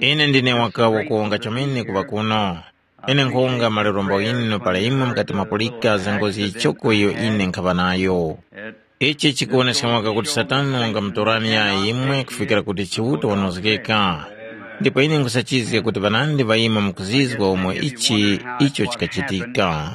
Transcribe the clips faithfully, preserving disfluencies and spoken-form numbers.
Ine ndine waka wakuwonga chomene kuŵa kuno. Ine nkhonga malirombo ghinu para imwe mukati mwapulika za ngozi yichoko iyo ine nkhaŵa nayo. Ichi chikuwoneska waka kuti Satana wangamutorani yayi imwe kufikira kuti Chiuta wanozgeka. Ndipo ine nkhusachizga kuti ŵanandi ŵa imwe mukuzizwa umo ichi icho chikachitika.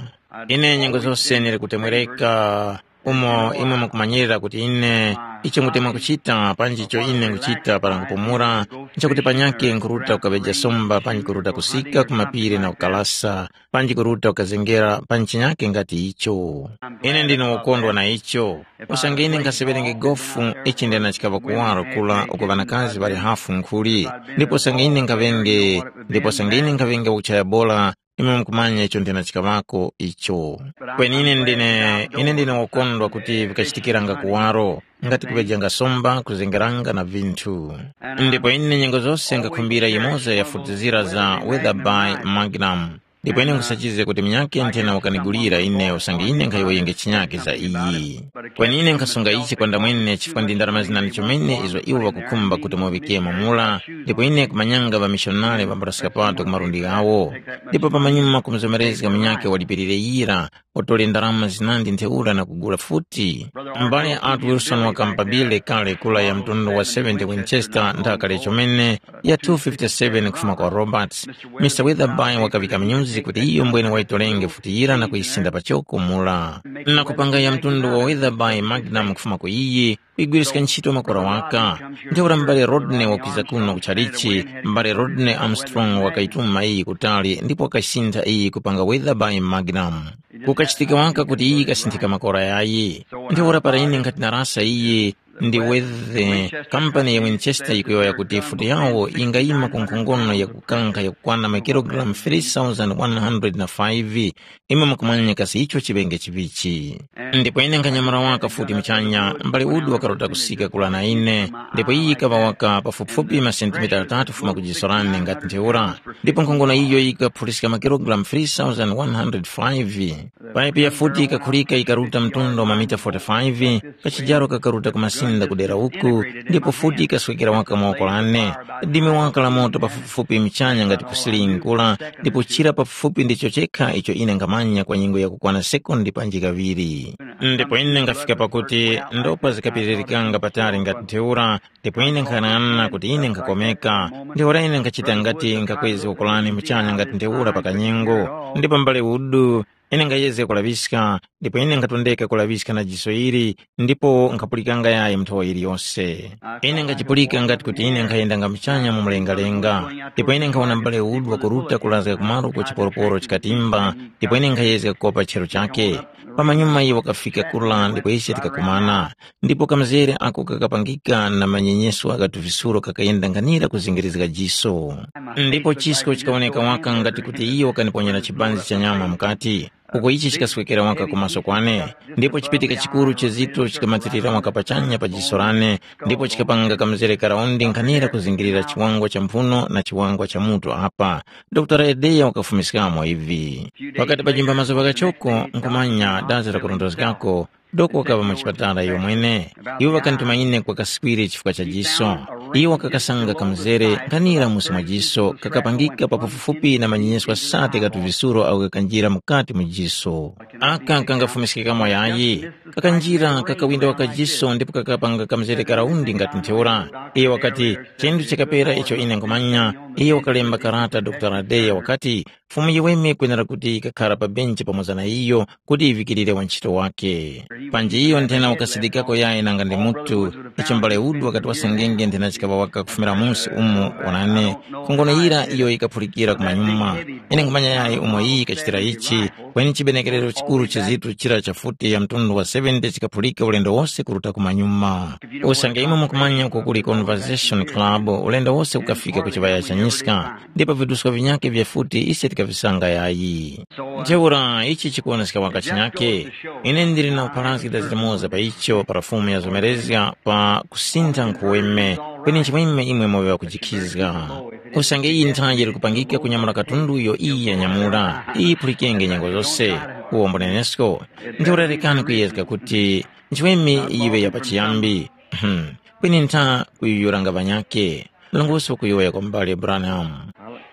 Ine nyengo zose nili kutemwereka umo imwe mukumanyirira kuti ine icho ngutemwa kuchita panji icho ine nguchita para nkupumula, nchakuti panyakhe nkuruta kukaŵeja somba panji kuruta kusika ku mapiri na kukalasa, panji kuruta kukazengera pa chinyakhe ngati icho. Ine ndine wokondwa na icho. Usange ine nkhaseŵerenge gofu, ichi ndena chikaŵa kuwaro kula uko ŵanakazi ŵali hafu nkhuli. Ndipo usange ine nkhaŵenge, ndipo usange ine nkhaŵenge wakuchaya bola, imwe mukumanya icho ndena chikaŵako icho. Kweni ine ndine, ine ndine wokondwa kuti vikachitikiranga kuwaro, ngati kuŵejanga somba, kuzengeranga na vinthu. Ndipo ine nyengo zose ngakhumbira yimoza ya futizira za Weatherby Magnum. Ndipo ine nkhusachizga kuti munyakhe nthena wakanigulira ine usange ine nkhayowoyenge chinyakhe za iyi. Kweni ine nkhasunga ichi kwa ndamwene chifukwa ndi ndarama zinandi chomene izo iwo ŵakukhumba kuti muŵikemo mura, ndipo ine kumanyanga ŵamishonari ŵambula sapato ku malundi ghawo. Ndipo pamanyuma kumuzomerezga munyakhe walipirire yira, watole ndarama zinandi ntheura na kugula futi. M'bale Art Wilson wakamupabile kale kula ya mtundu wa seventy Winchester nthaka chomene ya two fifty-seven kufuma kwa Roberts. Mister Weatherby wakaŵika myuzi kuti iyo mbwene wayitolenge futi yira na kuyisinda pachoko mura. Na kupanga ya mtundu wa Weatherby Magnum kufuma ku iyi, kuyigwiriska ntchito makora waka. Ntheura m'bale Rodney wakwiza kuno ku tchalichi, m'bale Rodney Armstrong wakayituma iyi kutali ndipo wakasintha iyi kupanga Weatherby Magnum. Kukachitika waka kuti iyi ikasinthika makora yayi. Ntheura para ine nkhati narasa iyi, ndi wethe kampani ya Winchester yikuyowoya kuti futi yawo yingayima ku nkhongono ya kukankha yakukwana makilogalamu three thousand one hundred na five, imwe mukumanya kasi icho chiŵenge chivichi. Ndipo ine nkhanyamula waka futi muchanya, m'bale udu wakarota kusika kula na ine, ndipo iyi yikaŵa waka pafupifupi masentimita ghatatu kufuma ku jiso lane ngati ntheura, ndipo nkhongono iyo yikaphuliska makilogalamu three thousand one hundred five. Paipi ya futi ikakhulika ikaruta mtunda wa mamita forty-five, kachijaro kakaruta ku masinda kudera uku, ndipo futi ikaswekera waka mu woko lane. Dimi waka la moto pafupifupi mchanya ngati ku silingi kula, ndipo chira pafupifupi ndicho chekha icho ine nkhamanya kwa nyengo yakukwana sekondi panji kaŵiri. Ndipo ine ngafika pakuti ndopa zikapiririkanga patali ngati ntheura, ndipo ine nkhanang'ana kuti ine nkhakomeka. Ntheura ine nkhachita ngati nkhakwezga woko lane muchanya ngati ntheura pa kanyengo, ndipo m'bale udu, ine ngayezga kulaŵiska, ndipo ine nkhatondeka kulaŵiska na jiso ili, ndipo nkhapulikanga yayi nthowa yiliyose. Ine ngachipulika ngati kuti ine nkhayendanga muchanya mu mlengalenga, ndipo ine nkhawona m'bale udu wakuruta kulazga kumalo ku chiporoporo chikatimba, ndipo ine nkhayezga kukopa chero chake. Pamanyuma iwo wakafika kula ndipo ise tikakumana, ndipo kamzere ako kakapangika na manyenyeswa gha tuvisuro kakayenda nkhanira kuzingirizga jiso. Ndipo chisko chikawoneka waka ngati kuti iyo wakaniponyera chibanzi cha nyama mukati, uko ichi chikaswekera waka kumaso kwane, ndipo chipitika chikuru chizito chikamatirira waka pachanya pa jiso lane, ndipo chikapanga kamzere karaundi nkhanira kuzingirira chiwangwa cha mphuno na chiwangwa cha mutu apa. Dr Edeya wakafumiskamo ivi, pakati pa jimba mazuŵa ghachoko nkhumanya dazi lakurondozgako, doko wakaŵa mu chipatala iyo mwene. Iwo ŵakandituma ine kwa kaswiri chifukwa cha jiso. Iwo wakakasanga kamzere nkhanira musi mwa jiso kakapangika pafupifupi na manyenyeswa sate gha tuvisuro awo ghakanjira mukati mu jiso. Aka kangafumiskikamo yayi, kakanjira kakawinda waka jiso ndipo kakapanga kamzere karaundi ngati ntheura. Iye wakati, chendu chakapera icho ine nkhumanya, iye wakalemba karata Dr Adeya wakati, Fumu yiweme kwenera kuti yikakhara pa benchi pamoza na iyo kuti yivikirire wantchito wake. Panji iyo nthena wakasidikako yayi nanga ndi mutu, icho mbale udu wakati wasengenge nthena chikaŵa waka kufumira musi umo wanane, khongono yira iyo yikaphulikira kumanyuma. Ine nkhumanya yayi umo iyi yikachitira ichi, kweni chibenekerero chikuru chizito chira cha futi ya mtundu wa seventy chikaphulika ulendo wose kuruta kumanyuma. Usange imwe mukumanya uko kuli Conversation Club, ulendo wose ukafika ku chiŵaya cha nyiska, ndipo viduska vinyakhe vya futi ise tikavisanga yayi. Ntheura ichi chikuwoneska waka chinyakhe. Ine ndili na kupharazga dazimoza pa icho para Fumu yazomerezga pa kusintha nkhuweme, kweni nchimwemwe imwe mwaŵa kujikhizga. Usange iyi nthaji yili kupangika kunyamula katundu iyo iyi yanyamula, iyi iphulikenge nyengo zose, uwombo nenesko. Ntheura rekani kuyezga kuti nchimwemwe yiŵe ya pachiyambi. Kweni ntha kuyuyuranga ŵanyakhe. Mlongosi wakuyowoya kwa m'bale Branham.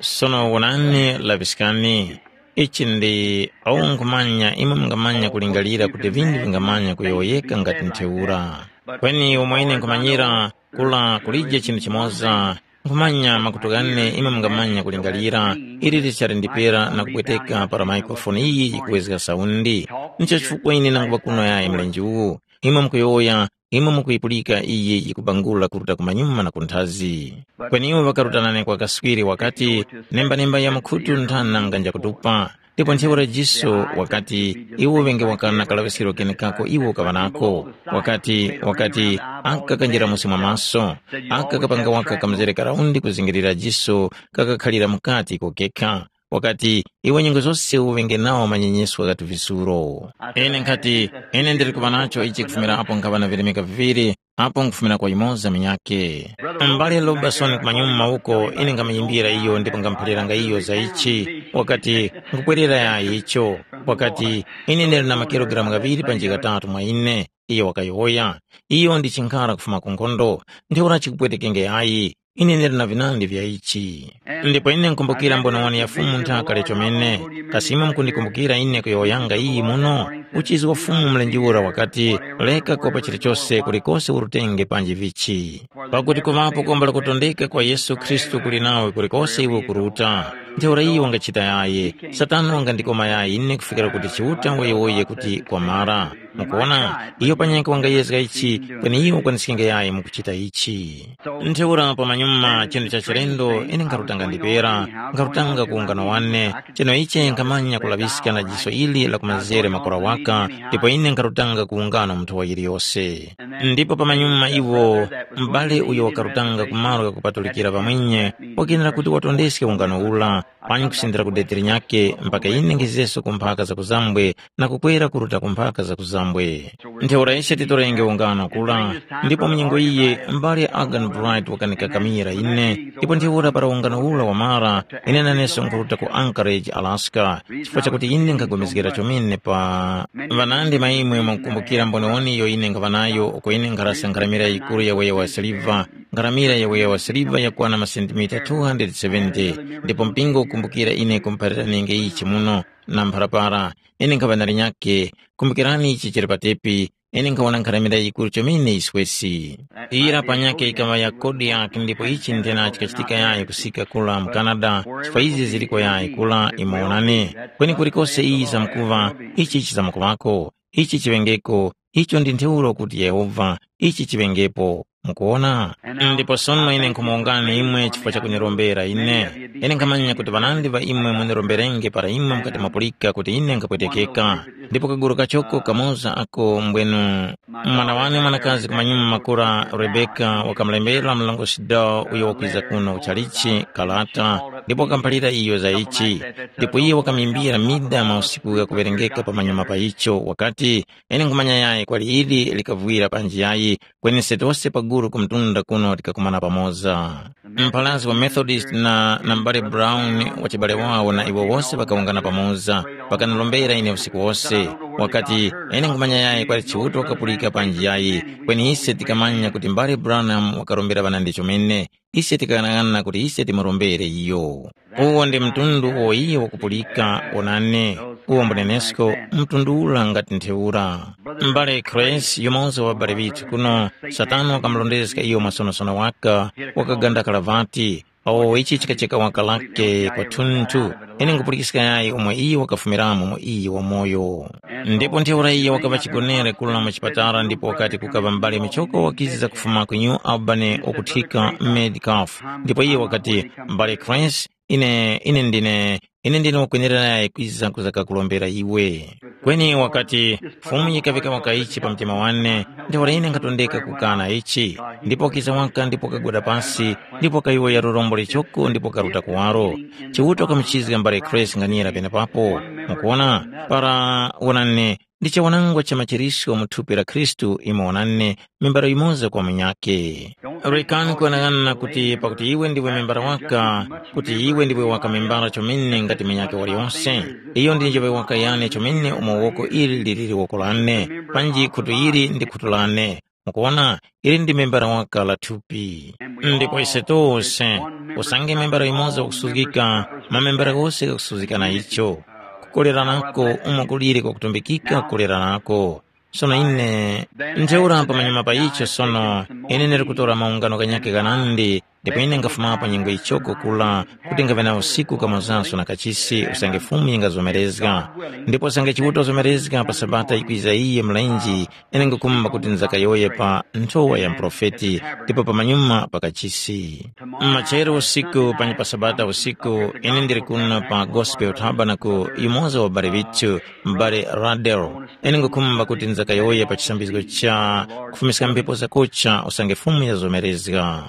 Sono wonani, laŵiskani. Ichi ndi awo nkhumanya imwe mungamanya kulingalira kuti vinthu vingamanya kuyowoyeka ngati ntheura. Kweni umo ine nkhumanyira, kula kulije chinthu chimoza, nkhumanya makutu ghane imwe mungamanya kulingalira, ili lichali ndipera na kupweteka para maikrofoni iyi yikuwezga saundi. Ncho chifukwa ine nanguŵa kuno yayi mlenje uwu. Imwe mukuyowoya, imwe mukuyipulika iyi yikubangula kuruta kumanyuma na kunthazi. Kweni iwo ŵakaruta nane kwa kaswiri wakati, nembanemba ya mukhutu nthana nga njakutupa. Ndipo ntheura jiso wakati, iwo ŵenge wakana kalaŵiskiro kenekako iwo kaŵa nako. Wakati, wakati, aka kanjira musi mwa maso, aka kapanga waka kamzere karaundi kuzingirira jiso kakakhalira mukati kokekha. Wakati, iwe nyengo zose uŵenge nawo manyenyeswa ghati visuro. Ine nkhati, ine ndili kuŵa nacho ichi kufumira apo nkhaŵa na virimika viŵiri, apo nkufumira kwa yumoza minyake. M'bale Roberson kumanyuma uko ine nkamayimbira iyo ndipo nkamuphaliranga iyo za ichi. Wakati, nkupwerera yayi icho. Wakati, ine ndili na makilogalamu ghaŵiri panji ghatatu mwa ine. Iyo wakayowoya, iyo ndi chinkhara kufuma ku nkhondo. Ntheura chikupwetekenge yayi. Ine ndili na vinandi vya ichi. Ndipo ine nkumbukira mbonewani ya Fumu nthaka chomene. Kasi imwe mukundikumbukira ine kuyowoyanga iyi muno? Uchizi wa Fumu mlenje ura wakati, leka kopa chilichose kulikose urutenge panji vichi. Pakuti kuŵapo komba lakutondeka kwa Yesu Khristu kuli nawe kulikose iwe ukuruta. Ntheura iyo wangachita yayi. Satana wangandikoma yayi ine kufikira kuti Chiuta wayowoye kuti kwamara. Mukuona, iyo panyakhe wangayezga ichi, kweni iyo wakwaniskenge yayi mukuchita ichi. Ntheura pamanyuma chinthu cha chilendo ine nkharutanga ndipera, nkharutanga ku ungano wane, chino ichi nkhamanya kulaŵiska na jiso ili la kumazere makora waka, ndipo ine nkharutanga ku ungano munthu wa yiliyose. Ndipo pamanyuma iwo, m'bale uyo wakarutanga ku malo ghakupatulikira pamwenye, wakenera kuti watondeske ungano ula, panyi kusindira ku deti linyakhe mpaka ine nkhizeso ku mphaka za kuzambwe na kukwera kuruta ku mphaka za kuzambwe. Ntheura ise titorenge ungano kula, ndipo mu nyengo iyi mbale Agan Bright wakanikakamira ine, ndipo ntheura para ungano ula wamara, ine naneso nkhuruta ku Anchorage, Alaska, chifukwa chakuti ine nkhapulikana chomene pa ŵanandi mwa imwe mukukumbukira mboniwoni iyo ine nkhaŵa nayo uko ine nkharasa nkharamira yikuru ya weya wa siliva, nkharamira ya weya wa siliva yakwana masentimita two hundred seventy, ndipo mpingo ukumbukira ine kumphalira nenge ichi muno, na mpharapara, ine nkhaŵa na linyakhe, kumbukirani ichi chili pa tepi, ine nkhaŵa na nkharamira yikuru chomene yiswesi. Ira panyakhe yikaŵa ya Kodiak ndipo ichi nthena chikachitika yayi kusika kula mu Canada, chifukwa izi ziliko yayi kula imuwonani. Kweni kulikose iyi zamkuŵa, ichi chizamkuŵako, ichi chiŵengeko, icho ndi ntheura kuti Yehova, ichi chiŵengepo. Mukuwona? Ndipo sono ine nkhumuwongani imwe chifukwa cha kundirombera ine. Ine nkhamanya kuti ŵanandi ŵa imwe mundiromberenge para imwe mukati mwapulika kuti ine nkhapwetekeka. Ndipo kaguru kachoko kamoza ako mbwenu mwana wane mwanakazi kumanyuma makura Rebeka wakamulembera mlongosi Doe uyo wakwiza kuno kuchalichi kalata, ndipo wakamuphalira iyo za ichi. Ndipo iye wakamuyimbira mida mausiku ghakuŵerengeka pamanyuma pa icho, wakati, ine nkhumanya yayi kwali ili likavwira panji yayi, kweni ise tose paguru ku mtunda kuno tikakumana pamoza. Mphalasi wa Methodist na, na m'bale Brown, wachibale wawo na iwo wose ŵakawungana pamoza, ŵakanirombera ine usiku wose. Wakati, ine nkhumanya yayi kwali Chiuta wakapulika panji yayi, kweni ise tikamanya kuti m'bale Branham wakarombera ŵanandi chomene. Ise tikaghanaghanana kuti ise timurombere iyo. Uwo ndi mtundu uwo iyo wakupulika, onani, uwo mbunenesko mtundu ura ngati ntheura. M'bale Chris, yumoza wa ŵabale ŵithu kuno, Satana wakamurondezga iyo mwasonosono waka, wakaganda kalavati, awo ichi chikacheka waka lake kwathunthu. Ine nkhupulikiska yayi umo iyo wakafumiramo mu iyi wamoyo. Ndipo ntheura iyo wakaŵa chigonere kula mu chipatala ndipo wakati kukaŵa m'bale muchoko wakiza kufuma ku New Albany ukuthika Metcalf. Ndipo iye wakati, m'bale Chris, ine, ine ndine, ine ndine wakwenerera yayi kwiza kuza kakulombera iwe. Kweni wakati, Fumu yikaŵika waka ichi pa mtima wane, ntheura ine nkhatondeka kukana ichi. Ndipo wakiza waka ndipo wakagwada pasi, ndipo wakayowoya lorombo lichoko ndipo wakaruta kuwaro. Chiuta wakamuchizga m'bale Chris nganira penepapo. Mukuwona, para wonani, ndi chawanangwa cha machirisco mu thupi la Khristu imo wonani, membara yumoza kwa munyakhe. Rekani kughanaghanana kuti pakuti iwe ndiwe membara waka, kuti iwe ndiwe waka membara chomene ngati munyakhe waliyonse. Iyo ndi njeŵe waka yane chomene umo woko ili liliri woko lane, panji khutu ili ndi khutu lane. Mukuwona, ili ndi membara waka la thupi. Ndipo ise tose, usange membara yumoza wakusuzgika, mamembara ghose ghakusuzgika na icho. Kukoleranako umo kuliri kwakutumbikika kukoleranako. Sono ine, ntheura pamanyuma pa icho sono, ine ndili kutora maungano ghanyakhe ghanandi, ndipo ine ngafumapo nyengo yichoko kula, kuti ngaŵe na usiku kamozanso na kachisi usange Fumu yingazomerezga. Ndipo usange Chiuta wazomerezga pa Sabata yikwiza iye mlenji, ine ngukhumba kuti nzakayowoye pa nthowa ya muprofeti, ndipo pamanyuma pa kachisi. Machero usiku panyi pa Sabata usiku, ine ndili kuno pa Gospel Tabernacle, yumoza wa bale ŵithu, m'bale Radel. Ine ngukhumba kuti nzakayowoye pa chisambizgo cha kufumiska mphepo zakucha usange Fumu yazomerezga.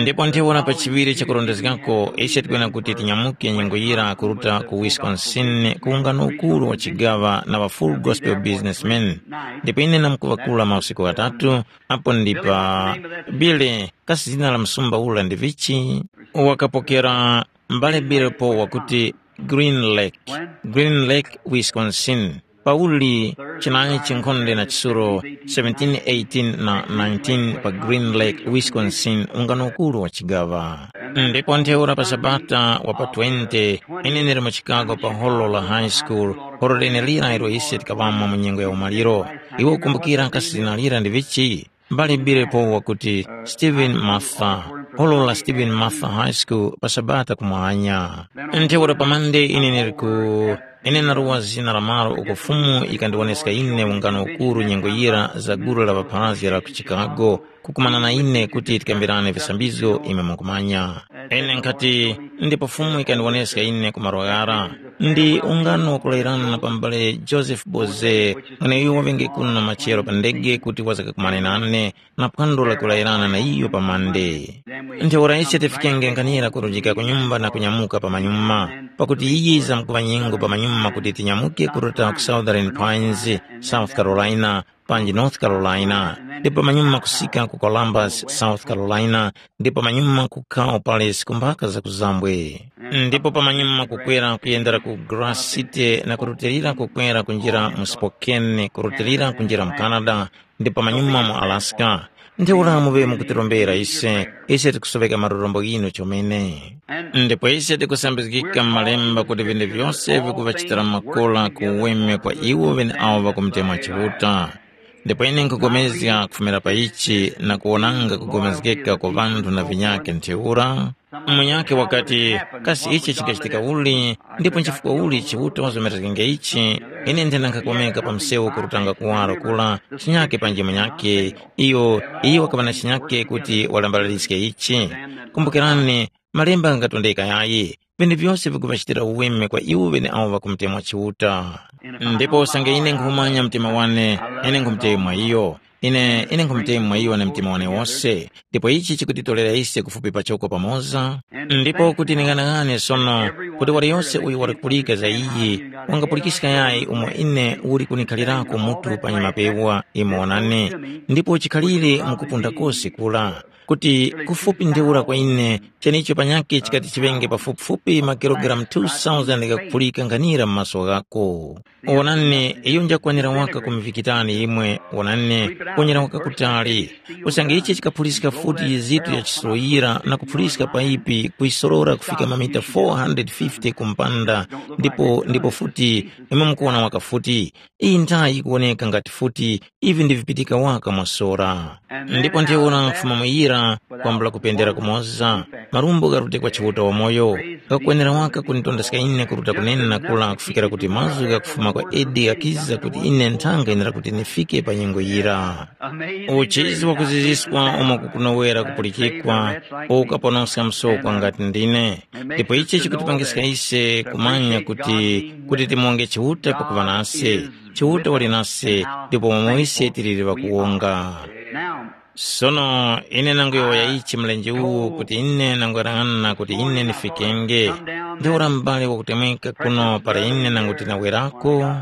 Ndipo ntheura pa chiŵiri chakurondezgako, ise tikwena kuti tinyamuke nyengo yira kuruta ku Wisconsin ku ungano ukuru wa chigaŵa na ŵa Full Gospel Businessmen. Ndipo ine namkuŵakula mausiku ghatatu, apo ndi pa Billy, kasi zina la msumba ula ndi vichi? Wakapokera m'bale Billy Paul wakuti Green Lake, Green Lake, Wisconsin. Pauli chinanyi chinkhonde na chisuro seventeen eighteen na nineteen pa Green Lake, Wisconsin, ungano ukuru wa chigaŵa. Ndipo ntheura pa Sabata wa pa twenty, ine ndili mu Chicago pa holo la high school, holo lenelira ilo ise tikaŵamo mu nyengo ya umaliro. Iwe ukumbukira kasi zina lira ndi vichi? Mbali bilepo wakuti Stephen Martha, holo la Stephen Martha High School pa Sabata kumwanya. Ntheura pa Mande ine nili ku ine naruwa zina la malo uko Fumu ikandiwoneska ine ungano ukuru nyengo yira za gulu la ŵapharazgi la ku Chicago kukumana na ine kuti tikambirane visambizo imwe mukumanya. Ine nkhati, ndipo Fumu ikandiwoneska ine ku malo ghara. Ndi ungano wakulairana na pa m'bale Joseph Boze, mweneuyo waŵenge kuno na machero pa ndege kuti wazakakumane nane na phwando la kulairana na iyo pa Mande. Ntheura ise tifikenge nkhanira kurunjika ku nyumba na kunyamuka pamanyuma, pakuti iyi yizamkuŵa nyengo pamanyuma kuti tinyamuke kuruta ku Southern Pines, South Carolina, panji North Carolina, ndipo pamanyuma kusika ku Columbus, South Carolina, ndipo pamanyuma ku Cow Palace ku mphaka za ku Zambwe. Ndipo pamanyuma kukwera kuyendera ku Grass City na kurutilira kukwera kunjira mu Spokane, kurutilira kunjira mu Canada, ndipo pamanyuma mu Alaska. Ntheura muŵe mukutirombera ise, ise tikusoveka marorombo ghinu chomene. Ndipo ise tikusambizgika mu Malemba kuti vinthu vyose vikuŵachitira makola ku uweme kwa iwo ŵeneawo ŵakumutemwa Chiuta. Ndipo ine nkhupulikana kufumira pa ichi na kuwonanga kugomezgeka kwa ŵanthu na vinyakhe ntheura. Munyakhe wakati, kasi ichi chikachitika uli, ndipo nchifukwa uli Chiuta wazomerezgenge ichi? Ine nthena nkhakomeka pa msewu kurutanga kuwaro kula, chinyakhe panji munyakhe, iyo, iyo wakaŵa na chinyakhe kuti walambalaliske ichi. Kumbukirani, Malemba ghangatondeka yayi, vinthu vyose vikuŵachitira uweme kwa iwo ŵeneawo ŵakumutemwa Chiuta. Ndipo usange ine nkhumanya mtima wane, ine nkhumutemwa iyo. Ine, ine nkhumutemwa iyo na mtima wane wose. Ndipo ichi chikutitorera ise kufupi pachoko pamoza. Ndipo kuti ning'anang'ane sono, kuti waliyose uyo wali kupulika za iyi, wangapulikiska yayi umo ine uli kunikhalirako mutu pa mapewa, imo wonani. Ndipo chikhalire mukupunda kose kula. Kuti kufupi ntheura kwa ine, chenicho panyakhe chikati chiŵenge pafupifupi makilogalamu two thousand ghakuphulika nkhanira m'maso ghako. Wonani, iyo njakwanira waka kumuvikirani imwe, wonani, kwenyera waka kutali. Usange ichi chikaphuliska futi yizito ya chisoyira na kuphuliska paipi kuyisorora kufika mamita four hundred fifty kumpanda, ndipo ndipo futi imwe mukuwona waka futi, iyi nthayi yikuwoneka ngati futi ivi ndi vipitika waka mwasora. Ndipo ntheura mfuma muyira kwambula kupendera kumoza, marumbo gharute kwa Chiuta wamoyo, ghakwenera waka kunitondeska ine kuruta kunena kula kufikira kuti mazgu ghakufuma kwa edi ghakiza kuti ine nthanga yenera kuti nifike pa nyengo yira. Uchizi wakuziziswa umo kukunowera kupulikikwa, ukaponoska msokwa ngati ndine. Ndipo ichi chikutipangiska ise kumanya kuti, kuti timonge Chiuta pakuva nase. Chiuta wali nase, ndipo momwe ise tiliri ŵakuwonga. Sono ine nanguyowoya ichi mlenje uwu kuti ine nanguyang'ana kuti ine ndifikenge. Ntheura m'bale wakutemweka kuno para ine nanguti nawerako,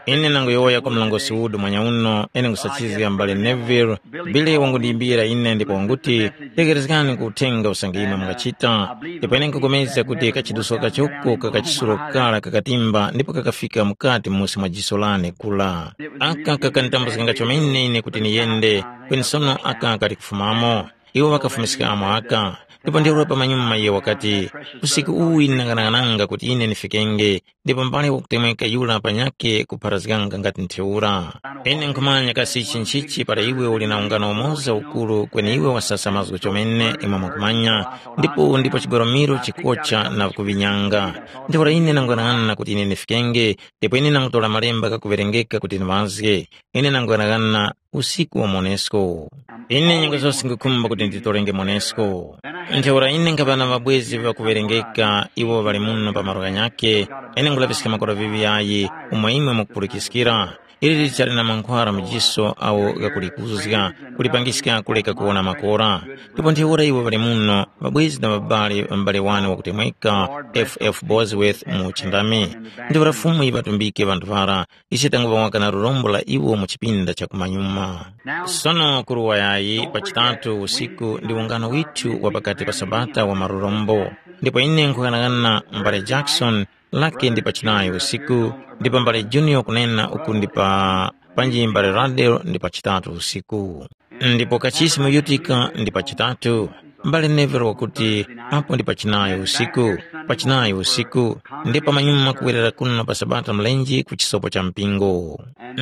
ine nanguyowoya kwa mlongosi Wood mwanyauno, ine ngusachizga m'bale Neville, Billy wangundiyimbira ine ndipo wanguti, tegherezgani ku uthenga usange imwe mungachita. Ndipo ine nkapulikana kuti kachiduso kachoko kakachisuro kara kakatimba ndipo kakafika mukati musi mwa jiso lane kula. Aka kakanditambuzganga chomene ine kuti niyende, Kweni sono aka kali kufumamo. Iwo ŵakafumiskamo aka. Ndipo ntheura pamanyuma iyo wakati, usiku uwu ine ndang'anang'ananga kuti ine ndifikenge, ndipo mbale wakutemweka yura panyakhe kupharazganga ngati ntheura. Ine nkhumanya kasi ichi nchichi para iwe uli na ungano umoza ukuru kweni iwe wasasa mazgu chomene imwe mwakumanya, ndipo ndipo chigoromiro chikocha na kuŵinyanga. Ntheura ine nangwanang'ana kuti ine ndifikenge, ndipo ine nangutora malemba ghakuŵerengeka kuti ndiŵazge. Ine nangwanang'ana usiku wa monesko. Ine nyengo zose nkhukhumba kuti nditorenge monesko. Ntheura ine nkhaŵa na ŵabwezi ŵakuŵerengeka iwo ŵali muno pa malo ghanyakhe, ine nkulaŵiska makora viŵiyayi umo imwe mukupulikiskira. Ili lichali na mankhwara mu jiso awo ghakulikuzga, kulipangiska kuleka kuwona makora. Ndipo ntheura iwo ŵali muno, ŵabwezi na ŵabale ŵa m'bale wane wakutemweka F F Bosworth mu chindami. Ntheura Fumu yiŵatumbike ŵanthu ŵara, ise tanguŵawaka na lurombo la iwo mu chipinda cha kumanyuma. Sono kuruwa yayi pa chitatu usiku ndi ungano withu wa pakati pa Sabata wa marurombo. Ndipo ine nkhughanaghana mbale Jackson lake ndi pa chinayi usiku, ndipo mbale Junior kunena uku ndi pa panji mbale Radel ndi pa chitatu usiku. Ndipo kachisi mu Utica ndi pa chitatu. Mbale Neville wakuti apo ndi pa chinayi usiku, pa chinayi usiku, ndi pamanyuma kuwerera kuno pa Sabata mlenje ku chisopo cha mpingo.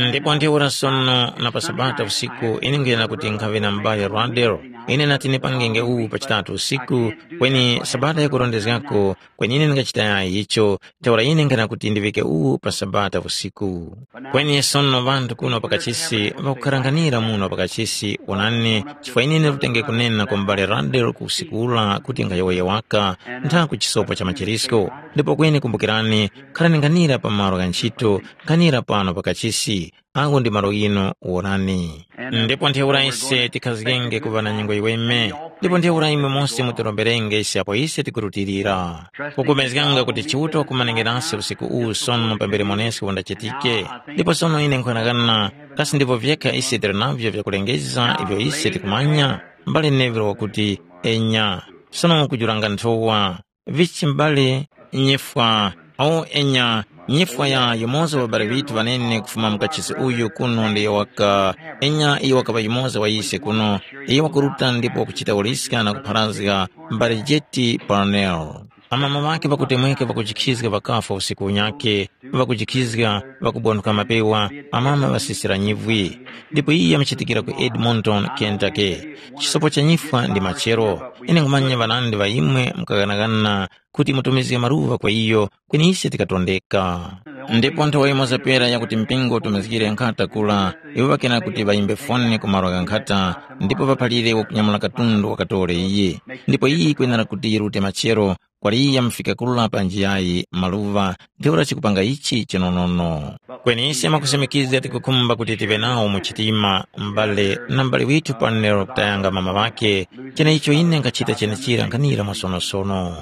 Ndipo ntheura sono na pa Sabata usiku ine nkhuyena kuti nkhaŵe na m'bale Randall. Ine nati ndipangenge uwu pa chitatu usiku, kweni Sabata yakurondezgako, kweni ine ndingachita yayi icho, ntheura ine nkhana kuti ndiŵike uwu pa Sabata usiku. Kweni sono ŵanthu kuno pakachisi ŵakukharanghanira muno pakachisi, onani, chifukwa ine ndilutenge kunena kwa m'bale Randall ku usiku ula kuti nkhayowoye waka, ntha ku chisopo cha machirisko. Ndipo kweni kumbukirani, kharani nkhanira pa malo gha ntchito, nkhanira pano pakachisi, agho ndi malo ghinu, wonani. Ndipo ntheura ise tikhazgenge kuŵa na nyengo yiweme, ndipo ntheura imwe mose mutiromberenge ise apo ise tikurutilira. Kupulikana kuti Chiuta wakumanengera nase usiku uwu sono pambere mwanesko undachitike. Ndipo sono ine nkhwenekana, kasi ndivyo vyekha ise tili navyo vyakulengeza ivyo ise tikumanya? Mbale Neville wakuti, enya. Sono nkujuranga nthowa. Vichi m'bale, nyifwa, o enya, nyifwa ya yumoza wa ŵabale ŵithu ŵanene kufuma mu kachisi uyu kuno ndiyo waka, enya iyo wakaŵa yumoza wa ise kuno, iyo wakuruta ndipo wakuchita uliska na kupharazga m'bale Jeti Parnell. Amama ŵakhe ŵakutemweka ŵakujikhizga ŵakafwa usiku unyakhe, ŵakujikhizga, ŵakubonduka mapewa, amama ŵasisira nyivwi. Ndipo iyi yamachitikira ku Edmonton, Kentucky. Chisopo cha nyifwa ndi machero. Ine nkhumanya ŵanandi ŵa imwe mukaghanagana kuti mutumizge maluŵa kwa iyo, kweni ise tikatondeka. Ndipo nthowa yimoza pera yakuti mpingo utumizgire nkhata kula, iwo ŵakena kuti ŵayimbe foni ku malo gha nkhata, ndipo ŵaphalire wakunyamula katundu wakatore iye. Ndipo iyi yikwenera kuti yirute machero, kwali yamufika kula pa njiyayi maluŵa, ntheura chikupanga ichi chinonono. Kweni ise mwakusimikizga tikukhumba kuti tive nawo mu chitima, m'bale na m'bale withu Parnell kutayanga mama ŵakhe, cheneicho ine nkhachita chenechira nkhanira mwasonosono.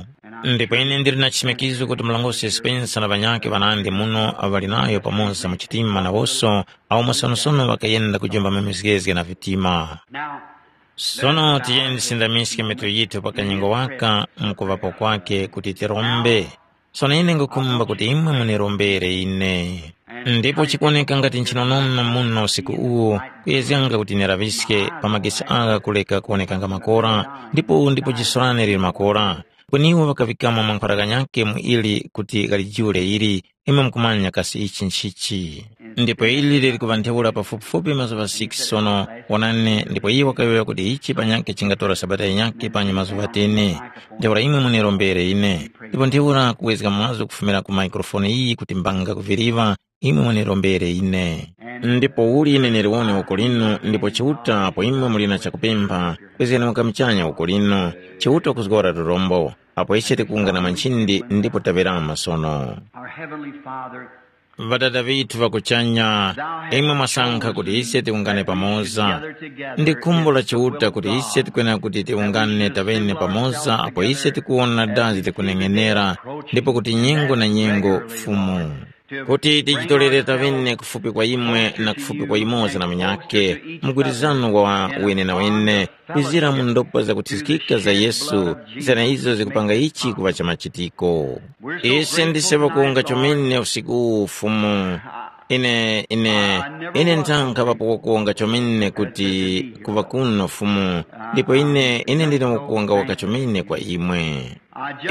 Ndipo ine ndili na chisimikizo kuti mlongosi Spencer na ŵanyakhe ŵanandi muno awo ŵali nayo pamoza mu chitima nawonso awo mwasonosono ŵakayenda kujomba mamizgezge na vitima. Sono tiyeni tisindamiske mitu yithu pa kanyengo waka mkuŵapo kwake kuti tirombe. Sono ine ngukhumba kuti imwe munirombere ine. Ndipo chikuwoneka ngati nchinonono muno usiku uwu kuyezganga kuti niraŵiske pa magesi agha kuleka kuwonekanga makora, ndipo ndipo jiso lane lili makora. Kweni iwo ŵakaŵikamo mankhwara ghanyakhe mu ili kuti ghalijule ili, imwe mukumanya kasi ichi nchichi. Ndipo ili lili kuŵa ntheura pafupifupi mazuŵa six sono, wonani, ndipo iye wakayowoya kuti ichi panyakhe chingatora sabata yinyakhe panyi mazuŵa teni. Ntheura imwe munirombere ine. Ndipo ntheura kuwezga mazgu kufumira ku maikrofoni iyi kuti mbanga kuviriva, imwe munirombere ine. Ndipo uli ine ndiliwone uko lino, ndipo Chiuta apo imwe muli na chakupempha, kwezgani waka muchanya uko lino. Chiuta wakuzgora lurombo, apo ise tikuwungana mwa nchindi ndipo taŵeramo masono. Our Heavenly Father, Ŵadada ŵithu ŵa kuchanya, imwe mwasankha kuti ise tiwungane pamoza. Ndi khumbo la Chiuta kuti ise tikwenera kuti tiwungane taŵene pamoza apo ise tikuwona dazi likuneng'enera, ndipo kuti nyengo na nyengo Fumu. Kuti tijitorere taŵene kufupi kwa imwe na kufupi kwa yumoza na munyakhe, mgwirizano wa wene na wene, kwizira mu ndopa zakuthizgika za Yesu, zana izo zikupanga ichi kuŵa cha machitiko. Ise ndise ŵakuwunga chomene usiku uwu Fumu. Ine, ine, ine nthankhaŵapo wakuwonga chomene kuti kuŵa kuno Fumu, ndipo ine, ine ndine wakuwonga waka chomene kwa imwe.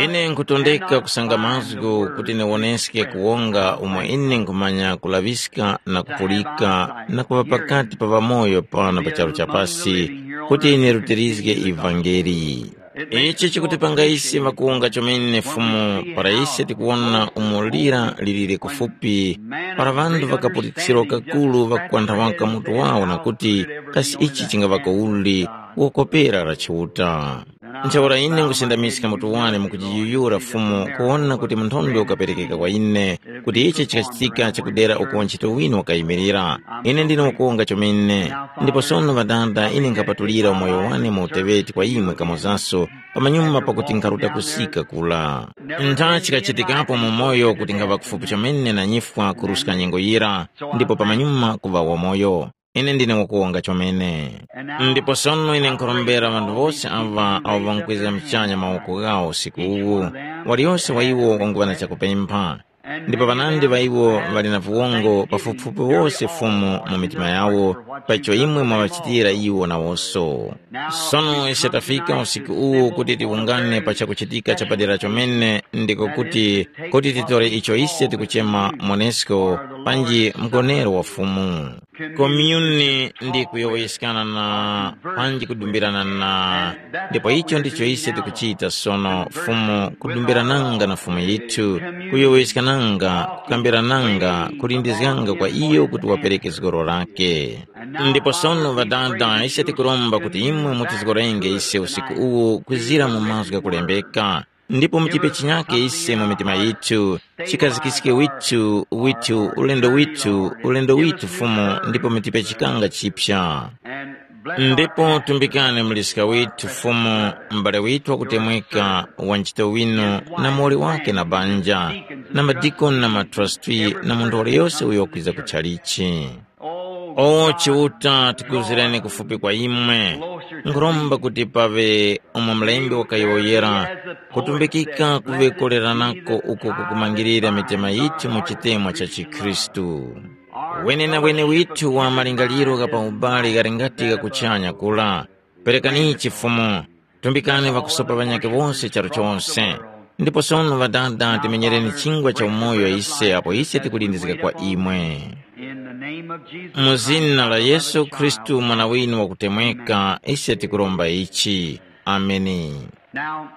Ine nkhutondeka kusanga mazgu kuti niwoneske kuwonga umo ine nkhumanya kulaŵiska na kupulika na kuŵa pakati pa ŵamoyo pano pa charu cha pasi, kuti nirutirizge ivangeli. Ichi chikutipanga ise ŵakuwunga chomene Fumu para ise tikuwona umo lira lilire kufupi, para ŵanthu ŵakapulikisiro kakuru ŵakukwantha waka mutu wawo na kuti, kasi ichi chingaŵako uli wokopera la Chiuta. Ntheura ine nkusindamiska mutu wane mukujiyuyura Fumu kuwona kuti munthondo ukaperekeka kwa ine, kuti ichi chikachitika chakudera uko ntchito winu wakayimirira. Ine ndine wakuwonga chomene, ndipo sono ŵadada ine nkhapatulira umoyo wane mu uteŵeti kwa imwe kamozaso, pamanyuma pakuti nkharuta kusika kula. Ntha chikachitikapo mu moyo kuti nkhava kufupi chomene na nyifwa kuruska nyengo yira, ndipo pamanyuma kuva wamoyo. Ine ndine wakuwonga chomene. Ndipo sono ine nkhurombera ŵanthu wose aŵa awo ŵamkwiza muchanya mawoko ghawo usiku uwu, waliyose wa iwo wanguŵa na chakupempha. Ndipo ŵanandi ŵa iwo ŵali na viwongo pafupifupi wose Fumu mu mitima yawo, pa icho imwe mwaŵachitira iwo nawonso. Sono ise tafika usiku uwu kuti tiwungane pa chakuchitika chapadera chomene, ndiko kuti, kuti titore icho ise tikuchema monesko, panji mgonero wa Fumu. Komyuni ndi kuyowoyeskana na panji kudumbirana na. Ndipo icho ndicho ise tikuchita sono, Fumu, kudumbirananga na Fumu yithu, kuyowoyeskananga, kukambirananga, kulindizganga kwa iyo kuti wapereke zgoro lake. Ndipo sono ŵadada, ise tikuromba kuti imwe mutizgorenge ise usiku uwu kuzira mu mazgu ghakulembeka, ndipo mutipe chinyake ise mu mitima yithu, chikazikiske withu, withu, ulendo withu, ulendo withu Fumu, ndipo mutipe chikanga chipya. Ndipo tumbikani muliska withu Fumu, m'bale withu wakutemweka wa ntchito winu, na muwoli wake na banja, na madikoni na matrustwi na munthu waliyose uyo wakwiza ku chalichi. O Chiuta, tikuzireni kufupi kwa imwe. Nkhuromba kuti paŵe umo mlembi wakayowoyera, kutumbikika kuŵekoleranako uko kukumangirira mitima yithu mu chitemwa cha chikhristu. Wene na wene withu wa malingaliro gha pa ubale ghali ngati ghakuchanya kula. Perekani chifumu, tumbikani ŵakusopa ŵanyakhe wose charu chose. Ndipo sono Ŵadada, timenyereni chingwa cha umoyo ise apo ise tikulindizika kwa imwe. In the name of Jesus Mu Christ, zina la Yesu Khristu, mwana winu wakutemweka, ise tikuromba ichi. Ameni. Now,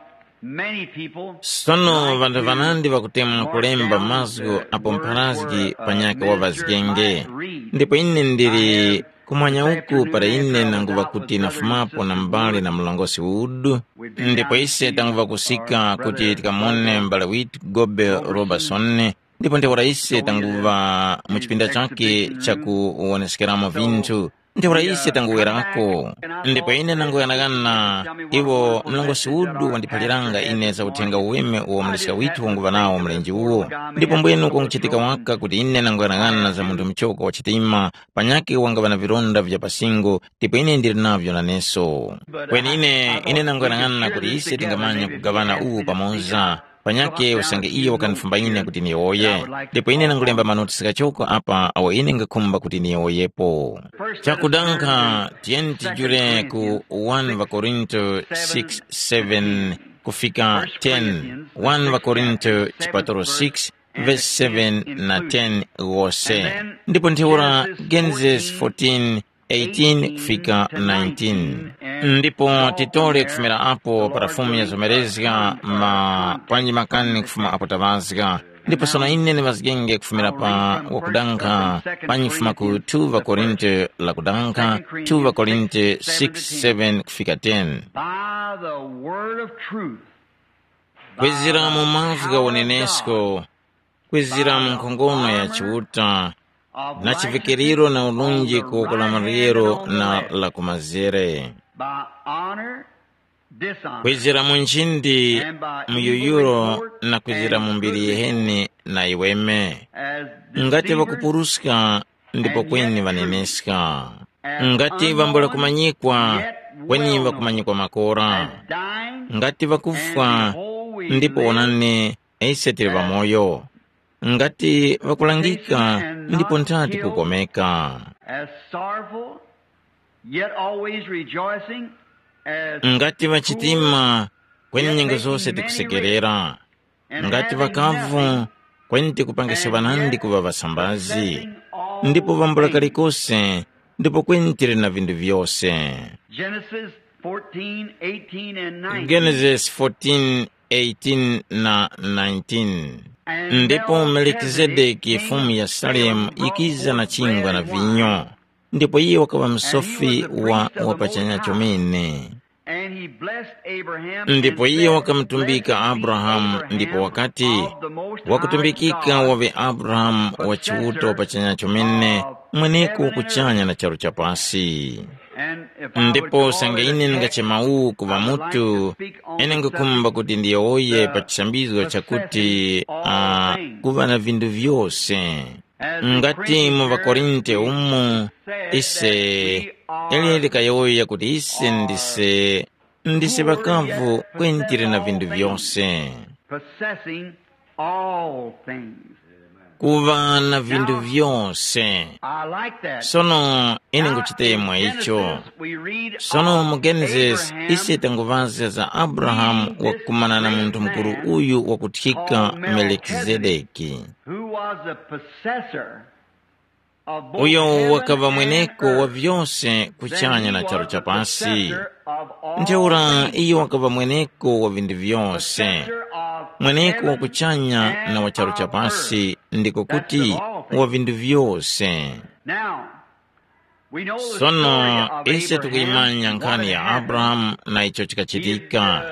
many people Sono like ŵanthu to ŵanandi ŵakutemwa kulemba mazgu apo mpharazgi panyaka wa ŵazgenge. Ndipo ine ndili kumwanya uku para ine nanguŵa kuti nafumapo na mbali na mlongosi udu. Ndipo ise tanguŵa kusika kuti tikamone m'bale witu Gobe Roberson, ndipo ntheura ise tanguŵa mu chipinda chakhe chakuwoneskeramo vinthu. Ntheura ise tanguwerako. Ndipo ine nangoyanagana iwo mlongosi udu wandiphaliranga ine za uthenga uweme uwo muliska withu wanguŵa nawo mlenje uwo. Ndipo mbwenu kunguchitika waka kuti ine nangoyanagana za munthu muchoko wa chitima, panyakhe wangaŵa na vilonda vya pasingo, ndipo ine ndili navyo naneso. Kweni ine ine nangoyanagana kuti ise tingamanya kugaŵana uwu pamoza. Panyakhe usange iyo wakanifumba ine kuti niyowoye, ndipo ine nangulemba manotisi kachoko apa awo ine ngakhumba kuti niyowoyepo. Chakudankha, tiyeni tijule ku one Ŵakorinto six seven kufika ten. One Ŵakorinto chipatolo six, verse seven na ten wose. Ndipo ntheura Genesis fourteen, eighteen kufika nineteen. Ndipo titole kufumira apo para fumu yazomerezga ma panji makani kufuma apo taŵazga. Ndipo sono ine ndiŵazgenge kufumira pa wakudankha panji kufuma ku two Ŵakorinto lakudankha, two Ŵakorinto six seven kufika ten. By the word of truth, Kwezera mu mazgu gha unenesko, kwezera mu nkhongono ya Chiuta, na chivikiriro na ulunji ku woko la maryero na la kumazere. By honor, dishonor, Kwezera mu nchindi, and by muyuyuro evil report na kwezera and mu mbiri good report. Yiheni na iweme. As Ngati deceivers ŵakupuruska, ndipo and kweni yet true. Ŵaneneska. And Ngati ŵambula unknowing, kumanyikwa, yet kweni well ŵakumanyikwa known. Makora. As dying, Ngati ŵakufwa, and behold, we ndipo live, onani, ise tili ŵamoyo. ngati ŵakulangika ndipo nthati kukomeka. As sorrowful, yet always rejoicing, as ngati ŵachitima, kweni nyengo zose tikusekerera. Ngati ŵakavu, kweni tikupangiska ŵanandi kuŵa ŵasambazi, ndipo vambula kalikose, ndipo kweni tili na vinthu vyose. Genesis fourteen, eighteen and nineteen. Genesis fourteen, eighteen na nineteen. Ndipo Melikizedeki, fumu ya Salemu, yikiza na chingwa na vinyo, ndipo iye wakaŵa msofi wa wapachanya chomene. And he blessed Abraham. Ndipo and iye said, wakamutumbika Blessed be Abrahamu, Abraham ndipo wakati, of the Most High wakutumbikika God, wawe Abrahamu wa chiuto pa chanya chomene, mweneko kuchanya na charu cha pasi. And if I would ndipo call it usange a ine text, ndingachema uwu kuva I would like to mutu speak on ene the ngakhumba subject, kuti ndiyowoye pa uh, chisambizgo chakuti possessing all ah, things. Kuva na vinthu vyose. Ngati mu ŵakorinte umu, ise ili likayowoya kuti ise ndise ndise ŵakavu kwentire na vinthu vyose. Possessing all things. Kuva na vinthu vyose. I like that. Sono ine nguchiteye mwa icho. Sono mu genesis ise tanguŵazga za abrahamu wakukumana na munthu mukuru uyu wakuthika melekizedeki, who was the possessor of both uyo heaven wakaŵa and mweneko earth. Wa vyose kuchanya na charu chapasi. Ntheura iyo wakaŵa mweneko wa vinthu vyose, mweneko wa kuchanya na wa charu chapasi, ndiko kuti wa vinthu vyose. Now, we know the story. Sono of ise Abraham tukuyimanya and what nkhani ya had happened. Abrahamu na icho chikachitika.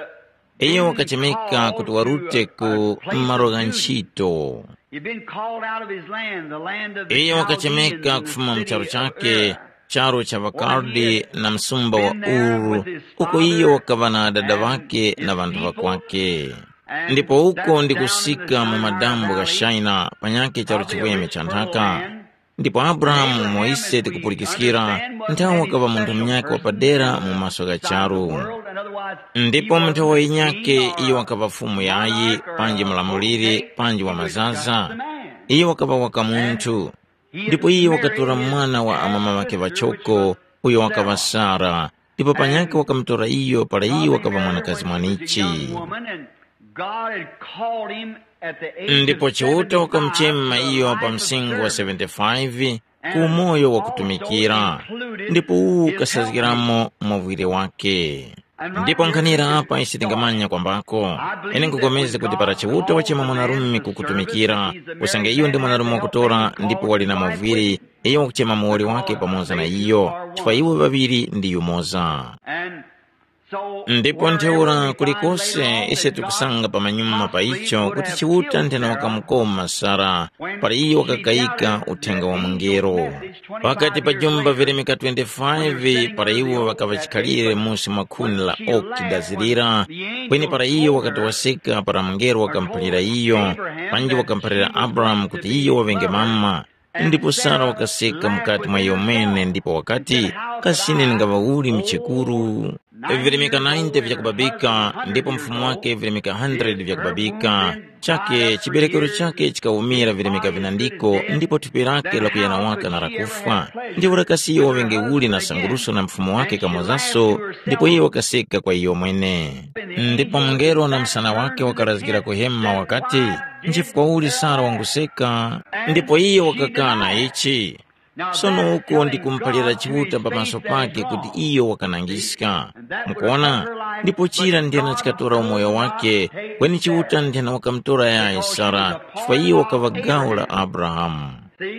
Iye wakachemeka kuti warute ku malo gha ntchito. He'd been called out of his land, the land of the Iye wakachemeka Chaldeans, and the kufuma mu city charu of chake, Ur. Charu cha ŵakaldi na msumba wa Uru, uko iye wakaŵa na adada ŵake na ŵanthu ŵakwake. Ndipo uko ndi kusika mu madambo gha Shaina, panyakhe charu chiweme cha nthaka. Ndipo Abrahamu umo ise tikupulikiskira, nthawe wakaŵa munthu munyakhe wapadera mu maso gha charu. Ndipo mu nthawe yinyakhe iyo wakaŵa fumu yayi, panji mulamuliri, panji wa mazaza. Iyo wakaŵa waka munthu. Ndipo iyo wakatora mwana wa amama ŵakhe ŵachoko, uyo wakaŵa Sara, ndipo panyakhe wakamutora iyo para iyo wakaŵa mwanakazi mwanichi. Ndipo Chiuta wakamuchema iyo pa msinkhu wa seventy-five ku umoyo wa kutumikira, ndipo uwu ukasazgiramo mwaŵire wake. Ndipo nkhanira apa ise tingamanya kwambako, ine nkupulikana kuti para Chiuta wachema mwanarume kukutumikira, usange iyo ndi mwanarume wakutora ndipo wali na mwaŵiri, iyo wakuchema muwoli wake pamoza na iyo, chifukwa iwo ŵaŵiri ndi yumoza. Ndipo ntheura kulikose ise tikusanga pamanyuma pa icho kuti Chiuta nthena wakamukoma Sara para iyo wakakayika uthenga wa mungelo. Pakati pa jumba vilemeka twenty-five para iwo ŵakaŵa chikhalire musi mwa khuni la oki dazirira, kweni para iyo wakati waseka para mungelo wakamuphalira iyo, panji wakamuphalira Abrahamu kuti iyo waŵenge mama, ndipo Sara wakaseka mukati mwa iyo mwene ndipo wakati, kasi ine ndingaŵa uli mchikuru? Virimika ninety vyakubabika, ndipo mfumu wake virimika hundred vyakubabika. Chake chiberekero chake chikawumira virimika vinandiko, ndipo thupi lake lakuya na waka na lakufwa. Ndipo lakasiyo wenge uli na sanguruso na mfumu wake kamozaso, ndipo iye wakaseka kwa iyo mwene. Ndipo mngelo na msana wake wakarazgira kuhema wakati, nchifukwa uli Sara wanguseka? Ndipo iye wakakana ichi. Sono uko ndikumuphalira Chiuta pamaso pake kuti iyo wakanangiska. Mukuona? Ndipo chira nthena chikatora umoyo wake, kweni Chiuta nthena wakamutora yayi Sara, chifukwa iyo wakaŵa gawo la Abrahamu.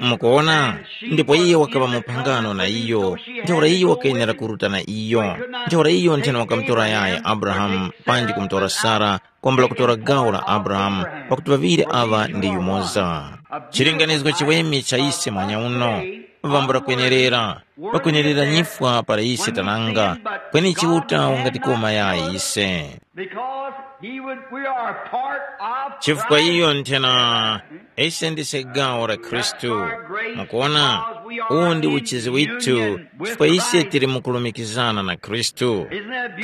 Mukuona? Ndipo iye wakaŵa mu phangano na iyo, ntheura iyo wakayenera kuruta na iyo. Ntheura iyo nthena wakamutora yayi Abrahamu, panji kumutora Sara, kwambula kutora gawo la Abrahamu, pakuti ŵaŵiri aŵa ndi yumoza. Chilinganizo chiweme cha ise mwanya uno, vambula kwenerera, pakwenerera nyifwa para ise tananga, kweni Chiuta wangatikoma yayi ise. Because he would, we are a part of chifukwa Christ. Iyo nthena ise ndise gawo la Khristu. Mukuona, Uwu ndi uchizi withu, chifukwa ise tili mukulumikizana na Khristu.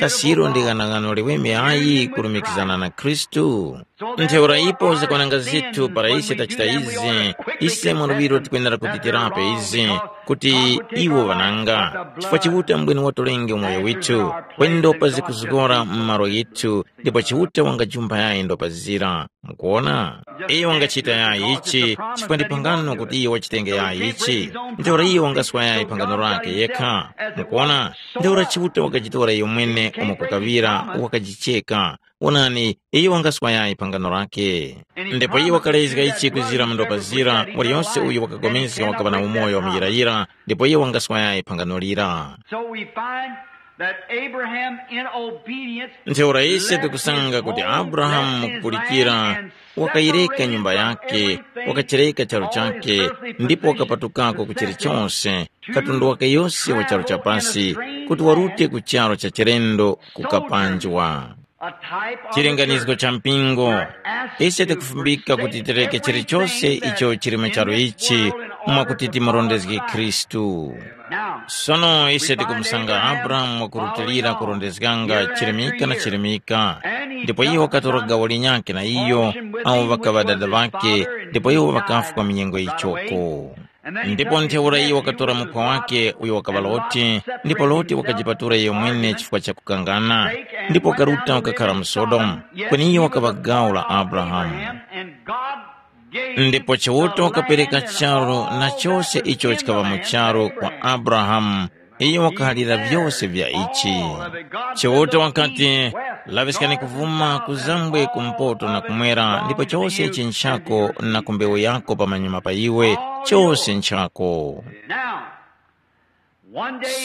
Kasiro ndi ghanag'ano liweme ayi kulumikizana na Khristu. Ntheura ipo zakwananga zithu para ise tachita izi, ise mwaluŵiro tikwenera kuti tirape izi, kuti iwo ŵananga. Chifukwa Chiuta mbwene watolenge umoyo withu, kweni ndopa zikuzgora mu malo yithu, ndipo Chiuta wangajumba yayi ndopa zira. Mukuona? Iyo wangachita yayi ichi, chifukwa ndi phangano kuti iyo wachitenge yayi ichi. Ntheura iyo wangaswa yayi phangano lake yekha. Mukuona? Ntheura Chiuta wakajitora iyo mwene umo kukaŵira, wakajicheka. Wonani, iyo wangaswa yayi phangano lake. Ndipo iyo wakalezga ichi kwizira mu ndopa zira, waliyonse uyo wakapulikana wakaŵa na umoyo wa muyirayira, ndipo iyo wangaswa yayi phangano lira. So we find that Abraham in obedience Ntheura ise left tikusanga his kuti home, Abrahamu left his mukupulikira land, and wakayireka separated nyumba from yake, everything, wakachereka charu all his chake, earthly ndipo possessions, wakapatukako ku possessions, chilichonse, katundu wake yose wa charu cha pasi, kuti warute ku charu cha chilendo kukapanjwa. A type of the chilinganizo church. Cha mpingo. Ise tikufumbika kuti tireke chilichonse icho chili mu charu ichi, mwakuti timurondezge Khristu. Sono ise tikumusanga Abrahamu wakurutilira kurondezganga chirimika na chirimika, ndipo iwo wakatora gawo linyakhe na iyo, awo ŵakaŵa dada ŵakhe, ndipo iwo ŵakafwa mu nyengo yichoko. Ndipo ntheura iyo wakatora mukhwa wake uyo wakaŵa Loti, ndipo Loti wakajipatura iyo mwene chifukwa cha kukangana, ndipo wakaruta wakakhara mu Sodomu, kweni iyo wakaŵa gawo la Abrahamu. Ndipo Chiuta wakapereka charu na chose icho chikaŵa mu charu kwa Abrahamu, iyo wakahalira vyose vya ichi. Chiuta wakati, laŵiskani kuvuma kuzambwe kumpoto na kumwera, ndipo chose ichi nchako na ku mbewu yako pamanyuma pa iwe, chose nchako.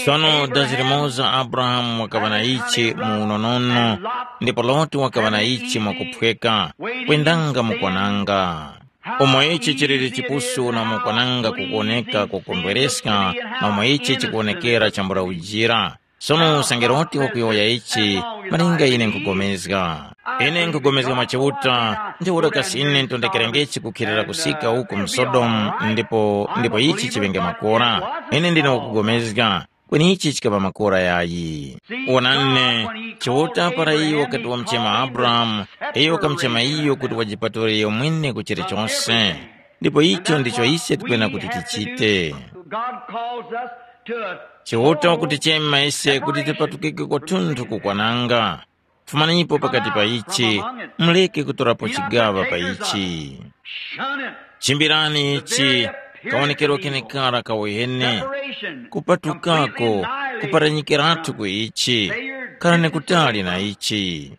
Sono dazi limoza Abrahamu wakaŵa na ichi mu unonono, ndipo Loti wakaŵa na ichi mwakuphweka, kwendanga mu kwananga. Umo ichi chiliri chipusu na umo kwananga kukuwoneka kukondwereska, na umo ichi chikuwonekera chambula ujira. Sono usange Loti wakuyowoya ichi, malinga ine nkhugomezga. Ine nkhugomezga mwa Chiuta, ntheura kasi ine ntondekerengechi kukhilira kusika uku mu Sodomu, ndipo ndipo ichi chiŵenge makora. Ine ndine wakugomezga, kweni ichi chikaŵa makora yayi. Wonani, Chiuta para iyo wakati wamuchema Abrahamu, iyo wakamuchema iyo kuti wajipatule iyo mwene ku chilichonse. Ndipo icho ndicho ise tikwena kuti tichite. God calls us to a Chiuta wakutichema ise kuti tipatukike kwathunthu kukwananga. Fumanipo pakati pa ichi, muleke kutorapo chigaŵa pa ichi. Shun it. Chimbirani ichi, kawonekero kenekara kawihene, kupatukako, kuparanyikiratu ku ichi, khalani kutali na ichi.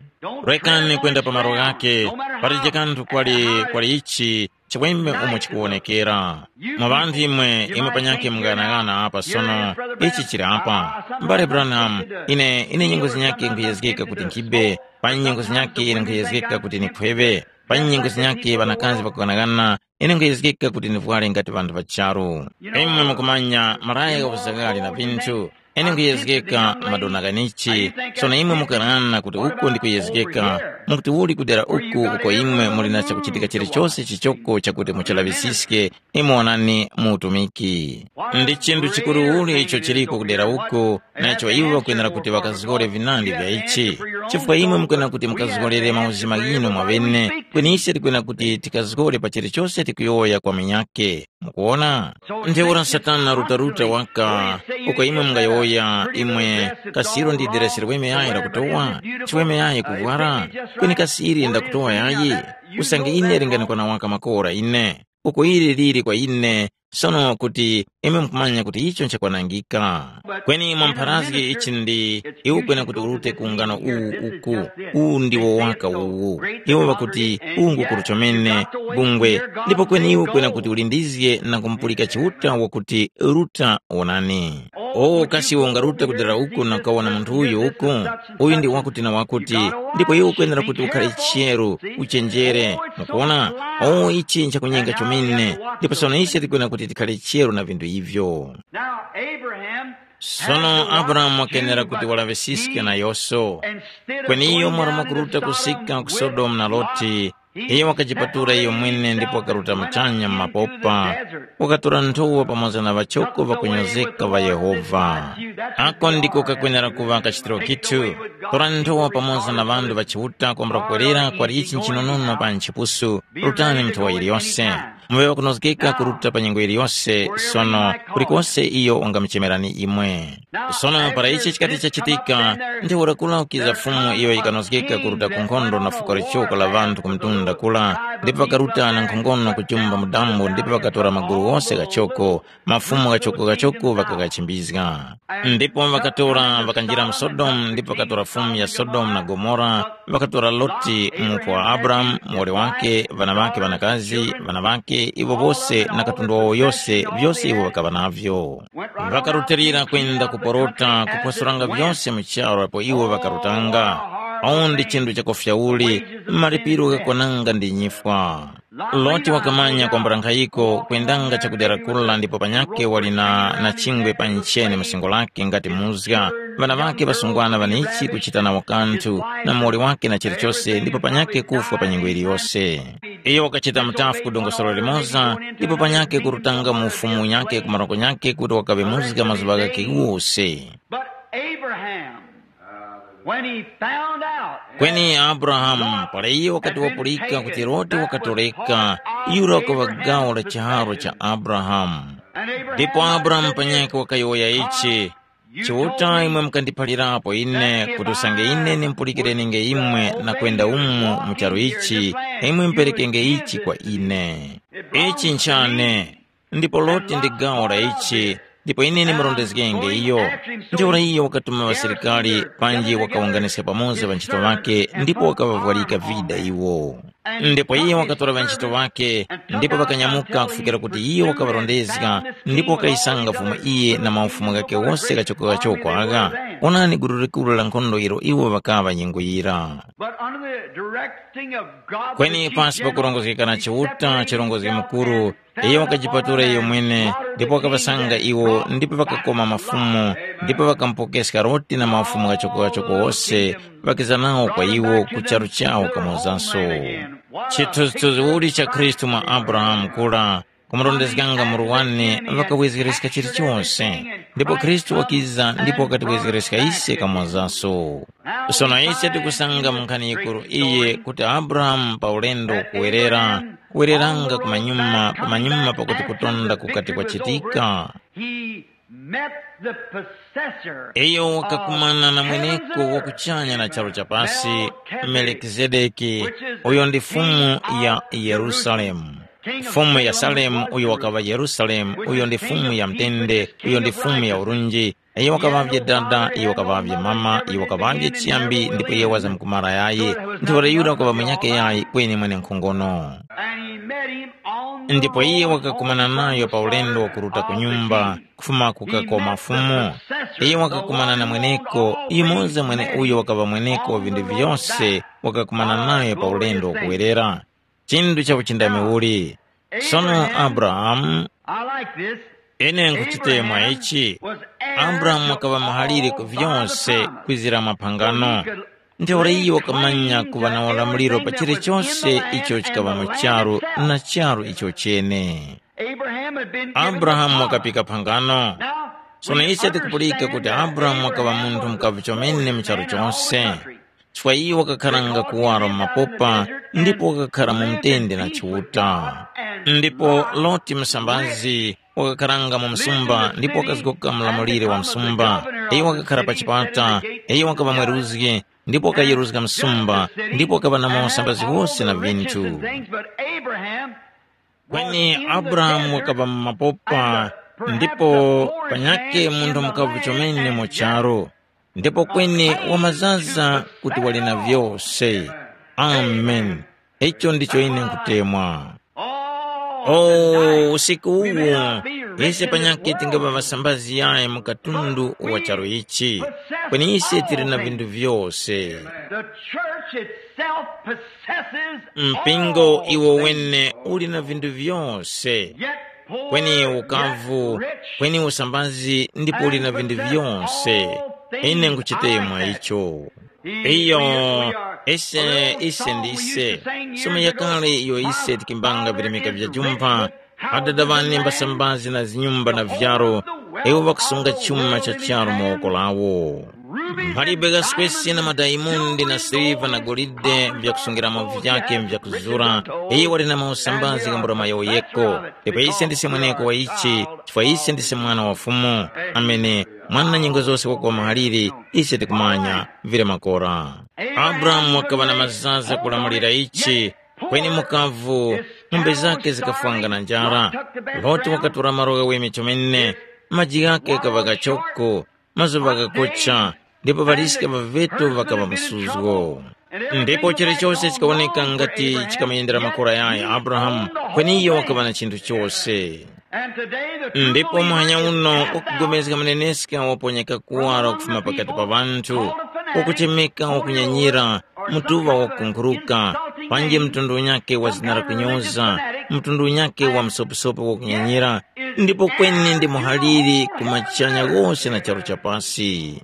Rekani kwenda pa malo ghake, patije kanthu kwali, kwali ichi, chiweme umo chikuwonekera. Mwa ŵanthu imwe, imwe panyakhe mungayang'ana apa sono, ichi chili apa. Mbale Branham, ine, ine nyengo zinyakhe nkhuyezgeka kuti nkhibe, panyi nyengo zinyakhe ine nkhuyezgeka kuti nikhweŵe, panyi nyengo zinyakhe ŵanakazi ŵakughanaghana, ine nkhuyezgeka kuti ndivwale ngati ŵanthu ŵa charu. Imwe mukumanya malaya ghakuzagali na vinthu, ine nkhuyezgeka madona ganichi, sono imwe mukanana kuti uko ndikuyezgeka, mukuti uli kudera uku uko imwe muli na chakuchitika chilichose chichoko chakuti muchilaŵisiske, imwe wonani mu utumiki. Ndi chinthu chikuru uli icho chiliko kudera uko, na icho iwo ŵakwenera kuti ŵakazgore vinandi vya ichi, chifukwa imwe mukwenera kuti mukazgorere mauzima ghinu mwaŵene, kweni ise tikwena kuti tikazgore pa chilichose tikuyowoya kwa munyakhe. Mukuwona? Ntheura Satana rutaruta waka, uko imwe mungayowoya, imwe, kasi ilo ndi deresi liweme yayi lakutowa? Chiweme yayi kuvwara? Kweni kasi ili ndakutowa yayi? Usange ine linganikwana waka makora ine. Uko ili lili kwa ine, sono kuti imwe mukumanya kuti icho nchakwanangika. Kweni mwa mpharazgi ichi ndi, iwe ukwena kuti urute ku ungano uwu uku, uwu ndiwo waka uwu. Iwo ŵakuti, uwu ngukuru chomene, bungwe, ndipo kweni iwe ukwena kuti ulindizge na kumupulika Chiuta wakuti, ruta wonani. O kasi iwe ungaruta kudera uku na kukawona munthu uyu uku? Uyu ndi wakuti na wakuti, ndipo iwe ukwenera kuti ukhale cheru, uchenjere. Mukuona? O ichi nchakunyenga chomene, ndipo sono ise tikwena kuti tikhale cheru na vinthu ivyo. Now Abraham Sono Abrahamu wakenera kuti walaŵisiske nayose. Kweni iyo mwaramwa kuruta kusika ku Sodomu na Loti, Iyo wakajipatula iyo mwene ndipo wakaruta muchanya mu mapopa, wakatora nthowa pamoza na ŵachoko ŵakunyozeka ŵa Yehova. Ako ndiko kakwenera kuŵa kachitiro kithu. Tora nthowa pamoza na ŵanthu ŵa Chiuta kwambula kwerera kwali ichi nchinonono pa nchipusu, rutani nthowa yiliyose. Muŵe ŵakunozgeka kuruta pa nyengo yiliyose sono kulikose iyo wangamuchemerani imwe. Sono para ichi chikati chachitika, ntheura kula kukiza Fumu iyo yikanozgeka kuruta ku nkhondo na fuko lichoko la ŵanthu ku mtunda kula, ndipo ŵakaruta na nkhongono kuchumba mudambo ndipo ŵakatora magulu ghose ghachoko, mafumu ghachoko-ghachoko ŵakaghachimbizga. Ndipo ŵakatora ŵakanjira mu Sodomu ndipo ŵakatora fumu ya Sodomu na Gomora, ŵakatora Loti mupo wa Abrahamu, muwoli wake, ŵana ŵake ŵanakazi, ŵana ŵake, iwo wose na katundu wawo yose, vyose iwo ŵakaŵa navyo. Ŵakarutilira kwenda kuporota kuphwasuranga vyose mu charu apo iwo ŵakarutanga. Awo ndi chinthu chakufya uli, malipiro ghakwananga ndi nyifwa. Loti wakamanya kwambula nkhayiko kwendanga chakudera kula ndipo panyakhe wali na, na chingwe pa ncheni mu singo lake ngati muzga, ŵana ŵake ŵasungwana ŵanichi kuchita nawo kanthu, na muwoli wake na chilichose ndipo panyakhe kufwa pa nyengo yiliyose. Iyo wakachita mutafu ku dongosolo limoza, ndipo panyakhe kurutanga mu ufumu unyakhe ku maroko nyakhe kuti wakaŵe muzga mazuŵa ghakhe ghose. But Abraham, when he found out Kweni Abrahamu, para iyo wakati wapulika kuti Loti wakatoleka, yura wakaŵa gawo la chiharo cha Abrahamu. Ndipo Abrahamu panyakhe wakayowoya ichi, Chiuta imwe mukandiphalirapo ine kuti usange ine nimpulikireninge imwe na kwenda umu mu charu ichi, imwe mperekenge ichi kwa ine. Ichi nchane, ndipo Loti ndi gawo la ichi, ndipo ine nimurondezgenge iyo. Ntheura iyo wakatuma ŵasilikali panji wakawunganiska pamoza ŵanchito ŵakhe ndipo wakaŵavwalika vida iwo. Ndipo iye wakatora ŵanchito ŵakhe, ndipo ŵakanyamuka kufikira kuti iye wakaŵarondezga, ndipo wakayisanga Fumu iye na maufumu ghakhe wose ghachoko-ghachoko agha. Onani gulu likuru la nkhondo ilo iwo ŵakaŵa nyengo yira. But under the directing of God, Kweni pasi pa kurongozgeka na Chiuta chirongozgi mukuru, iyo wakajipatula iyo mwene, ndipo wakaŵasanga iwo, ndipo ŵakakoma mafumu, ndipo ŵakamupokeska Loti na mafumu ghachoko-ghachoko wose, ŵakiza nawo kwa iwo ku charu chawo kamozaso. Chithunzithunzi uli cha Khristu mwa Abrahamu kura, kumurondezganga muru wane ŵakawezgereska chilichose, ndipo Khristu wakiza ndipo wakatiwezgereska ise kamozaso. Sono ise tikusanga mu nkhani yikuru iyi kuti Abrahamu pa ulendo kuwerera, kuwereranga kumanyuma, pamanyuma pakuti kutonda kukati kwachitika. He met the possessor Iyo wakakumana na of mweneko heaven and wa earth, kuchanya na charu chapasi, Melchizedeki, Melchizedeki, which is uyo ndi the fumu king ya of Yerusalemu. Jerusalem. King of Fumu ya Salem, Salemu, which was uyo wakaŵa Jerusalemu, which uyo is ndi king fumu of ya peace, mtende, which is king uyo ndi of fumu ya righteousness. Urunji. Iyo wakaŵavye dada, iyo wakaŵavye mama, iyo wakaŵavye chiyambi, ndipo iye waza mkumara yayi. Ntheura yura wakaŵa munyakhe yayi kweni mwene nkhongono. And he met him on the Ndipo iye road wakakumana home from nayo the pa ulendo slaughter wakuruta of ku the nyumba, king. Kufuma kukakoma fumu. Iye wakakumana na mweneko, yumoza mwene uyo wakaŵa mweneko wa vinthu vyose, wakakumana nayo pa ulendo wakuwerera. Chinthu cha uchindami uli. Sono Abrahamu, I like this. Ine nkuchitemwa ichi. Abrahamu wakaŵa mahalire ku vyose kwizira maphangano. Ntheura iyo wakamanya kuŵa na ulamuliro pa chilichose icho chikaŵa mu charu na charu icho chene. Abrahamu had been given Abrahamu the wakapika phangano. Now, Sono we ise tikupulika understand kuti that Abrahamu wakaŵa Abraham munthu was mukavu chomene mu charu man in all the chose. Country. Chifukwa iyo wakakharanga kuwaro mu mapopa ndipo wakakhara mu mtende na Chiuta. Ndipo Loti msambazi wakakharanga mu msumba ndipo wakazgoka mlamulire wa msumba. Iyo wakakhara pa chipata, iyo wakaŵa mweruzgi ndipo wakayeruzga msumba ndipo wakaŵa na masambazi wose na vinthu. Kweni Abrahamu wakaŵa mu mapopa, ndipo panyakhe munthu mukavu chomene mu charu, ndipo kweni wamazaza kuti wali na vyose. Amen. Icho ndicho ine nkutemwa. Oh, usiku uwu, ise panyakhe tingaŵa ŵasambazi yayi mu katundu wa charu ichi, kweni ise tili na vinthu vyose. The church itself possesses Mpingo all iwo things. Wene uli na vinthu vyose. Yet poor, kweni ukavu, yet rich, kweni usambazi ndipo uli na vinthu vyose. Ine nkuchitemwa icho. Iyo, ise ise ndise. Sumu yakale iyo ise tikimbanga virimika vya jumpha, adada ŵane mbasambazi na zinyumba na vyaro, iwo ŵakusunga chuma cha charu mu woko lawo. Mphalibwe gaswesi na madayimundi na siliva na golide vyakusungiramo vyake mvyakuzura, iye wali na mausambazi gambula mayowo yeko. Ndipo ise ndise mweneko wa ichi, chifukwa ise ndise mwana wa Fumu, amene mwana nyengo zose wakuwa mahaliri, ise tikumanya vile makora. Abrahamu wakaŵa na mazaza kulamulira ichi, kweni mukavu, ng'ombe zake zikafwanga na njara. Loti wakatora malo ghawe chomene, maji ghake ghakaŵa ghachoko, mazuŵa ghakucha, ndipo ŵaliska ŵa vetu ŵakaŵa msuzgo. Ndipo chilichose chikawoneka ngati chikamuyendera makora yaya Abrahamu, kweni iyo wakaŵa na chinthu chose. Ndipo muhanya uno wakugomezga muneneska waponyeka kuwara kufuma pakati pa ŵanthu, wakuchemeka wakunyanyira, mutuŵa wakunkhuruka, panji mtundu unyake wa zina la kunyoza, mtundu unyake wa msoposopo wakunyanyira, ndipo kweni ndi muhaliri ku machanya ghose na charu cha pasi.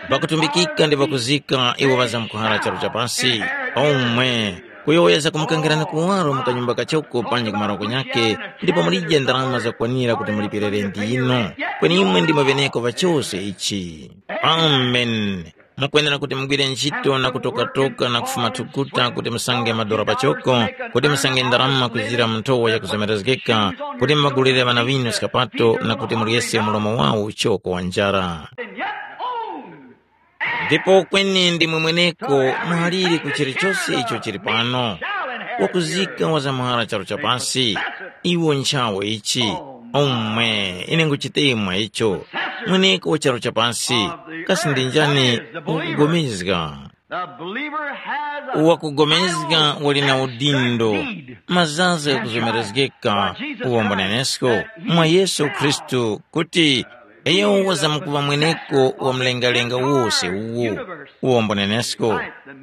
Pakutumbikika ndi pakuzika iwo ŵazamkuhara charu cha pasi. Omwe, kuyowoya za kumukangirani kuwaro mu kanyumba kachoko panji ku maroko nyake, ndipo mulije ndarama zakwanira kuti mulipirire ndino. Kweni imwe ndimwe ŵeneko ŵachose ichi. Amen. Mukwenera kuti mugwire ntchito na kutokatoka na kufuma thukuta kuti musange madora pachoko, kuti musange ndarama kuzira mu nthowa yakuzomerezgeka, kuti mubagulire ŵana ŵinu skapato na kuti muryese mlomo wawo uchoko wa njara. And yet own. Ndipo kweni ndimwe mweneko muhaliri ku chilichose icho chili pano. Wakuzika wazamahara charu cha pasi, iwo nchawo ichi. Omwe, ine nguchitemwa icho. Mweneko wa charu cha pasi, kasi ndi njani ukugomezga? The believer has a wakugomezga wali na udindo, mazaza yakuzomerezgeka, uwombo nenesko mwa Yesu Khristu, kuti iyo wazamkuŵa mweneko wa mlengalenga wose uwu, uwombo nenesko,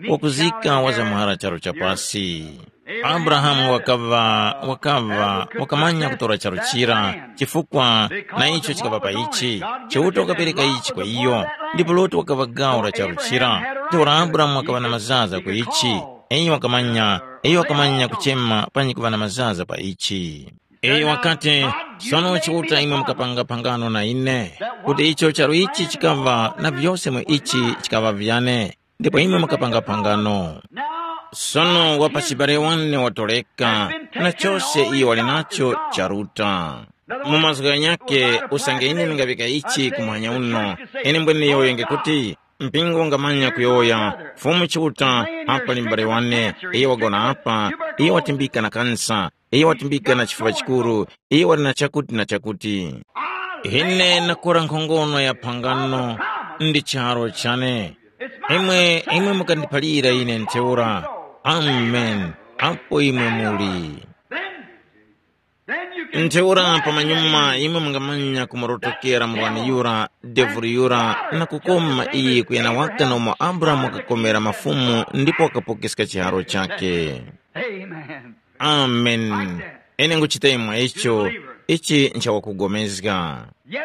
wakuzika wazamhara charu cha pasi. Abrahamu wakaŵa wakaŵa wakamanya kutora charu chira, chifukwa na icho chikaŵa pa ichi, Chiuta wakapereka ichi kwa iyo, ndipo Loti wakaŵa gawo la charu chira. Ntheura Abrahamu wakaŵa na mazaza ku ichi. Iyo wakamanya, iyo wakamanya kuchema panyi kuŵa na mazaza pa ichi. Iyo wakati, sono Chiuta imwe mukapanga phangano na ine, kuti icho charu ichi chikaŵa na vyose mu ichi chikaŵa vyane, ndipo imwe mukapanga phangano. Sono wapachibale wane watoleka, na chose iyo wali nacho charuta. Mu mazgu ghanyakhe, usange ine ndingaŵika ichi ku muhanya uno, ine mbwene yowoyenge kuti, mpingo ungamanya kuyowoya, Fumu Chiuta, apa pali m'bale wane, iye wagona apa, iye watimbika na kansa, iye watimbika na chifuŵa chikuru, iye wali na chakuti na chakuti. Ine nakora nkhongono ya phangano ndi charo chane. Imwe, imwe mukandiphalira ine ntheura. Amen. Apo imwe muli. Ntheura pamanyuma imwe mungamanya kumurotokera murwani yura, devuru yura, na kukoma iye kuyana waka na umo Abrahamu wakakomera mafumu ndipo wakapokeska chiharo chakhe. Amen. Amen. Ine nguchita imwe icho, ichi nchawakugomezga.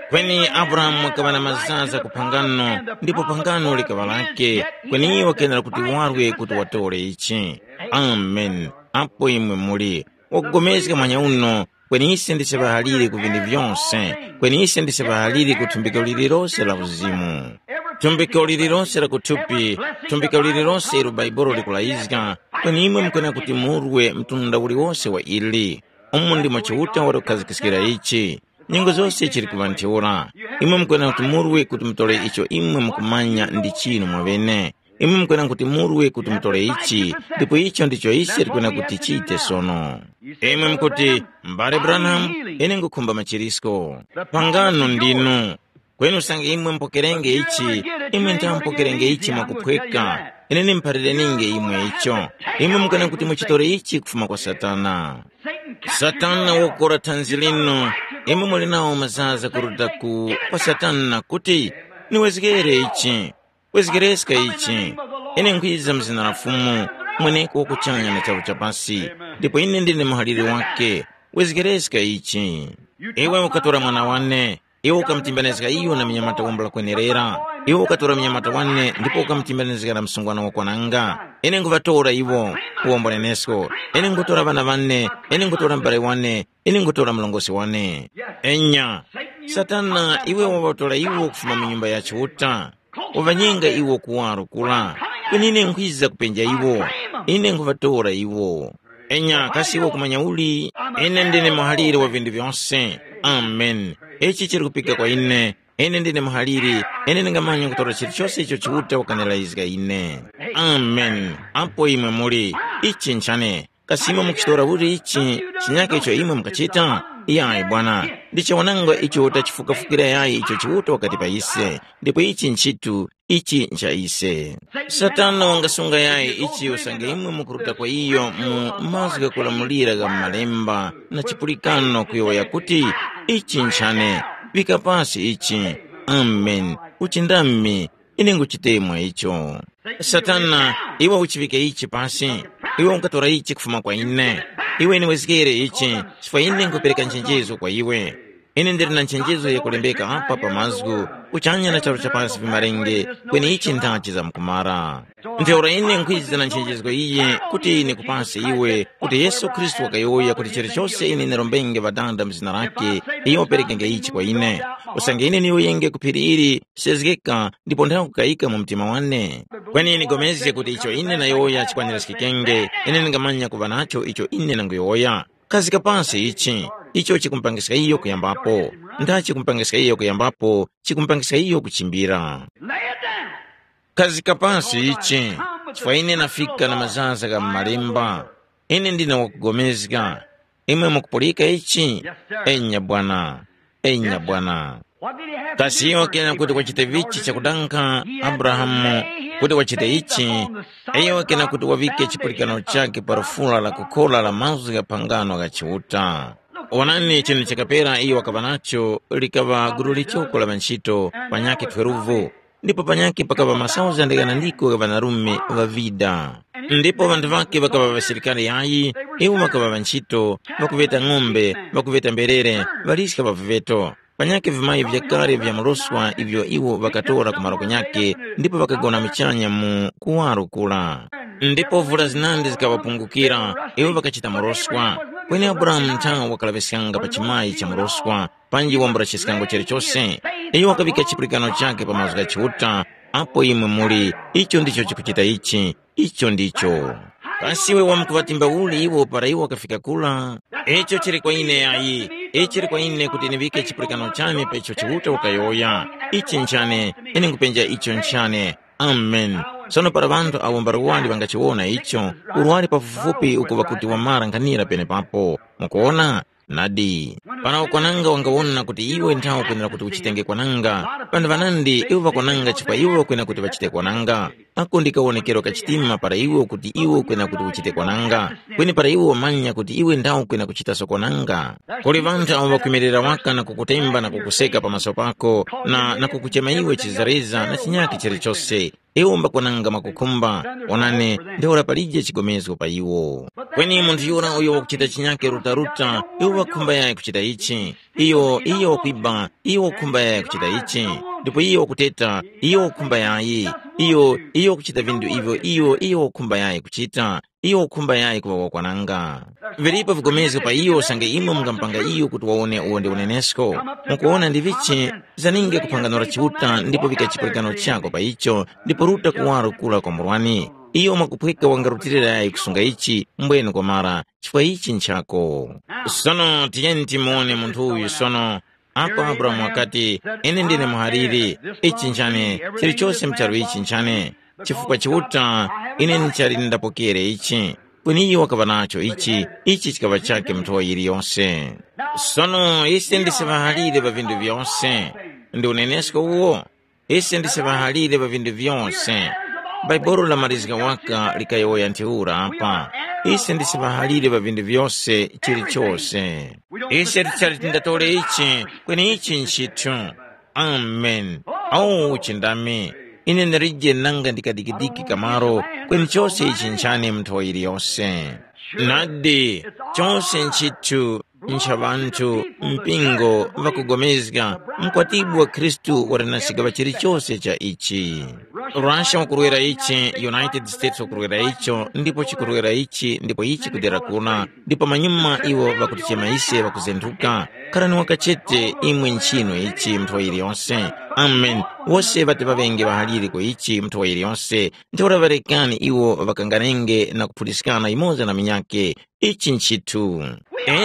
Kweni Abrahamu wakaŵa na mazaza ku phangano, ndipo phangano likaŵa lake, kweni iye wakenera kuti warwe kuti watore ichi. Amen. Apo imwe muli, wakugomezga mwanya uno, kweni ise ndise ŵahalire ku vinthu vyose, kweni ise ndise ŵahalire ku thumbiko lililose la uzimu. Thumbiko lililose la kuthupi, thumbiko lililose ilo Bhaibuli likulayizga, kweni imwe mukwena kuti murwe mtunda uliwose wa ili. Umu ndimo Chiuta wali kukhazikiskira ichi. Nyengo zose chili kuŵa ntheura. Imwe mukwena kuti murwe kuti mutore icho imwe mukumanya ndi chinu mwaŵene. Imwe mukwena kuti murwe kuti mutore ichi, ndipo icho ndicho ise tikwena kuti chite sono. Imwe mukuti, m'bale Branham, ine ngukhumba machirisko. Phangano ndinu. Kweni usange imwe mupokerenge ichi, imwe nthampokerenge ichi mwakuphweka, ine nimuphalireni'nge imwe icho. Imwe mukwena kuti muchitore ichi kufuma kwa Satana. Satana wakora thanzi linu, imwe muli nawo mazaza kuruta ku kwa Satana kuti, niwezgere ichi, wezgereska ichi. Ine nkhwiza mu zina la Fumu, mweneko wakuchanya na charu chapasi, ndipo ine ndine muhaliri wake, wezgereska ichi. Iwe ukatora mwana wane, Iwe ukamutimbanizga iyo na munyamata wambula kwenerera. Iwe ukatora munyamata wane ndipo ukamutimbanizga na msungwana wakwananga. Ine nkuŵatora iwo, kuwombolenesko. Ine nkutora ŵana wane, ine nkutora m'bale wane, ine nkutora mlongosi wane. Enya, Satana iwe waŵatora iwo kufuma mu nyumba ya Chiuta. Uŵanyinga iwo kuwaro kura. Kweni ine nkhwiza kupenja iwo. Ine nkhuŵatora iwo. Enya kasi iwe kumanya uli? Ine ndine muhalire wa vindu vyose. Amen. Ichi chili kupika kwa ine. Ine ndine muhalire. Ine ndingamanya kutora chilichose icho Chiuta wakanilizga ine. Amen. Apo imwe muli, ichi nchane. Kasi imwe mukuchitora kuti ichi chinyake icho imwe mukachita? Yayi bwana. Ndichawananga icho tachifukafukira yayi icho Chiuta wakati pa ise. Ndipo ichi nchitu, ichi ncha ise. Satana wangasunga yayi ichi usange imwe mukuruta kwa iyo mu mazgu ghakulamulira gha m'malemba na chipulikano kuyowoya kuti, ichi nchane, vika pasi ichi. Amen. Uchindami, ine nguchitemwa icho. Satana, iwe uchiŵike ichi pasi. Iwe ungatora ichi kufuma kwa ine. Iwe niwezgere ichi, chifukwa ine nkupereka nchenjezo kwa iwe. Ine ndili na nchenjezo yakulembeka apa pa mazgu, kuchanya na charu chapasi vimalenge, kweni ichi nthachi zamkumara. Ntheura ine nkhwiza na nchenjezo iyi kuti ine kupasi iwe kuti Yesu Khristu wakayowoya kuti chilichose ine nirombenge Ŵadada mu zina lake, iyo waperekenge ichi kwa ine. Usange ine niyowoyenge ku phiri ili, sezgeka ndipo nthakukayika mu mtima wane. Kweni nigomezge kuti icho ine nayowoya chikwanirizgikenge, ine ningamanya kuŵa nacho icho ine nanguyowoya. Khazika pansi ichi, icho chikumupangiska iyo kuyambapo. Nda chikumupangiska iyo kuyambapo, chikumupangiska iyo kuchimbira. Lay it down. Khazika pansi ichi, chifukwa ine nafika na mazaza gha m'malemba. Ine ndine wakugomezga. Imwe mukupulika ichi? Enya bwana. Enya bwana. Kasi iyo kena kuti wachite vichi chakudanga Abrahamu kuti wachite ichi? Iyo kena kuti wavike chipulikano chake pa lufula la kukhola la mazgu gha phangano gha Chiuta. Onani chinthu chakapera iyo wakaŵa nacho, likaŵa gulu lichoko la ŵantchito panyakhe twelve, ndipo panyakhe pakaŵa masauzande ghanandiko gha ŵanarume ŵa Vida. Ndipo ŵanthu ŵakhe ŵakaŵa ŵasilikari yayi, iwo ŵakaŵa ŵantchito, ŵakuveta ng'ombe, ŵakuveta mberere, ŵaliska ŵa viveto. Panyakhe vimayi vyakale vya muroswa ivyo iwo ŵakatora ku malo kunyakhe ndipo ŵakagona muchanya mu kuwaro kura. Ndipo vula zinandi zikaŵapungukira, iwo ŵakachita muroswa. Kweni Abrahamu nthawe wakalaŵiskanga pa chimayi cha muroswa, panji wambula chiskango chilichose. Iyo wakaŵika chipulikano chakhe pa mazgu gha Chiuta, apo imwe muli, icho ndicho chikuchita ichi, icho ndicho. Kasi iwe wamkuŵatimba uli iwo para iwo wakafika kula? Icho chili kwa ine yayi, ichi chili kwa ine kuti niŵike chipulikano chane pa icho Chiuta wakayowoya. Ichi nchane, ine nkupenja icho nchane. Amen. Sono para ŵanthu awo mbarwali ŵangachiwona icho, urwali pafupifupi ukuŵa kuti wamara nkhanira penepapo. Mukuwona? Nadi. Para ukwananga wangawona kuti iwe nthawe ukwenera kuti uchitenge kwananga, ŵanthu ŵanandi iwo ŵakwananga chifukwa iwo ŵakwena kuti ŵachite kwananga. Ako ndi kawonekero ka chitima para iwe ukuti iwe ukwena kuti uchite kwananga, kweni para iwe wamanya kuti iwe nthawe ukwena kuchita so kwananga. Kuli ŵanthu awo ŵakwimirira waka na kukutemba na kukuseka pamaso pako, na, na kukuchema iwe chizareza na chinyakhe chilichose. Iwo mbakwananga mwakukhumba, onani, ntheura palije chigomezgo pa iwo. Kweni munthu yura uyo wakuchita chinyakhe rutaruta, iwo wakhumba yayi kuchita ichi. Iyo, iyo wakwiba, iyo wakhumba yayi kuchita ichi. Ndipo iyo wakuteta, iyo wakhumba yayi. Iyo, iyo wakuchita vinthu ivyo iyo, iyo wakhumba yayi kuchita. Iyo wakhumba yayi kuŵa wakwananga. Vilipo vigomezgo pa iyo usange imwe mungamupanga iyo kuti wawone uwo ndi unenesko. Mukuwona ndi vichi, zaninge kuphangano la Chiuta ndipo vika chipulikano chako pa icho, ndipo ruta kuwaro kura kwa murwani. Iyo mwakuphweka wangarutilira yayi kusunga ichi, mbwene kwamara, chifukwa ichi nchako. Sono tiyeni timuwone munthu uyu sono. Apo Abrahamu wakati, ine ndine muhaliri, ichi nchane, chilichose mcharu ichi nchane, chifukwa Chiuta, ine ndichali ndapokere ichi. Kweni iyo wakaŵa nacho ichi, ichi chikaŵa chake nthowa yiliyose. Sono ise ndise ŵahalire ŵa vinthu vyose. Ndi unenesko uwo? Ise ndise ŵahalire ŵa vinthu vyose. Bhaibuli lamarizga waka likayowoya ntheura apa. Ise ndise ŵahalire ŵa vinthu vyose chilichose. Ise tichali tindatore ichi, kweni ichi nchithu. Amen. Awu uchindami. Ine ndalije nanga ndikadikidiki kamaro, kweni chose ichi nchane mu nthowa yiliyose. Nadi, chose nchithu. ncha ŵanthu, mpingo ŵakugomezga, mkwatibwi wa Khristu wali na chigaŵa chilichose cha ichi. Russia wakurwera ichi, United States wakurwera icho, ndipo chikurwera ichi, ndipo ichi kudera kuna, ndipo manyuma iwo ŵakutichema ise ŵakuzenthuka. Kharani wakachete imwe nchino ichi mnthowa yiliyonse. Amen. Wose ŵati ŵaŵenge ŵahaliri ku ichi mnthowa yiliyonse. Ntheura ŵarekani iwo ŵakanganenge na kuphuliskana yumoza na munyakhe. Ichi nchithu.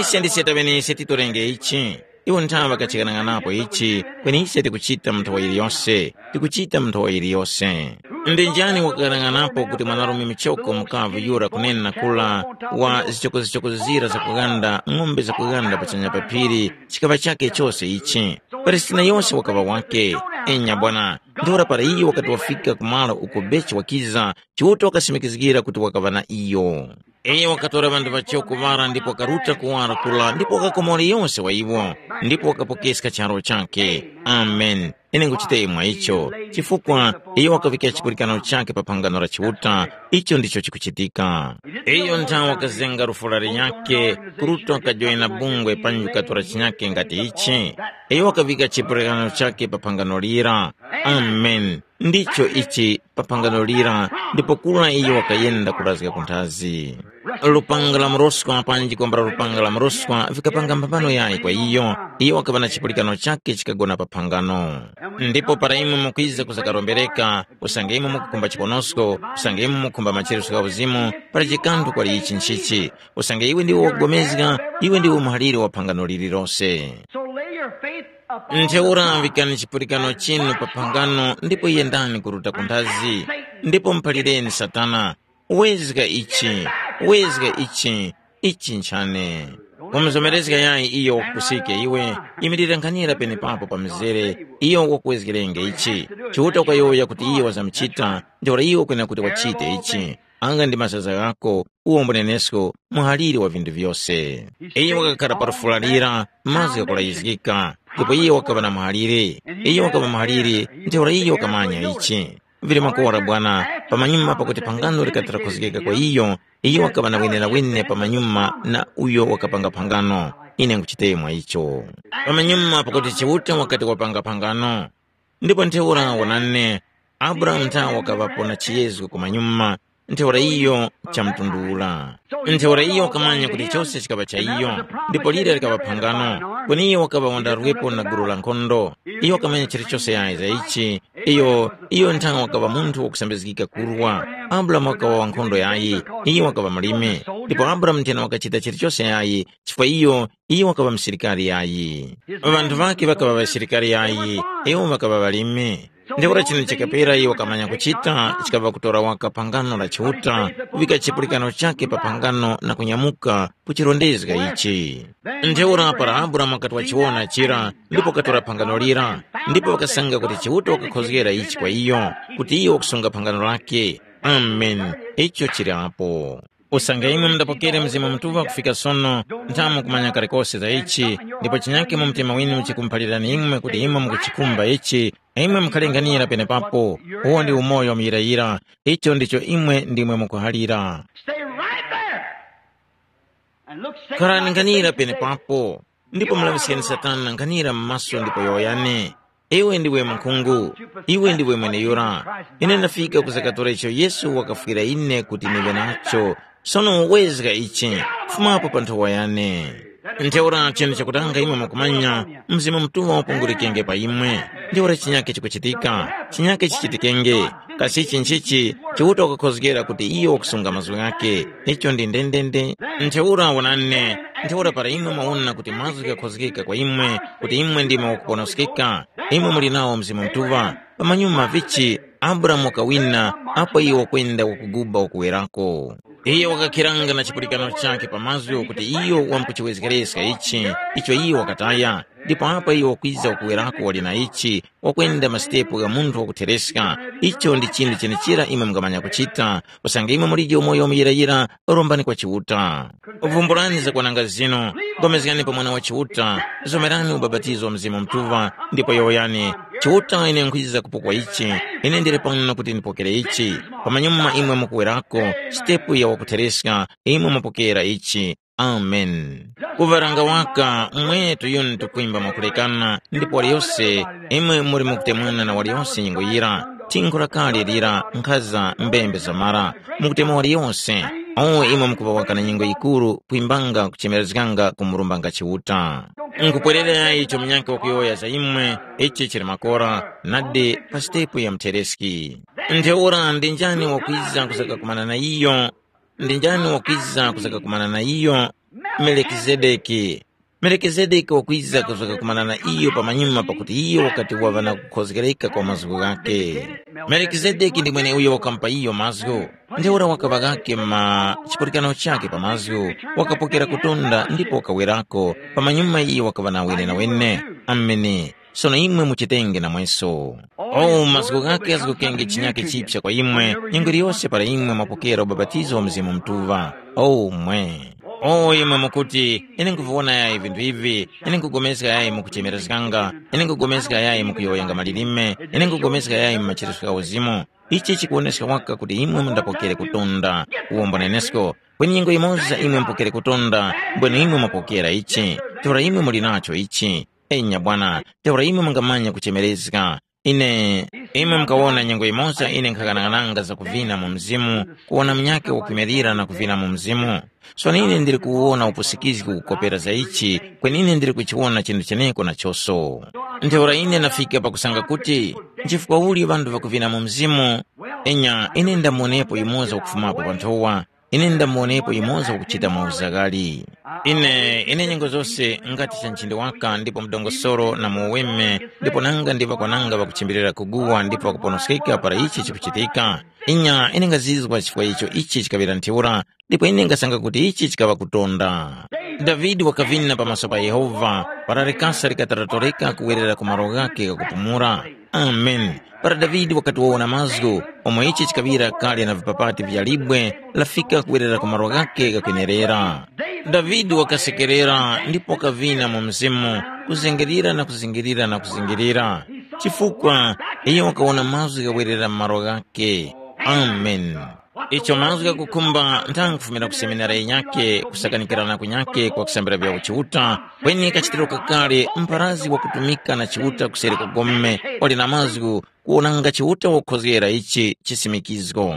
Ise ndise taŵenise titorenge ichi. Iwo nthawe ŵakachikanaŋanapo ichi, kweni ise tikuchita mu nthowa yiliyose, tikuchita mu nthowa yiliyose. Ndi njani wakaghanag'anapo kuti mwanarume muchoko mukavu yura kunena kula wa zichokozichoko zira zakughanda ng'ombe zakughanda pachanya pa phiri, chikaŵa chake chose ichi? Palestina yose wakaŵa wake. Enya bwana, ntheura para iyo wakati wafika kumalo uko Bechi wakiza, Chiuta wakasimikizgira kuti wakaŵa na iyo. Iyo wakatora ŵanthu ŵachoko ŵara ndipo wakaruta kuwara kula ndipo wakakomora yose wa iwo, ndipo wakapokeska charo chake. Amen. Ine nguchita imwe icho, chifukwa iyo wakavika chipulikano chake pa phangano la Chiuta. Icho ndicho chikuchitika. Iyo nthawe wakazenga lufura linyakhe, kuruta wakajoyena bungwe panji kukatora chinyakhe ngati ichi. Iyo wakavika chipulikano chake pa phangano lira. Amen. Ndicho ichi pa phangano lira, ndipo kura iyo wakayenda kurazga ku nthazi. Lupanga la mroskwa panji kombora lupanga la mroskwa vikapanga mphambano yayi kwa iyo. Iyo wakaŵa na chipulikano chake chikagona pa phangano. Ndipo para imwe mukwiza kuzakarombereka, usange imwe mukukhumba chiponosko, usange imwe mukukhumba machereso gha uzimu, para chikanthu kwali ichi nchichi. Usange iwe ndiwe wagomezga, iwe ndiwe muhaliri wa phangano lililose. So lay your faith upon the Ntheura promise. Vikani chipulikano chinu pa phangano ndipo yendani kuruta ku nthazi, ndipo mphalireni Satana. Wezga ichi, wezga ichi, ichi nchane. Umuzomerezga yayi iyo wakusike iwe, imirira nkhanira penepapo pa mzere, iyo wakuwezgerenge ichi. Chiuta ukayowoya kuti iyo wazamuchita, ntheura iwe kwena kuti wachite ichi. Anga ndi mazaza ghako, uwo mbunenesko, muhaliri wa vinthu vyose. Iyo wakakhala pa lufula lira, mazgu ghakulayizgika, ndipo iyo wakaŵa na muhaliri. Iyo wakaŵa muhaliri, ntheura iyo wakamanya ichi. Vili makora bwana, pamanyuma pakuti phangano likati lakhozgeka kwa iyo, iyo wakaŵa na wenera-wene pamanyuma na uyo wakapanga phangano. Ine nguchite mwa icho. Pamanyuma pakuti Chiuta wakati wapanga phangano, ndipo ntheura wonani, Abrahamu nthawe wakaŵapo na chiyezgo kumanyuma, ntheura iyo chamutundula. Ntheura iyo wakamanya kuti chose chikaŵa cha iyo, ndipo lira likaŵa phangano, kweni iyo wakaŵa wandarwepo na gulu la nkhondo. Iyo wakamanya chilichose yayi za ichi. Iyo, iyo nthawe wakaŵa munthu wakusambizgika kurwa. Abrahamu wakaŵa wankhondo yayi, iyo wakaŵa mulimi. Ndipo Abrahamu nthena wakachita chilichose yayi, chifukwa iyo, iyo wakaŵa msilikari yayi. Ŵanthu ŵakhe ŵakaŵa ŵasilikari yayi, iwo ŵakaŵa ŵalimi. Ntheura chinu chikapera iyo wakamanya kuchita, chikaŵa kutora waka phangano la Chiuta, kuvika chipulikano chakhe pa phangano na kunyamuka kuchirondezga ichi. Ntheura para Abrahamu wakati wachiwona chira, ndipo wakatora phangano lira, ndipo wakasanga kuti Chiuta wakakhozgera ichi kwa iyo, kuti iyo wakusunga phangano lakhe. Amen. Icho chili apo. Usange imwe mundapokere Mzimu Mutuŵa kufika sono, nthamu kumanya kalikose za ichi, ndipo chinyakhe mu mtima winu chikumuphalirani imwe kuti imwe mukuchikhumba ichi, imwe mukhalinganira penepapo. Uwo ndi umoyo muyirayira. Icho ndicho imwe ndimwe mukuhalira. Stay right there. And look Satan kharani like a nganira thief and say, penepapo, ndipo mulamuskeni satana nganira m'maso ndipo yowoyane, iwe ndiwe mkhungu, iwe ndiwe mweneyura. Ine ndafika kuzakatora icho Yesu wakafwira ine kuti nive nacho. Sono wezga ichi, fumapo pa nthowa yane. Ntheura chinthu chakutanga imwe mukumanya, Mzimu Mutuŵa upungulikenge pa imwe. Ntheura chinyake chikuchitika, chinyake chichitikenge. Kasi ichi nchichi? Chiuta wakakhozgera kuti iyo wakusunga mazgu ghake. Icho ndi ndendende. Ntheura wonani, ntheura para imwe mwawona kuti mazgu ghakhozgeka kwa imwe, kuti imwe ndimwe wakuponoskeka, imwe muli nawo Mzimu Mutuŵa. Pamanyuma vichi, Abrahamu wakawina, apo iyo wakwenda wakuguba wakuwerako. Iyo wakakhiranga na chipulikano chakhe pa mazgu kuti iyo wamkuchiwezgereska ichi, icho iyo wakataya. Ndipo apa iyo wakwiza wakuwerako wali na ichi, wakwenda masitepu gha munthu wakuthereska. Icho ndi chinthu chenechira imwe mungamanya kuchita, usange imwe mulije umoyo wamuyirayira, rombani kwa Chiuta. Vumbulani zakwananga zino, pulikani pa Mwana wa Chiuta, zomerani ubapatizo wa Mzimu Mutuŵa, ndipo yowoyani, Chiuta, ine nkhwiza kupokwa ichi, ine ndili pano kuti ndipokere ichi. Pamanyuma imwe mukuwerako, sitepu ya wakuthereska, imwe mupokera ichi. Amen. Kuŵaranga waka mwe tuyuni tukwimba mwakulekana, ndipo waliyose imwe muli mukutemwana na waliyose nyengo yira, thinkhu lakale lira nkhaza mbembe zamara, mukutemwa waliyose. Awo imwe mukuŵawaka na nyengo yikuru kwimbanga kuchemerezganga ku Murumba nga Chiuta. Nkupwerera icho munyakhe wakuyowoya za imwe, ichi chili makora, nadi pa sitepu ya mthereski. Ntheura ndi njani wakwiza kusakakumana na iyo? Ndi njani wakwiza kusakakumana na iyo? Melikizedeki. Melikizedeki wakwiza kusakakumana na iyo pamanyuma pakuti iyo wakati waŵa na kukhozgereka kwa mazgu ghakhe. Melikizedeki ndi mweneuyo wakamupa iyo mazgu. Ntheura wakaŵa ghakhe ma chipulikano chakhe pa mazgu, wakapokera kutunda ndipo wakawerako, pamanyuma iyo wakaŵa na wenenawene. Ameni. Sono imwe muchitenge namweso. O mazgu ghake ghazgukenge chinyake chipsa kwa imwe, nyengo iliyose para imwe mwapokera ubapatizo wa Mzimu Mutuŵa. O mwe. O imwe mukuti, ine nkuviwona yayi vinthu ivi, ine nkupulikana yayi mukuchemerezganga, ine nkupulikana yayi mukuyowoyanga malilime, ine nkupulikana yayi mu machiritso gha uzimu. Ichi chikuwoneska waka kuti imwe mundapokere kutunda. Uwombo nenesko. Kweni nyengo yimoza imwe mupokere kutunda, mbwene imwe mwapokera ichi. Ntheura imwe muli nacho ichi. Enya bwana, ntheura imwe mungamanya kuchemerezga. Ine, imwe mukawona nyengo yimoza ine nkhaghanaghananga za kuvina mu mzimu, kuwona munyakhe wakwimirira na kuvina mu mzimu. Sono ine ndili kuwona upusikizgi ukukopera za ichi, kweni ine ndili kuchiwona chinthu cheneko nachoso. Ntheura ine nafika pakusanga kuti, nchifukwa uli ŵanthu ŵakuvina mu mzimu? Enya, ine ndamuonepo yumoza wakufumapo pa nthowa, ine ndamuonepo yumoza wakuchita mauzagali. Ine, ine nyengo zose ngati cha nchindi waka ndipo mdongosolo na muweme, ndipo nanga ndi ŵakwananga ŵakuchimbilira kuguwa ndipo ŵakuponoskeka para ichi chikuchitika. Inya, ine ngazizwa chifukwa icho ichi chikaŵira ntheura, ndipo ine ngasanga kuti ichi chikaŵa kutonda. Davide wakavina pamaso pa Yehova, para likasa likataratoreka kuwerera ku malo ghakhe ghakupumula. Amen. Para Davide wakati wawona mazgu, umo ichi chikaŵira kale na vipapati vya libwe, lafika kuwerera ku malo ghakhe ghakwenerera. Davide wakasekerera ndipo wakavina mu mzimu, kuzengerera na kuzengerera na kuzengerera, chifukwa iyo wakawona mazgu ghawerera mu malo ghakhe. Amen. Icho mazgu ghakukhumba nthankufumira ku seminari yinyakhe kusakanikirana kunyakhe kwa kusambira vya Chiuta, kweni kachitiro kakale mparazi wakutumika na Chiuta kuseri kwa gome wali na mazgu kuwonanga Chiuta wakukhozgera ichi chisimikizgo.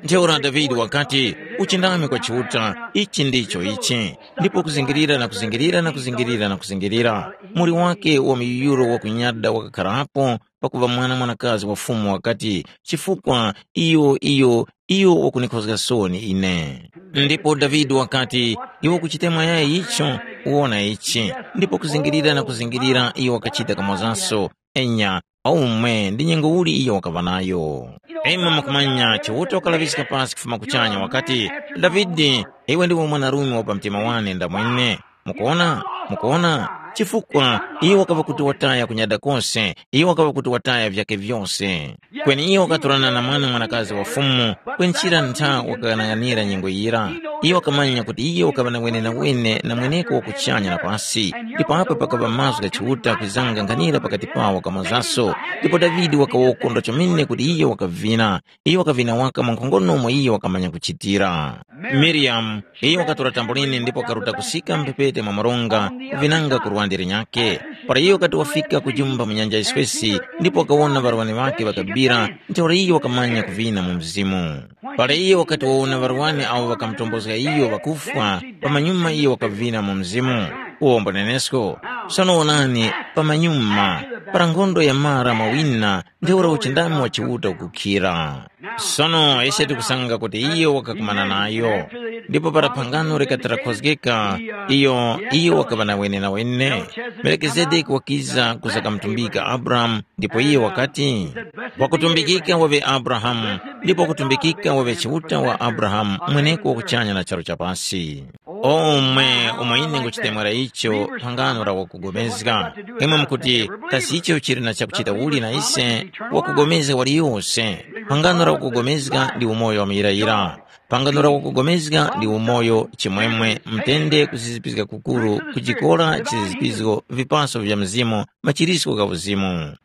Ntheura Davide wakati, uchindami kwa Chiuta, ichi ndicho ichi, ndipo kuzingirira na kuzingirira na kuzingirira na kuzingirira. Muli wake wa miyuyuro wakunyada wakakharapo, pakuva mwana mwanakazi wa Fumu wakati, chifukwa iyo iyo iyo wakunikhozga soni ine. Ndipo Davide wakati, iwe ukuchitemwa yayi icho? Wona ichi. Ndipo kuzingirira na kuzingirira iyo wakachita kamozaso. Enya, aumwe ndi nyengo uli iyo wakaŵa nayo. Imwe mukumanya Chiuta wakalaŵiska pasi kufuma kuchanya wakati, Davide, iwe ndiwe mwanarume wa pa mtima wane ndamwene. Mukuona? Mukuona? Chifukwa iyo wakaŵa kuti wataya kunyada kose, iyo wakaŵa kuti wataya vyake vyose. Kweni iyo wakatorana na mwana mwanakazi wa Fumu, kwenchira ntha wakaghanaghanira nyengo yira. Iyo wakamanya kuti iyo wakaŵa na wenenawene na mweneko wa kuchanya na pasi. Ndipo apo pakaŵa mazgu gha Chiuta kwizanga nkhanira pakati pawo kamozaso. Ndipo Davide wakaŵa ukondwa chomene kuti iyo wakavina. Iyo wakavina waka mwa nkhongono umo iyo wakamanya kuchitira. Miriyamu, iyo wakatora tambulini ndipo wakaruta kusika mphepete mwa maronga, kuvinanga ku lwande linyakhe. Para iyo wakati wafika kujumba mu nyanja yiswesi, ndipo wakawona ŵarwani ŵakhe ŵakabira, ntheura iyo wakamanya kuvina mu mzimu. Para iyo wakati wawona ŵarwani awo ŵakamutombozga iyo ŵakufwa, pamanyuma iyo wakavina mu mzimu. Uwombo nenesko. Sono wonani, pamanyuma, para nkhondo yamara mwawina, ntheura uchindami wa Chiuta ukukhira. Sono ise tikusanga kuti iyo wakakumana nayo. Ndipo para phangano likati lakhozgeka, iyo iyo wakaŵa na wenenawene. Melikizedeki wakiza kuzakamutumbika Abrahamu, ndipo iyo wakati, wakutumbikika waŵe Abrahamu, ndipo wakutumbikika waŵe Chiuta wa Abrahamu, mweneko wa kuchanya na charu cha pasi. Omwe umo ine nguchitemwera icho phangano la wakugomezga. Imwe mukuti, kasi icho chili na chakuchita uli na ise? Wakugomezga waliyose. Phangano la wakugomezga ndi umoyo wa muyirayira. Phangano la wakugomezga ndi umoyo, chimwemwe, mtende, kuzizipizga kukuru, kujikora, chizizipizgo, vipaso vya mzimu, machirisko gha uzimu.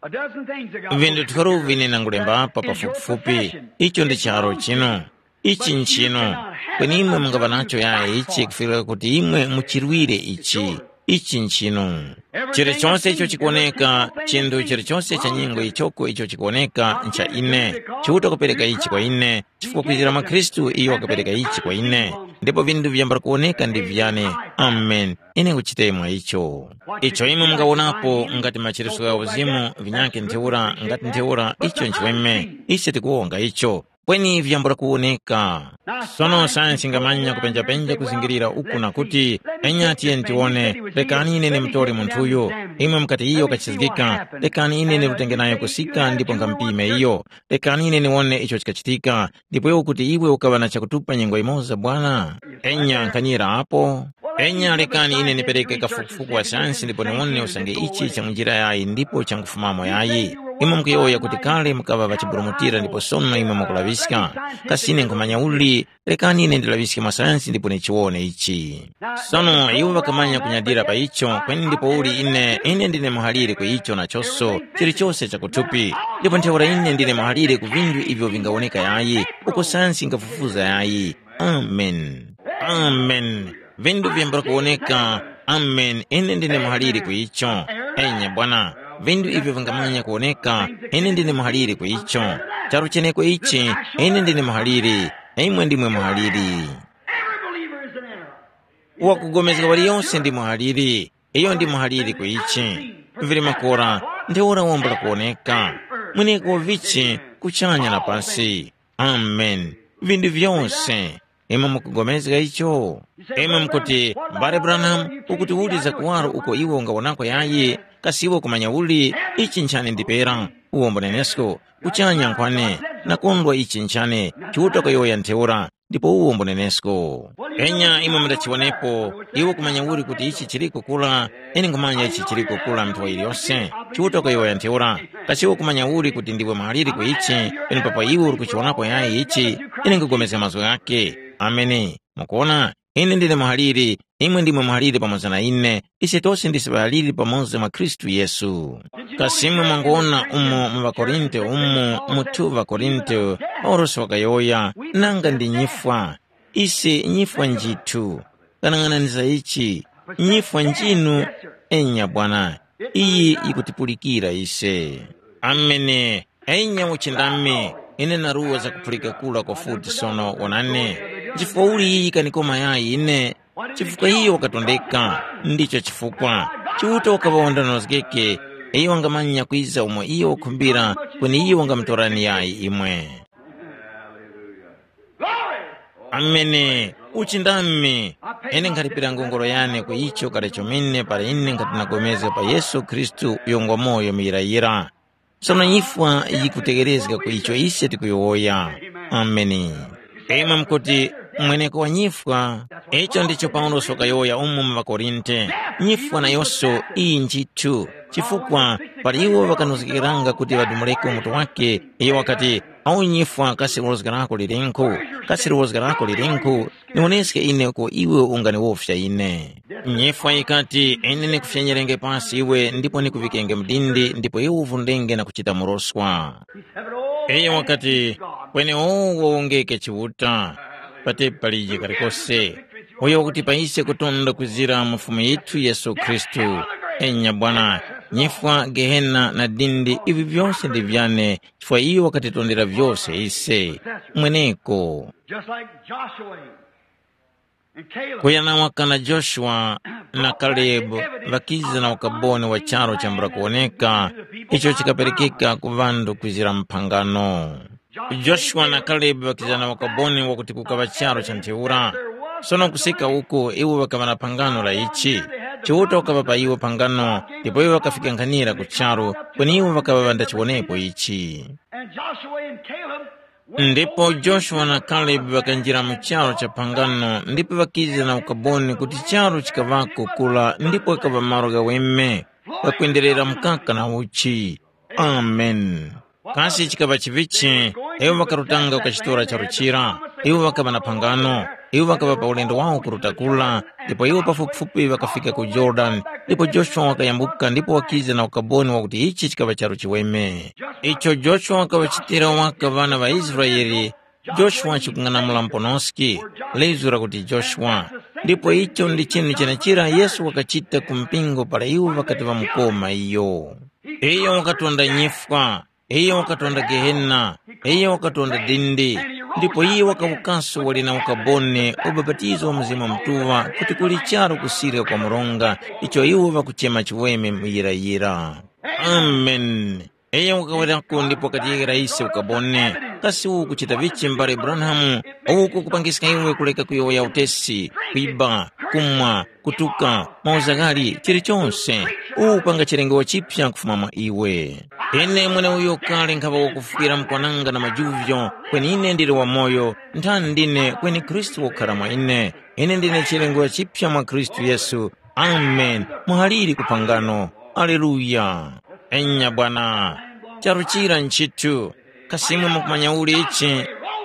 Vinthu tikaru vine nangulemba apa pafupifupi. Icho ndi charo chino. Ichi nchino. Kweni imwe mungaŵa nacho yayi ichi kufikira kuti imwe muchirwire ichi. Ichi nchinu. Chilichonse icho chikuwoneka, chinthu chilichonse cha nyengo ichoko icho chikuwoneka ncha ine. Chiuta kupereka ichi kwa ine, chifukwa kwizira mwa Khristu iyo wakapereka ichi kwa ine. Ndipo vinthu vyambala kuwoneka ndi vyane. Amen. Ine nkuchita mwa icho. Icho imwe mungawonapo ngati machiritso gha uzimu, vinyake ntheura ngati ntheura, icho nchiweme. Ise tikuwonga icho. Kweni vyambula kuwoneka. Sono sayansi ingamanya kupenjapenja kuzingirira uku na kuti, enya tiyeni tiwone, rekani ine ndimutore munthuyu. Imwe mukati iyo kachizgika, rekani ine ndirutenge nayo kusika ndipo ngamupime iyo. Rekani ine niwone icho chikachitika. Ndipo iwe kuti iwe ukaŵa na chakutupa nyengo yimoza bwana? Enya nkhanyira apo. Enya lekani ine nipereke kafukufuku wa sayansi ndipo niwone usange ichi cha mu njira yayi ndipo changufumamo yayi. Imwe mukuyowoya kuti kale mukaŵa ŵachiburumutira ndipo sono imwe mukulaŵiska. Kasi ine nkhumanya uli? Lekani ine ndilaŵiske mwa sayansi ndipo nichiwone ichi. Sono iwo ŵakamanya kunyadira pa icho, kweni ndipo uli ine, ine ndine muhalire ku icho nachonso, chilichose chakuthupi. Ndipo ntheura ine ndine muhalire ku vinthu ivyo vingawoneka yayi, uko sayansi ingafufuza yayi. Amen. Amen. Vindu vyambula kuwoneka. Amen. Ine ndine muhaliri ku icho. Enye bwana, vindu ivyo vingamanya kuwoneka. Ine ndine muhaliri ku icho. Charu cheneko ichi. Ine ndine muhaliri. Imwe ndimwe muhaliri. Every believer is an heir. Wakugomezga waliyonse ndi muhaliri. Iyo ndi muhaliri ku ichi. Vili makora. Ntheura wambula kuwoneka. Mwineko vichi, kuchanya na pasi. Amen. Vindu vyonse. Imwe mukugomezga icho? Imwe mukuti, mbale Branham, ukuti uli zakuwaro uko iwe ungawonako yayi? Kasi iwe kumanya uli? Ichi nchane ndipera. Uwombo nenesko. Kuchanya nkhwane. Nakondwa ichi nchane. Chiuta kuyowoya ntheura. Ndipo uwombo nenesko. Enya imwe mundachiwonepo. Iwe kumanya uli kuti ichi chili kukula? Ine nkhumanya ichi chili kukula nthowa iliyonse. Chiuta kuyowoya ntheura. Kasi iwe kumanya uli kuti ndiwe muhaliri ku ichi? Penepapo iwe uri kuchiwonapo yayi ichi. Ine nkugomezga mazgu ghake. Ameni. Mukuona? Ine ndine muhaliri. Imwe ndimwe muhaliri pamoza na ine. Ise tose ndise ŵahaliri pamoza mwa Khristu Yesu. Kasi imwe mwangona umo mu ŵaKorinte umo, mu two ŵaKorinte, Paulosi wakayowoya, nanga ndi nyifwa. Ise nyifwa njithu. Kanang'ananiza ichi. Nyifwa njinu. Enya bwana. Iyi yikutipulikira ise. Amene. Enya uchindami. Ine naruwa zakupulika kula kwa futi sono wonani. Chifukwa uli iyi kanikoma yayi ine? Chifukwa iyo wakatondeka. Ndicho chifukwa. Chiuta wakaŵa wandanozgeke. Iyo wangamanya kwiza umo iyo wakhumbira. Kweni iyo wangamutorani yayi imwe. Amene. Uchindami. Ine nkhalipira ngongolo yane ku icho kale chomene para ine nkhati nagomezga pa Yesu Khristu uyo ngwamoyo muyirayira. Sono nyifwa yikutegerezga ku icho ise tikuyowoya. Ameni. Imwe mukuti, mweneko wa nyifwa. Icho ndicho Paulosi wakayowoya umu mu ŵaKorinte. Nyifwa nayonso iyi nchithu. Chifukwa pali iwo ŵakanozgekeranga kuti ŵadumuleko mutu wake, iyo wakati, awu nyifwa kasi lozga lako lilinkhu? Kasi lozga lako lilinkhu? Niwoneske ine uko iwe unganiwofya ine. Nyifwa yikati, ine nikufyenyerenge pasi iwe ndipo nikuŵikenge mdindi ndipo iwe uvundenge na kuchita muroswa. Iyo wakati, kwenewo wowongeke Chiuta, patepi palije kalikose, uyo wakutipa ise kutonda kwizira mu Fumu yithu Yesu Khristu. Enya bwana, nyifwa, gehena na dindi ivi vyose ndi vyane, chifukwa iyo wakatitondera vyose ise. Mweneko. Just like Joshua and Caleb. Kuyana waka na Joshua na Kalebu ŵakiza na ukaboni wa charu chambula kuwoneka, icho chikaperekeka ku ŵanthu kwizira mphangano. Joshua na Kalebu ŵakiza na ukaboni wakuti kukaŵa charu cha ntheura. Sono kusika uku iwo ŵakaŵa na phangano la ichi. Chiuta wakaŵa pa iwo phangano, ndipo iwo ŵakafika nkhanira ku charu, kweni iwo ŵakaŵa ŵandachiwonepo ichi. And Joshua and Caleb Ndipo Joshua na Kalebu ŵakanjira mu charu cha phangano ndipo ŵakiza na ukaboni kuti charu chikaŵako kula ndipo ghakaŵa malo ghaweme, ghakwenderera mkaka na uchi. Amen. Kasi chikaŵa chivichi? Iwo ŵakarutanga kukachitora charu chira. Iwo ŵakaŵa na phangano. Iwo ŵakaŵa pa ulendo wawo kuruta kula, ndipo iwo pafupifupi ŵakafika ku Yorodani, ndipo Joshua wakayambuka ndipo wakiza na ukaboni wakuti ichi chikaŵa charu chiweme. Icho Joshua wakaŵachitira waka ŵana ŵa Israele, Joshua chikung'anamula mponoski, lezu lakuti Joshua. Ndipo icho ndi chinthu chenechira Yesu wakachita ku mpingo para iwo ŵakati ŵamukoma iyo. Iyo wakatonda nyifwa, iyo wakatonda gehena, iyo wakatonda dindi, ndipo iyo wakawukanso wali na ukaboni ubapatizo wa Mzimu Mutuŵa kuti kuli charu kusirika kwa mronga, icho iwo ŵakuchema chiweme muyirayira. Amen. Iyo wakawerako ndipo wakatiyekera ise ukaboni. Kasi uwu kuchita vichi mbale Branham? Uwu kukupangiska iwe kuleka kuyowoya utesi, kwiba, kumwa, kutuka, mauzaghali, chilichonse. Uwu upanga chilengewa chipya kufuma mwa iwe. Ine mweneuyo kale nkhaŵa wakufwira mkwananga na majuvyo, kweni ine ndili wamoyo, nthani ndine kweni Khristu wakukhara mwa ine. Ine ndine chilengewa chipya mwa Khristu Yesu. Amen. Muhaliri ku phangano. Aleluya. Enya bwana. Charu chira nchithu. Kasi imwe mukumanya uli ichi?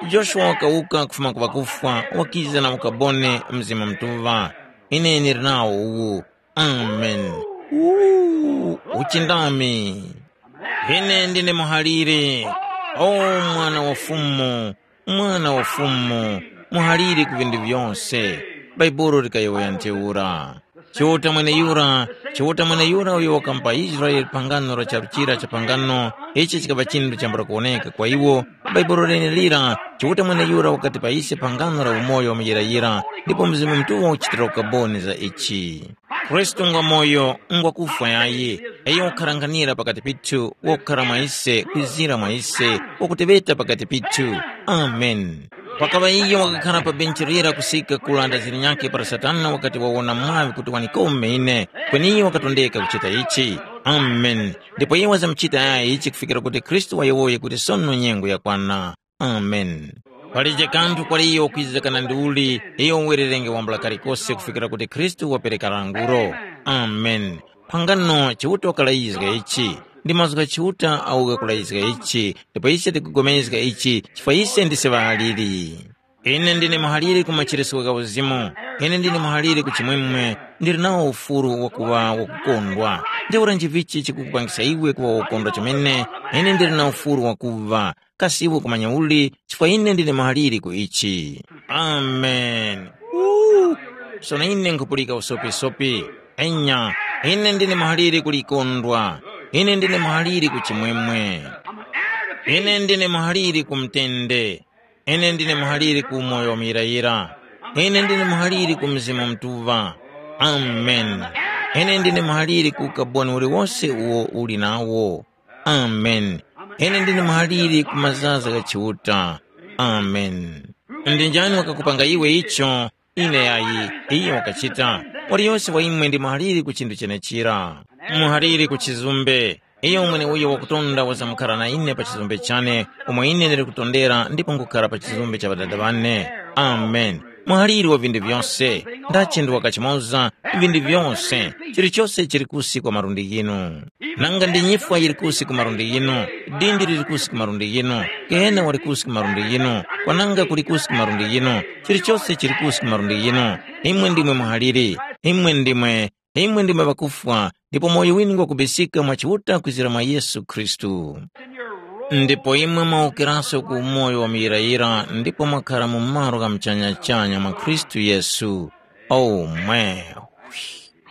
Joshua wakawuka kufuma ku ŵakufwa, wakiza na ukaboni Mzimu Mutuŵa. Ine ndili nawo uwu. Amen. Uwu uchindami. Ine ndine muhalire. O mwana wa Fumu, mwana wa Fumu, muhalire ku vinthu vyose. Bhaibuli likayowoya ntheura. Chiuta mweneyura, Chiuta mweneyura uyo wakamupa Israele phangano la charu chira cha phangano, ichi chikaŵa chinthu chambula kuwoneka kwa iwo. Bhaibuli lenelira, Chiuta mweneyura wakati pa ise phangano la umoyo wa muyirayira, ndipo Mzimu Mutuŵa ukuchitira ukaboni za ichi. Khristu ngwa moyo, ngwa kufwa yayi, iyo ukharanganira pakati pithu, wakukhara mwa ise, kwizira mwa ise, wakuteŵeta pakati pithu. Amen. Pakaŵa iyo wakakhara pa benchi lira kusika kulanda zilinyakhe para Satana wakati wawona mwaŵi kuti wanikome ine, kweni iyo wakatondeka kuchita ichi. Amen. Ndipo iyo wazamuchita yayi ichi kufikira kuti Khristu wayowoye kuti sono nyengo yakwana. Amen. Palije kanthu kwali iyo kwiza kana ndi uli, iyo wererenge wambula kalikose kufikira kuti Khristu wapereka languro. Amen. Phangano Chiuta wakalayizga ichi, ndi mazgu gha Chiuta agho ghakulayizga ichi, ndipo ise tikupulikana ichi chifukwa ise ndise ŵahaliri. Ine ndine muhaliri ku machereso gha uzimu, ine ndine muhaliri ku chimwemwe, ndili nawo ufuru wakuŵa wakukondwa. Ntheura nchivichi chikukupangisa iwe kuŵa wakukondwa chomene? Ine ndili na ufuru wakuŵa. Kasi iwe ukumanya uli? Chifukwa ine ndine muhaliri ku ichi. Amen. Uh, sono ine nkhupulika usopisopi. Enya, ine ndine muhaliri ku likondwa. Ine ndine muhaliri ku chimwemwe. Ine ndine muhaliri ku mtende. Ine ndine muhaliri ku moyo wa muyirayira. Ine ndine muhaliri ku Mzimu Mutuŵa. Amen. Ine ndine muhaliri ku ukaboni uliwose uwo uli nawo. Amen. Ine ndine muhaliri ku mazaza gha Chiuta. Amen. Ndi njani wakakupanga iwe icho? Ine yayi, iyo wakachita. Waliyose wa imwe ndi muhaliri ku chinthu chenechira. Muhaliri ku chizumbe. Iyo mweneuyo wakutonda wazamkara na ine pa chizumbe chane, umo ine ndili kutondera ndipo nkukhara pa chizumbe cha Ŵadada ŵane. Amen. Muhaliri wa vinthu vyose. Ndachindwa kachimoza, vinthu vyose. Chilichose chili kusi kwa malundi ghinu. Nanga ndi nyifwa yili kusi ku malundi ghinu, dindi lili kusi ku malundi ghinu, gehena wali kusi ku malundi ghinu, kwananga kuli kusi ku malundi ghinu, chilichose chili kusi ku malundi ghinu. Imwe ndimwe muhaliri, imwe ndimwe, imwe ndimwe ŵakufwa, ndipo moyo winu ngwakubisika mwa Chiuta kwizira mwa Yesu Khristu. Ndipo imwe mwawukiraso ku umoyo wa muyirayira ndipo mwakhara mu malo gha muchanyachanya mwa Khristu Yesu. Oh, mwe!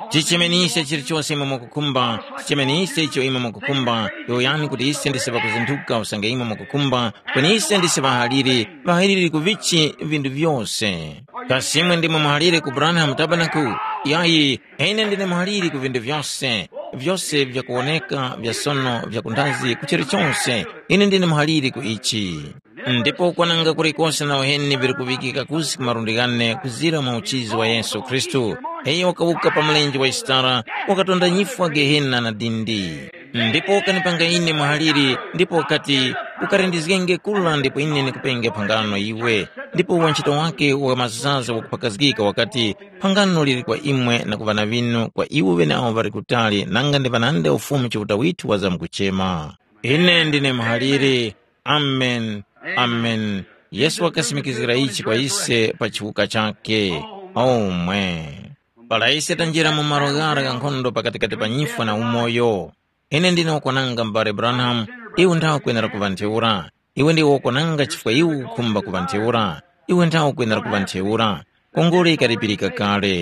Chichemenise chilichose imwe mukukhumba, chichemenise icho imwe mukukhumba, yowoyani kuti ise ndise ŵakuzinthuka usange imwe mukukhumba, kweni ise ndise ŵahaliri, ŵahaliri ku vichi vinthu vyose. Kasi imwe ndimwe muhaliri ku Branham Tabernacle? Yayi, ine ndine muhaliri ku vinthu vyose, vyose vyakuwoneka, vya sono, vya kunthazi, ku chilichonse, ine ndine muhaliri ku ichi. Ndipo kwananga kulikose na uheni vili kuŵikika kusi ku malundi ghane kuzira mu uchizi wa Yesu Khristu. Iyo wakawuka pa mlenje wa chitara, wakatonda nyifwa gehena na dindi. Ndipo wakanipanga ine muhaliri, ndipo wakati, ukalindizgenge kura ndipo ine ndikupenge phangano iwe. Ndipo wantchito wake wa mazaza wakuphakazgika wakati, phangano lili kwa imwe na ku ŵana ŵinu, kwa iwo ŵeneawo ŵali kutali, nanga ndi ŵanandi Ufumu Chiuta withu wazamkuchema. Ine ndine muhaliri. Amen. Amen. Yesu wakasimikizgira ichi kwa ise pa chiwuka chakhe. Omwe. Para ise tanjira mu malo ghara gha nkhondo pakatikati pa nyifwa na umoyo. Ine ndine wakwananga m'bale Branham, iwe nthawe kwenera kuŵa ntheura. Iwe ndiwe wakwananga chifukwa iwe ukukhumba kuŵa ntheura. Iwe nthawe ukwenera kuŵa ntheura. Kongole ikalipirika kale.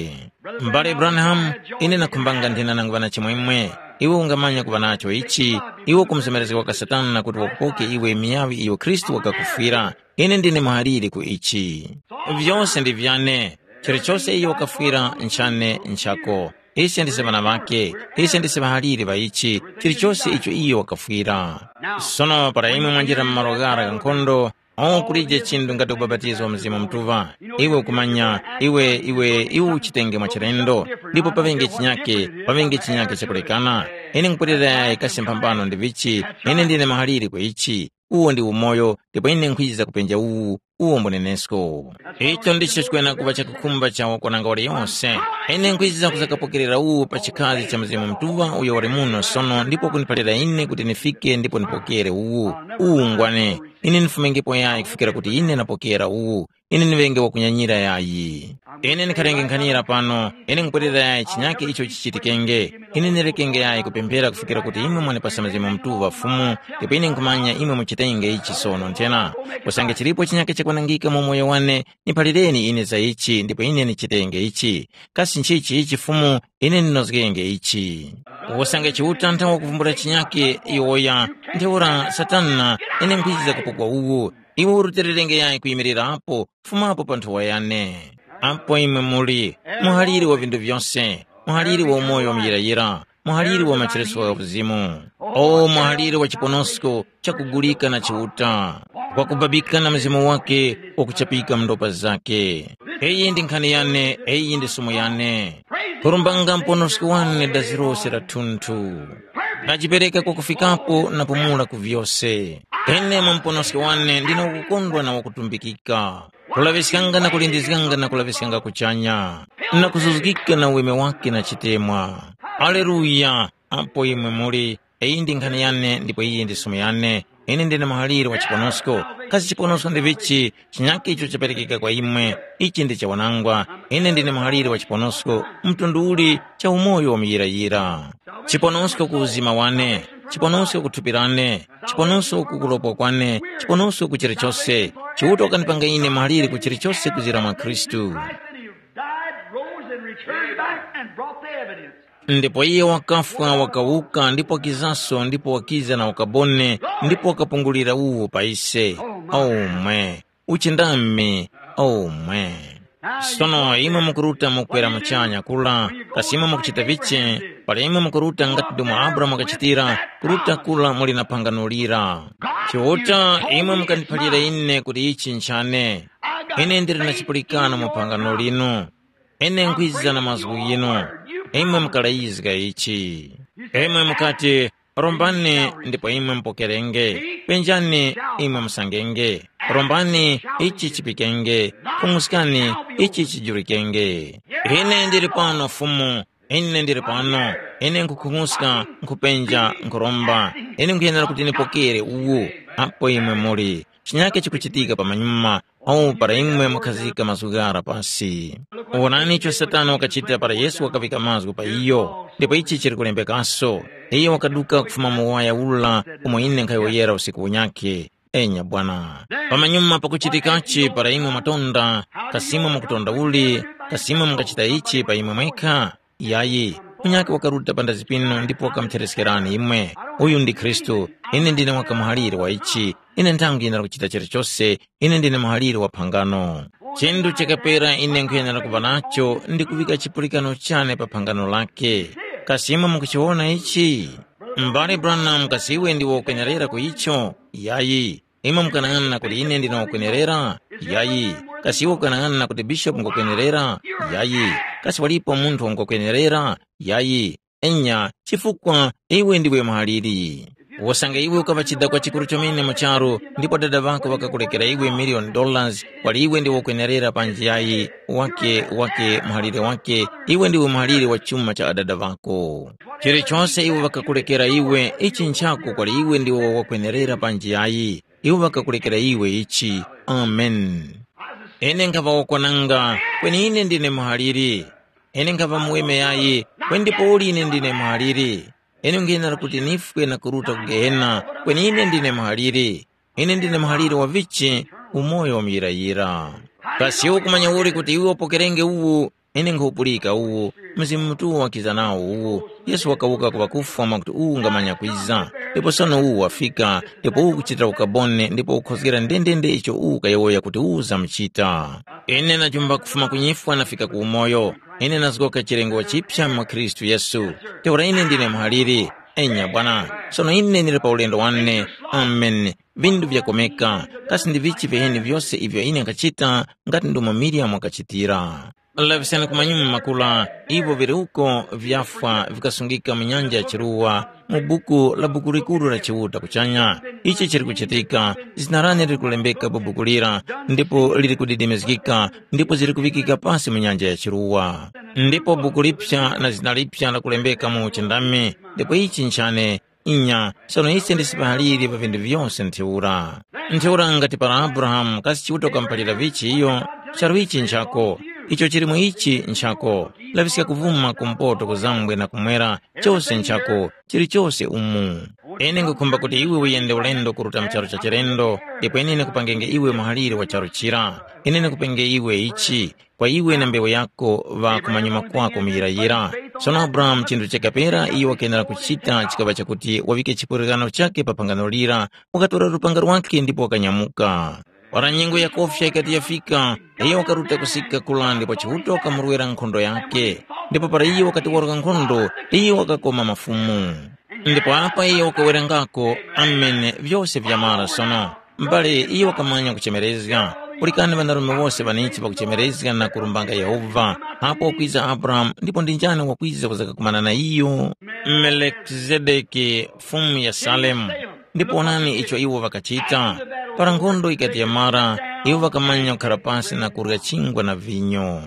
M'bale Branham, ine nakhumbanga nthena nangu ŵana chimwemwe. Iwe ungamanya kuŵa nacho ichi, iwe ukumusemerezga waka Satana kuti wakupoke iwe miyawi iyo Khristu wakakufwira. Ine ndine muhaliri ku ichi. Vyose ndi vyane. Chilichose iyo wakafwira nchane nchako. Ise ndise ŵana ŵake. Ise ndise ŵahaliri ŵa ichi. Chilichose icho iyo wakafwira. Sono para imwe mwanjira mu malo ghara gha nkhondo, o kulije chinthu ngati kubapatizwa Mzimu Mutuŵa. Iwe ukumanya, iwe iwe iwe uchitenge mwachilendo, ndipo paŵenge chinyake, paŵenge chinyake chakulekana. Ine nkupwerera yayi kasi mphambano ndi vichi? Ine ndine mahaliri kwa ichi. Uwo ndi umoyo, ndipo ine nkhwiza kupenja uwu, uwo mbunenesko. Icho ndicho chikwena kuŵa chakukhumba cha wakwananga waliyonse. Ine nkhwiza kuzakapokerera uwu pa chikhazi cha Mzimu Mutuŵa uyo wali muno sono ndipo kuniphalira ine kuti nifike ndipo nipokere uwu. Uwu ngwane. Ine ndifumengepo yayi kufikira kuti ine napokera uwu. Ine ndiŵenge wakunyanyira yayi. Ine ndikhalenge nkhanira pano, ine nkupwerera yayi chinyake icho chichitikenge. Ine ndirekenge yayi kupemphera kufikira kuti imwe mwanipasa Mzimu Mutuŵa Fumu, ndipo ine nkhumanya imwe muchitenge ichi sono nthena. Usange chilipo chinyake chakwanangika mu umoyo wane, niphalireni ine za ichi ndipo ine ndichitenge ichi. Kasi nchichi ichi Fumu, ine ndinozgenge ichi. Usange Chiuta nthawa kuvumbula chinyake yowoya, ntheura Satana, ine nkhwiza kupogwa uwu. Iwe urutilirenge yayi kuyimirirapo, fumapo pa nthowa yane. Apo imwe muli, muhaliri wa vinthu vyose, muhaliri wa umoyo wa muyirayira, muhaliri wa machereso gha uzimu. O muhaliri wa chiponosko chakugulika na Chiuta, wakubabika na mzimu wake wakuchapika mu ndopa zake. Iyi ndi nkhani yane, iyi ndi sumu yane. Kurumbanga muponoski wane dazi lose la thunthu. Ndajipereka kwakufikapo na pumula ku vyose. Ine mu muponoski wane ndine wakukondwa na wakutumbikika. Kulaŵiskanga na kulindizganga na kulaŵiskanga kuchanya, na kuzuzgika na uweme wake na chitemwa. Aleluya! Apo imwe muli, iyi ndi nkhani yane ndipo iyi ndi sumu yane. Ine ndine muhaliri wa chiponosko. Kasi chiponosko ndi vichi? Chinyake icho chaperekeka kwa imwe. Ichi ndi chawanangwa. Ine ndine muhaliri wa chiponosko. Mtundu uli cha umoyo wa muyirayira. Chiponosko ku uzima wane. Chiponosko ku thupi lane. Chiponosko ku kulopwa kwane. Chiponosko ku chilichose. Chiuta wakanipanga ine muhaliri ku chilichose kuzira mwa Khristu. Christ in him died, rose, and returned back and brought the evidence. Ndipo iye wakafwa wakawuka ndipo wakizaso ndipo wakiza na ukaboni ndipo wakapungulira uwu pa ise. Omwe uchindami. Omwe. Sono imwe mukuruta mukwera muchanya kula, kasi imwe mukuchita vichi? Pali imwe mukuruta ngati ndomwe Abrahamu wakachitira, kuruta kula muli na phangano lira. Chiuta imwe mukandiphalira ine kuti ichi nchane. Ine ndili na chipulikano mu phangano linu. Ine nkhwiza na mazgu ghinu. Imwe mukalayizga ichi. Imwe mukati, rombani ndipo imwe mupokerenge. Penjani, imwe musangenge. Rombani, ichi chipikenge. Kung'uskani, ichi chijulikenge. Ine ndili pano Fumu. Ine ndili pano. Ine nkhukung'uska, nkhupenja, nkhuromba. Ine nkhuyenera kuti nipokere uwu. Apo imwe muli. Chinyake chikuchitika pamanyuma, awu para imwe mukhazika mazgu ghara pasi. Wonani icho Satana wakachita para Yesu wakavika mazgu pa iyo, ndipo ichi chili kulembekaso. Iyo wakaduka kufuma mu waya ula umo ine nkhayowoyera usiku unyakhe. Enya bwana. Pamanyuma pakuchitikachi para imwe mwatonda, kasi imwe mukutonda uli, kasi imwe mungachita ichi pa imwe mwekha? Yayi, munyakhe wakaruta pandazi pinu ndipo wakamuthereskerani imwe. Uyu ndi Khristu, ine ndine wakamuhalire wa ichi, ine nthangu yenera kuchita chilichose, ine ndine muhalire wa phangano. Chinthu chakapera ine nkhuyenera kuŵa nacho ndi kuŵika chipulikano chane pa phangano lake. Kasi imwe mukuchiwona ichi? M'bale Branham, kasi iwe ndiwe ukwenerera ku icho? Yayi. Imwe mukanang'ana kuti ine ndine wakwenerera? Yayi. Kasi iwe ukanang'ana kuti bishopu ngwakwenerera? Yayi. Kasi walipo munthu wangwakwenerera? Yayi. Enya, chifukwa iwe ndiwe muhaliri. Usange iwe ukaŵa chidakwa chikuru chomene mu charu, ndipo dada ŵako ŵakakulekera iwe miliyoni dollars, wali iwe ndiwe ukwenerera panji yayi? Wake wake muhalire wake, iwe ndiwe muhalire wa chuma cha adada ŵako. Chilichose iwo ŵakakulekera iwe, ichi nchako kwali iwe ndiwe wakwenerera panji yayi? Iwo ŵakakulekera iwe ichi. Amen. Ine nkhaŵa wakwananga, kweni ine ndine muhaliri. Ine nkhaŵa muweme yayi, kweni ndipouli ine ndine muhaliri. Ine nkhuyenera kuti nifwe na kuruta ku Gehena, kweni ine ndine muhaliri. Ine ndine muhaliri wa vichi, umoyo wa muyirayira. Kasi iwe ukumanya uli kuti iwe upokerenge uwu? Ine nkhupulika uwu, Mzimu Mutuŵa wakiza nawo uwu. Yesu wakawuka ku ŵakufwa mwakuti uwu ungamanya kwiza, ndipo sono uwu wafika, ndipo uwu ukuchitira ukaboni ndipo ukhozgera ndendende icho uwu ukayowoya kuti uwu uzamuchita. Ine ndachumba kufuma ku nyifwa nafika ku umoyo. Ine nazgoka chilengo chipya mwa Khristu Yesu. Ntheura ine ndine muhaliri. Enya bwana, sono ine ndili pa ulendo wane. Amen. Vindu vyakomeka. Kasi ndi vichi viheni vyose ivyo ine nkhachita ngati ndumo Miriamu wakachitira? Lavisani kumanyuma makula, ivo vili uko vyafwa vikasungika mu nyanja ya chiruwa, mu buku la buku likuru la Chiuta kuchanya. Ichi chili kuchitika, zina lane lili kulembeka pa buku lira, ndipo lili kudidimizgika, ndipo zili kuŵikika pasi mu nyanja ya chiruwa. Ndipo buku liphya na zina liphya lakulembeka mu uchindami, ndipo ichi nchane, inya, sono ise ndisi pahaliri pa vindu vyose ntheura. Ntheura ngati para Abrahamu kasi Chiuta wakamuphalira vichi iyo, charu ichi nchako, icho chili mu ichi nchako, laŵiska kuvuma kumpoto kuzambwe na kumwera, chose nchako, chilichose umu. Ine nkhukhumba kuti iwe uyende ulendo kuruta mu charu cha chilendo, ndipo ine ndikupangenge iwe muhaliri wa charu chira. Ine ndikupenge iwe ichi, kwa iwe na mbewu yako ŵa kumanyuma kwako muyirayira. Sono Abrahamu chinthu chakapera iyo wakenera kuchita chikaŵa chakuti waŵike chipulikano chake pa phangano lira, wakatora lupanga lwakhe ndipo wakanyamuka. Para nyengo yakofya yikati yafika, iyo wakaruta kusika kula ndipo Chiuta wakamurwera nkhondo yake. Ndipo para iyo wakati waruka nkhondo, iyo wakakoma mafumu. Ndipo apa iyo wakawerengako, amene, vyose vyamara sono. Mbale iyo wakamanya kuchemerezga. Pulikani ŵanarume wose ŵanichi pakuchemerezga na kurumbanga Yehova, apo wakwiza Abrahamu ndipo ndi njani wakwiza kuzakakumana na iyo? Melikizedeki, fumu ya Salemu. Ndipo onani icho iwo ŵakachita. Para nkhondo yikati yamara, iwo ŵakamanya kukhara pasi na kurya chingwa na vinyo.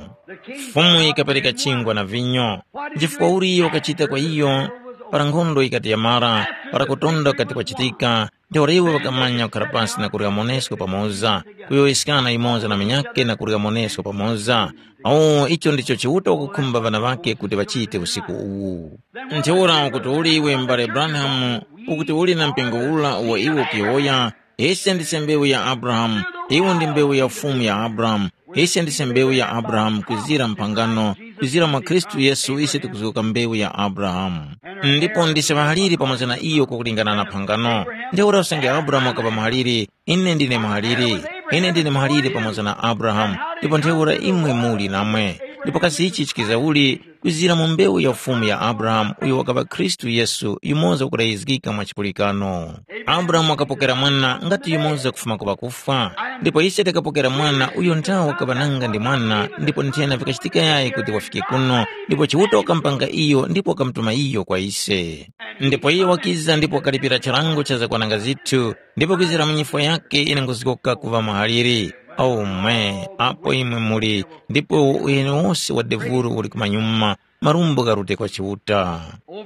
Fumu yikapereka chingwa na vinyo. Nchifukwa uli wakachita kwa iyo? Para nkhondo yikati yamara, para kutonda kukati kwachitika, ntheura iwo ŵakamanya kukhara pasi na kurya monesko pamoza, kuyowoyeskana yumoza na munyakhe na kurya monesko pamoza. Awo icho ndicho Chiuta wakukhumba ŵana ŵakhe kuti ŵachite usiku uwu. Ntheura ukuti uli iwe mbale Branham, ukuti uli na mpingo ula uwo iwe ukuyowoya, ise ndise mbewu ya Abrahamu, iwe ndi mbewu ya Fumu ya Abrahamu, ise ndise mbewu ya Abrahamu kwizira mphangano, kwizira mwa Khristu Yesu ise tikuzgoka mbewu ya Abrahamu. Ndipo ndise ŵahaliri pamoza na iyo kwakulingana na phangano. Ntheura usange Abrahamu wakapa muhaliri, ine ndine muhaliri, ine ndine muhaliri pamoza na Abrahamu, ndipo ntheura imwe muli namwe. Ndipo kasi ichi chikiza uli? Kwizira mu mbewu ya ufumu ya Abrahamu uyo wakaŵa Khristu Yesu yumoza wakurayizgika mwa chipulikano. Abrahamu wakapokera mwana ngati yumoza kufuma ku ŵakufwa, ndipo ise takapokera mwana uyo nthawe wakaŵa nanga ndi mwana ndipo nthena vikachitika yayi kuti wafike kuno, ndipo Chiuta wakamupanga iyo ndipo wakamutuma iyo kwa ise. Ndipo iyo wakiza ndipo wakalipira charango cha zakwananga zithu, ndipo kwizira mu nyifwa yakhe ine nkuzgoka kuŵa muhaliri. Omwe, apo imwe muli, ndipo uyeni wose wa devuro uli kumanyuma, marumbo gharute kwa Chiuta.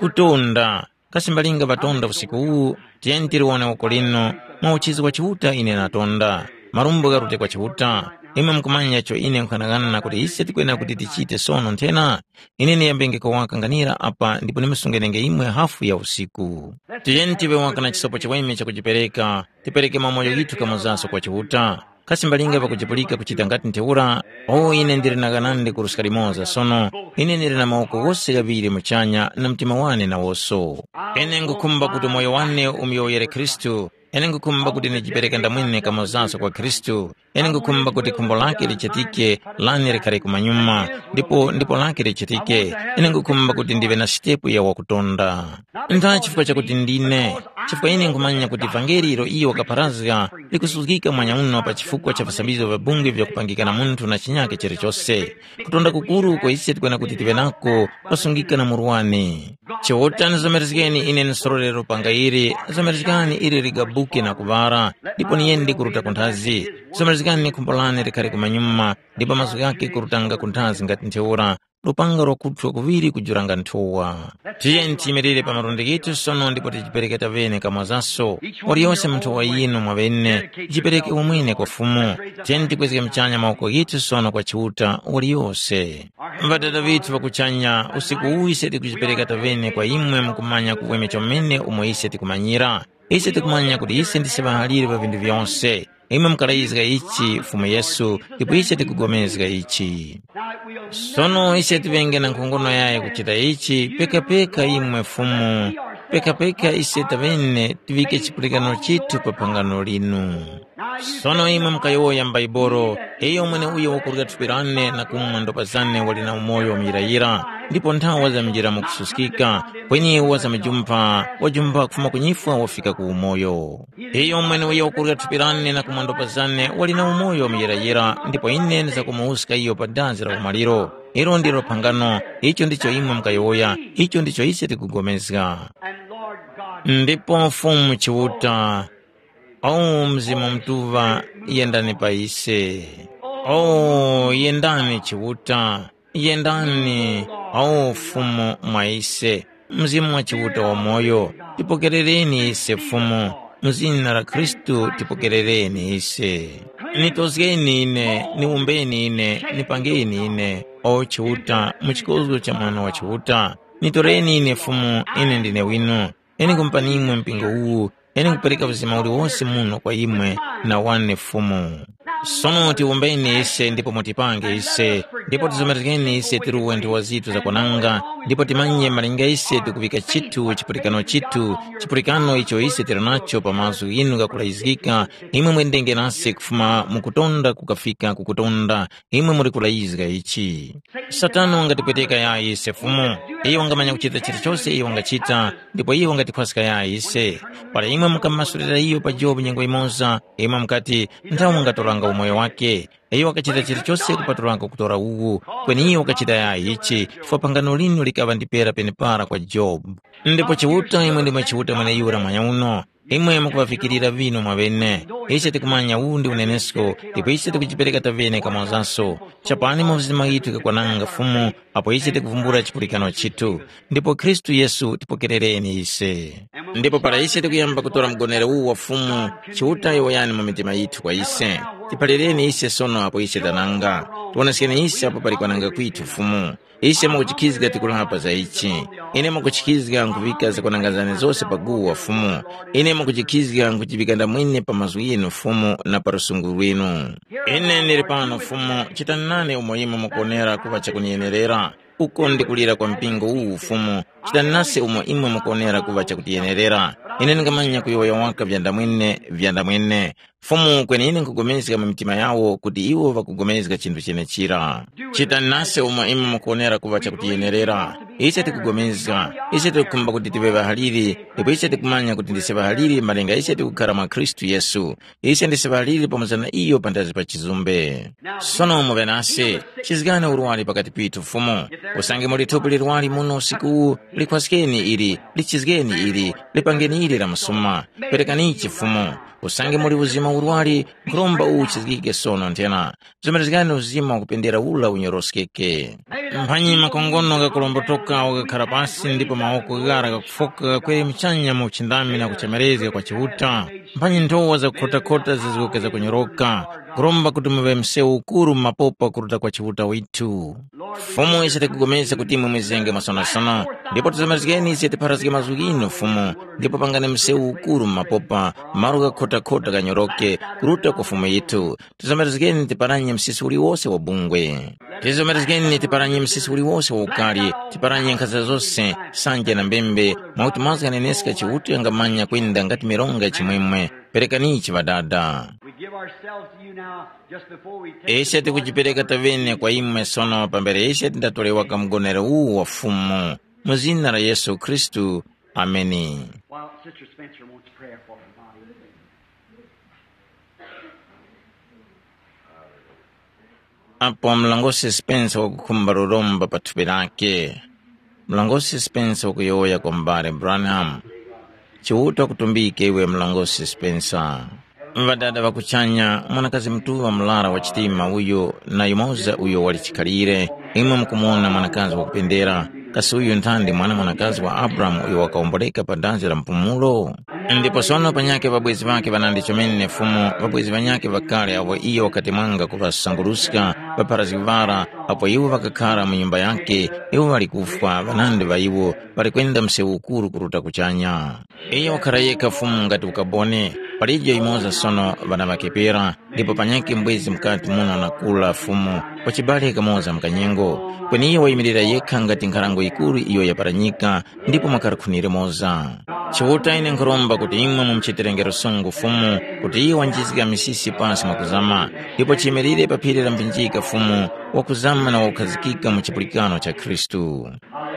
Kutonda, kasi mbalinga ŵatonda usiku uwu, tiyeni tiliwone woko lino, mwa uchizi wa Chiuta ine natonda. Marumbo gharute kwa Chiuta, imwe mukumanya icho ine nkhanang'ana kuti ise tikwena kuti tichite sono nthena? Ine ndiyambenge kuwaka nganira apa ndipo ndimusungenenge imwe hafu ya usiku. Tiyeni tive waka na chisopo chiweme chakujipereka, tipereke mamoyo ghithu kamozaso kwa Chiuta. Kasi mbalinga pakujipulika kuchita ngati ntheura? O ine ndili na ghanandi kuruska limoza sono, ine ndili na mawoko ghose ghaŵiri muchanya na mtima wane nawoso. Ine ngukhumba kuti moyo wane umuyowoyere Khristu. Ine ngukhumba kuti ndijipereke ndamwene kamozaso kwa Khristu. Ine ngukhumba kuti khumbo lake lichetike, lane likhare kumanyuma, ndipo ndipo lake lichetike. Ine ngukhumba kuti ndive na sitepu ya wakutonda. Ntha chifukwa chakuti ndine, chifukwa ine nkhumanya kuti vangeli ilo iyo wakapharazga likusuzgika mwanya uno pa chifukwa cha visambizgo vya bungwe vyakupangika na munthu na chinyake chilichose. Kutonda kukuru uko ise tikwena kuti tive nako kwasungika na murwani. Chiuta nizomerezgeni ine nsorore lupanga ili, zomerezgani ili ligabuke na kuŵara, ndipo niyende kuruta ku nthazi. Zomerezgani khumbo lane likhare kumanyuma, ndipo mazgu ghake kurutanga ku nthazi ngati ntheura, lupanga lwakuthwa kuŵiri kujuranga nthowa. Tiyeni tiyimirire pa malundi ghithu sono ndipo tijipereke tavene kamwazaso, waliyose munthu wa yinu mwaŵene, jipereke umwene kwa Fumu. Tiyeni tikwezge muchanya mawoko ghithu sono kwa Chiuta waliyose. Ŵadada ŵithu ŵa kuchanya, usiku uwu ise tikujipereka tavene kwa imwe mukumanya kuweme chomene umo ise tikumanyira. Ise tikumanya kuti ise ndise ŵahaliri pa vinthu vyose. Imwe mukalayizga ichi, Fumu Yesu, ndipo ise tikugomezga ichi. Sono ise tiŵenge na nkhongono yayi kuchita ichi, pekapeka imwe Fumu, pekapeka ise taŵene tivike chipulikano chithu pa phangano linu. Sono imwe mukayowoya m'Baibolo, iyo mweneuyo wakurya thupi lane na kumwa ndopa zane wali na umoyo wamuyirayira, ndipo nthawa zamjira mukususkika, kweni wazamujumpha, wajumpha kufuma ku nyifwa wafika ku umoyo. Iyo mweneuyo wakurya thupi lane na kumwa ndopa zane wali na umoyo wamuyirayira, ndipo ine ndizakumuwuska iyo pa dazi la umaliro. Ilo ndilo phangano, icho ndicho imwe mukayowoya, icho ndicho ise tikugomezga. And Lord God, ndipo Fumu Chiuta, o Mzimu Mutuŵa, yendani pa ise. O, yendani Chiuta, yendani, o Fumu mwa ise. Mzimu wa Chiuta wamoyo, tipokerereni ise Fumu, mu zina la Khristu tipokerereni ise. Nitozgeni ine, niwumbeni ine, nipangeni ine, o Chiuta, mu chikozgo cha Mwana wa Chiuta. Nitoreni ine Fumu, ine ndine winu. Ine nkhumupani imwe mpingo uwu, ine nkhupereka uzima uliwose muno kwa imwe na wane Fumu. Sono tiwumbeni ise ndipo mutipange ise, ndipo tizomerezgeni ise tiruwe nthowa zithu zakwananga, ndipo timanye malinga ise tikuŵika chithu chipulikano chithu, chipulikano icho ise tili nacho pa mazgu ghinu ghakulayizgika, imwe mwendenge nase kufuma mu kutonda kukafika ku kutonda, imwe muli kulayizga ichi. Satana wangatipweteka yayi ise Fumu, iyo wangamanya kuchita chilichose iyo wangachita, ndipo iyo wangatikhwaska yayi ise. Para imwe mukammasulira iyo pa Jobu nyengo yimoza, imwe mukati, nthawe mungatoranga umoyo wake. Iyo wakachita chilichose kupatulanga kutora uwu, kweni iyo wakachita yayi ichi, chifukwa phangano linu likaŵa ndi pera penepara kwa Jobu. Ndipo Chiuta imwe ndimwe Chiuta mweneyura mwanyauno, imwe mukuŵafikirira vino mwaŵene. Ise tikumanya uwu ndi unenesko, ndipo ise tikujipereka taŵene kamonzaso. Chapani mu mzima yithu ikakwananga Fumu, apo ise tikuvumbula chipulikano chithu. Ndipo Khristu Yesu tipokerereni ise. Ndipo para ise tikuyamba kutora mgonero uwu wa Fumu, Chiuta yowoyani mu mitima yithu kwa ise. Tiphalireni ise sono apo ise tananga. Tiwoneskeni ise apo pali kwananga kwithu Fumu. Ise mwakuchikizga tikulapa za ichi. Ine mwakuchikizga nkuvika zakwananga zane zose pa guwa Fumu. Ine mwakuchikizga nkuchivika ndamwine pa mazgu ghinu Fumu na pa lusungu lwinu. Ine ndili pano Fumu, chitani nane umo imwe mukuonera kuŵa chakuniyenerera. Uko ndi kulira kwa mpingo uwu Fumu, chitani nase umo imwe mukuonera kuŵa chakutiyenerera. Ine ndingamanya kuyowoya waka vyandamwene, vyandamwene. Fumu kwenene nkugomezga mu mitima yawo kuti iwo ŵakugomezga chinthu chenechira. Chitani nase umo imwe mukuonera kuŵa chakutiyenerera. Ise tikugomezga, ise tikukhumba kuti tive ŵahaliri, ndipo ise tikumanya kuti ndise ŵahaliri malinga ise tikukhara mwa Khristu Yesu. Ise ndise ŵahaliri pamoza na iyo panthazi pa chizumbe. Sono muŵe nase, chizgani urwari pakati pithu Fumu. Usange muli thupi lirwari muno usiku uwu, likhwaskeni ili, lichizgeni ili, lipangeni ili la msuma. Perekanichi Fumu. Usange muli uzima urwari, nkhuromba uwu uchizgike sono nthena. Zomerezgani uzima wakupendera ula unyoroskeke. Mphanyi makongono ghakurombotoka ughakhara pasi ndipo mawoko ghara ghakufoka ghakwere muchanya mu uchindami na kuchemerezga kwa Chiuta. Mphanyi nthowa zakukhotakhota zizguke zakunyoroka. Kuromba kuti muŵe msewu ukuru mu mapopa kuruta kwa Chiuta withu. Fumu ise tikugomezga kuti imwe mwizenge masonosono, ndipo tizomerezgeni ise tipharazge mazgu ghinu Fumu, ndipo pangani msewu ukuru mu mapopa, malo ghakhotakhota ghanyoroke, kuruta kwa Fumu yithu. Tizomerezgeni tiparanye msisi uliwose wa bungwe. Tizomerezgeni tiparanye msisi uliwose wa ukali, tiparanye nkhaza zose, sanje na mbembe, mwakuti mazgu ghaneneska Chiuta ghangamanya kwenda ngati mironga ya chimwemwe. Perekanichi Ŵadada. We give ourselves to you now, just before we take Ise tikujipereka tavene kwa imwe sono pambere ise tindatolewa kamgonero uwu wa Fumu. Mu zina la Yesu Khristu. Ameni. While Sister Spencer wants prayer for her body. Apo mlongosi Spencer wakukhumba luromba pa thupi lake, mlongosi Spencer wakuyowoya kwa m'bale Branham, Chiuta wakutumbike iwe mlongosi Spencer. Ŵadada ŵa kuchanya, mwanakazi mutuŵa murara wa chitima uyo na yumoza uyo wali chikhalire, imwe mukumuwona mwanakazi wakupendera, kasi uyu nthandi mwana mwanakazi wa Abrahamu uyo wakawomboleka pa danzi la mpumulo? Ndipo sono panyakhe ŵabwezi ŵakhe ŵanandi chomene Fumu, ŵabwezi ŵanyakhe ŵakale apo iyo wakatemwanga kuŵasanguruska ŵapharazgi ŵara, apo iwo ŵakakhara mu nyumba yakhe, iwo ŵali kufwa, ŵanandi ŵa iwo ŵali kwenda msewu ukuru kuruta kuchanya. Iyo wakhala yekha Fumu ngati ukaboni, palijo yumoza sono ŵana ŵakepera, ndipo panyakhe mbwezi mukati muno na kula Fumu, pachibale kamoza mu kanyengo. Kweni iyo wayimirira yekha ngati nkhalango yikuru iyo yaparanyika, ndipo mwakarakhunire moza. Chiuta ine nkhuromba kuti imwe mumuchitire ngerosungu Fumu, kuti iyo wanjizga misisi pasi mwakuzama, ndipo chiyimirire pa phiri la mbinjika Fumu, wakuzama na wakukhazikika mu chipulikano cha Khristu.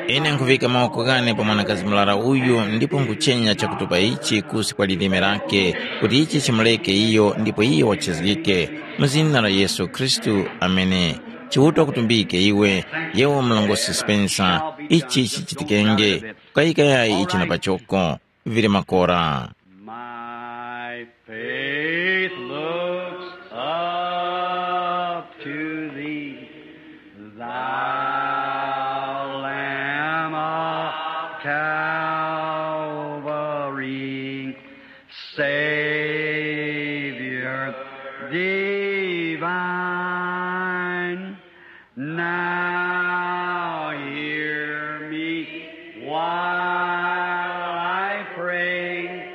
Ine nkhuŵika mawoko ghane pa mwanakazi murara uyu ndipo nkhuchenya chakutupa ichi kusi kwa lilime lake, kuti ichi chimureke iyo ndipo iyo wachizgike. Mu zina la Yesu Khristu, amene. Chiuta kutumbike iwe, yewo mlongosi Spencer, ichi chichitikenge. Kukayika yayi ichi na pachoko, vili makora. My faith looks up to thee, thou Lamb of Calvary, Savior divine. Now hear me while I pray.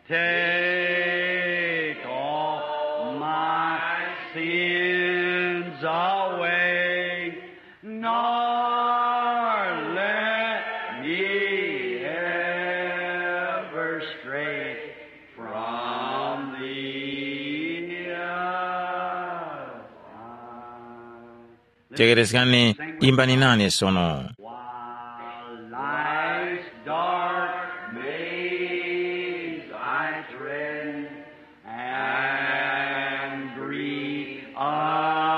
Take all my sins away, nor let me ever stray from thee. Tekereskani, imbani nane sono. While life's dark maze I tread, and grief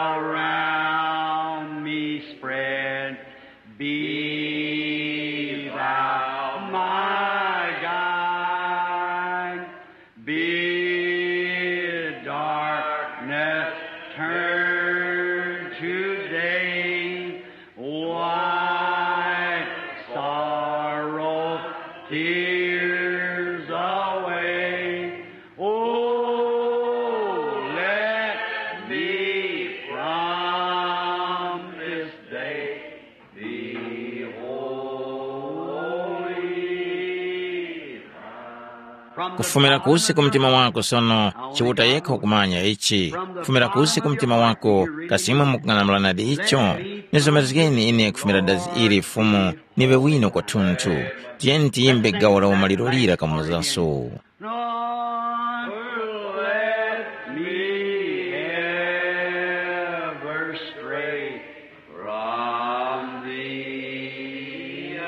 around me spread, be thou my guide. Be darkness turned to day, wipe sorrow, tears away. Oh, let me from this day be holy. Kufumira kusi ku mtima wako sono, Chiuta yekha ukumanya ichi. Kufumira kusi ku mtima wako, kasi imwe mukung'anamula nadi icho? Nizomezgeni ine kufumira dazi ili Fumu, niŵe wino kwathunthu. Tiyeni tiyimbe gawo la umaliro lira kamozaso. Nor let me ever stray from thee.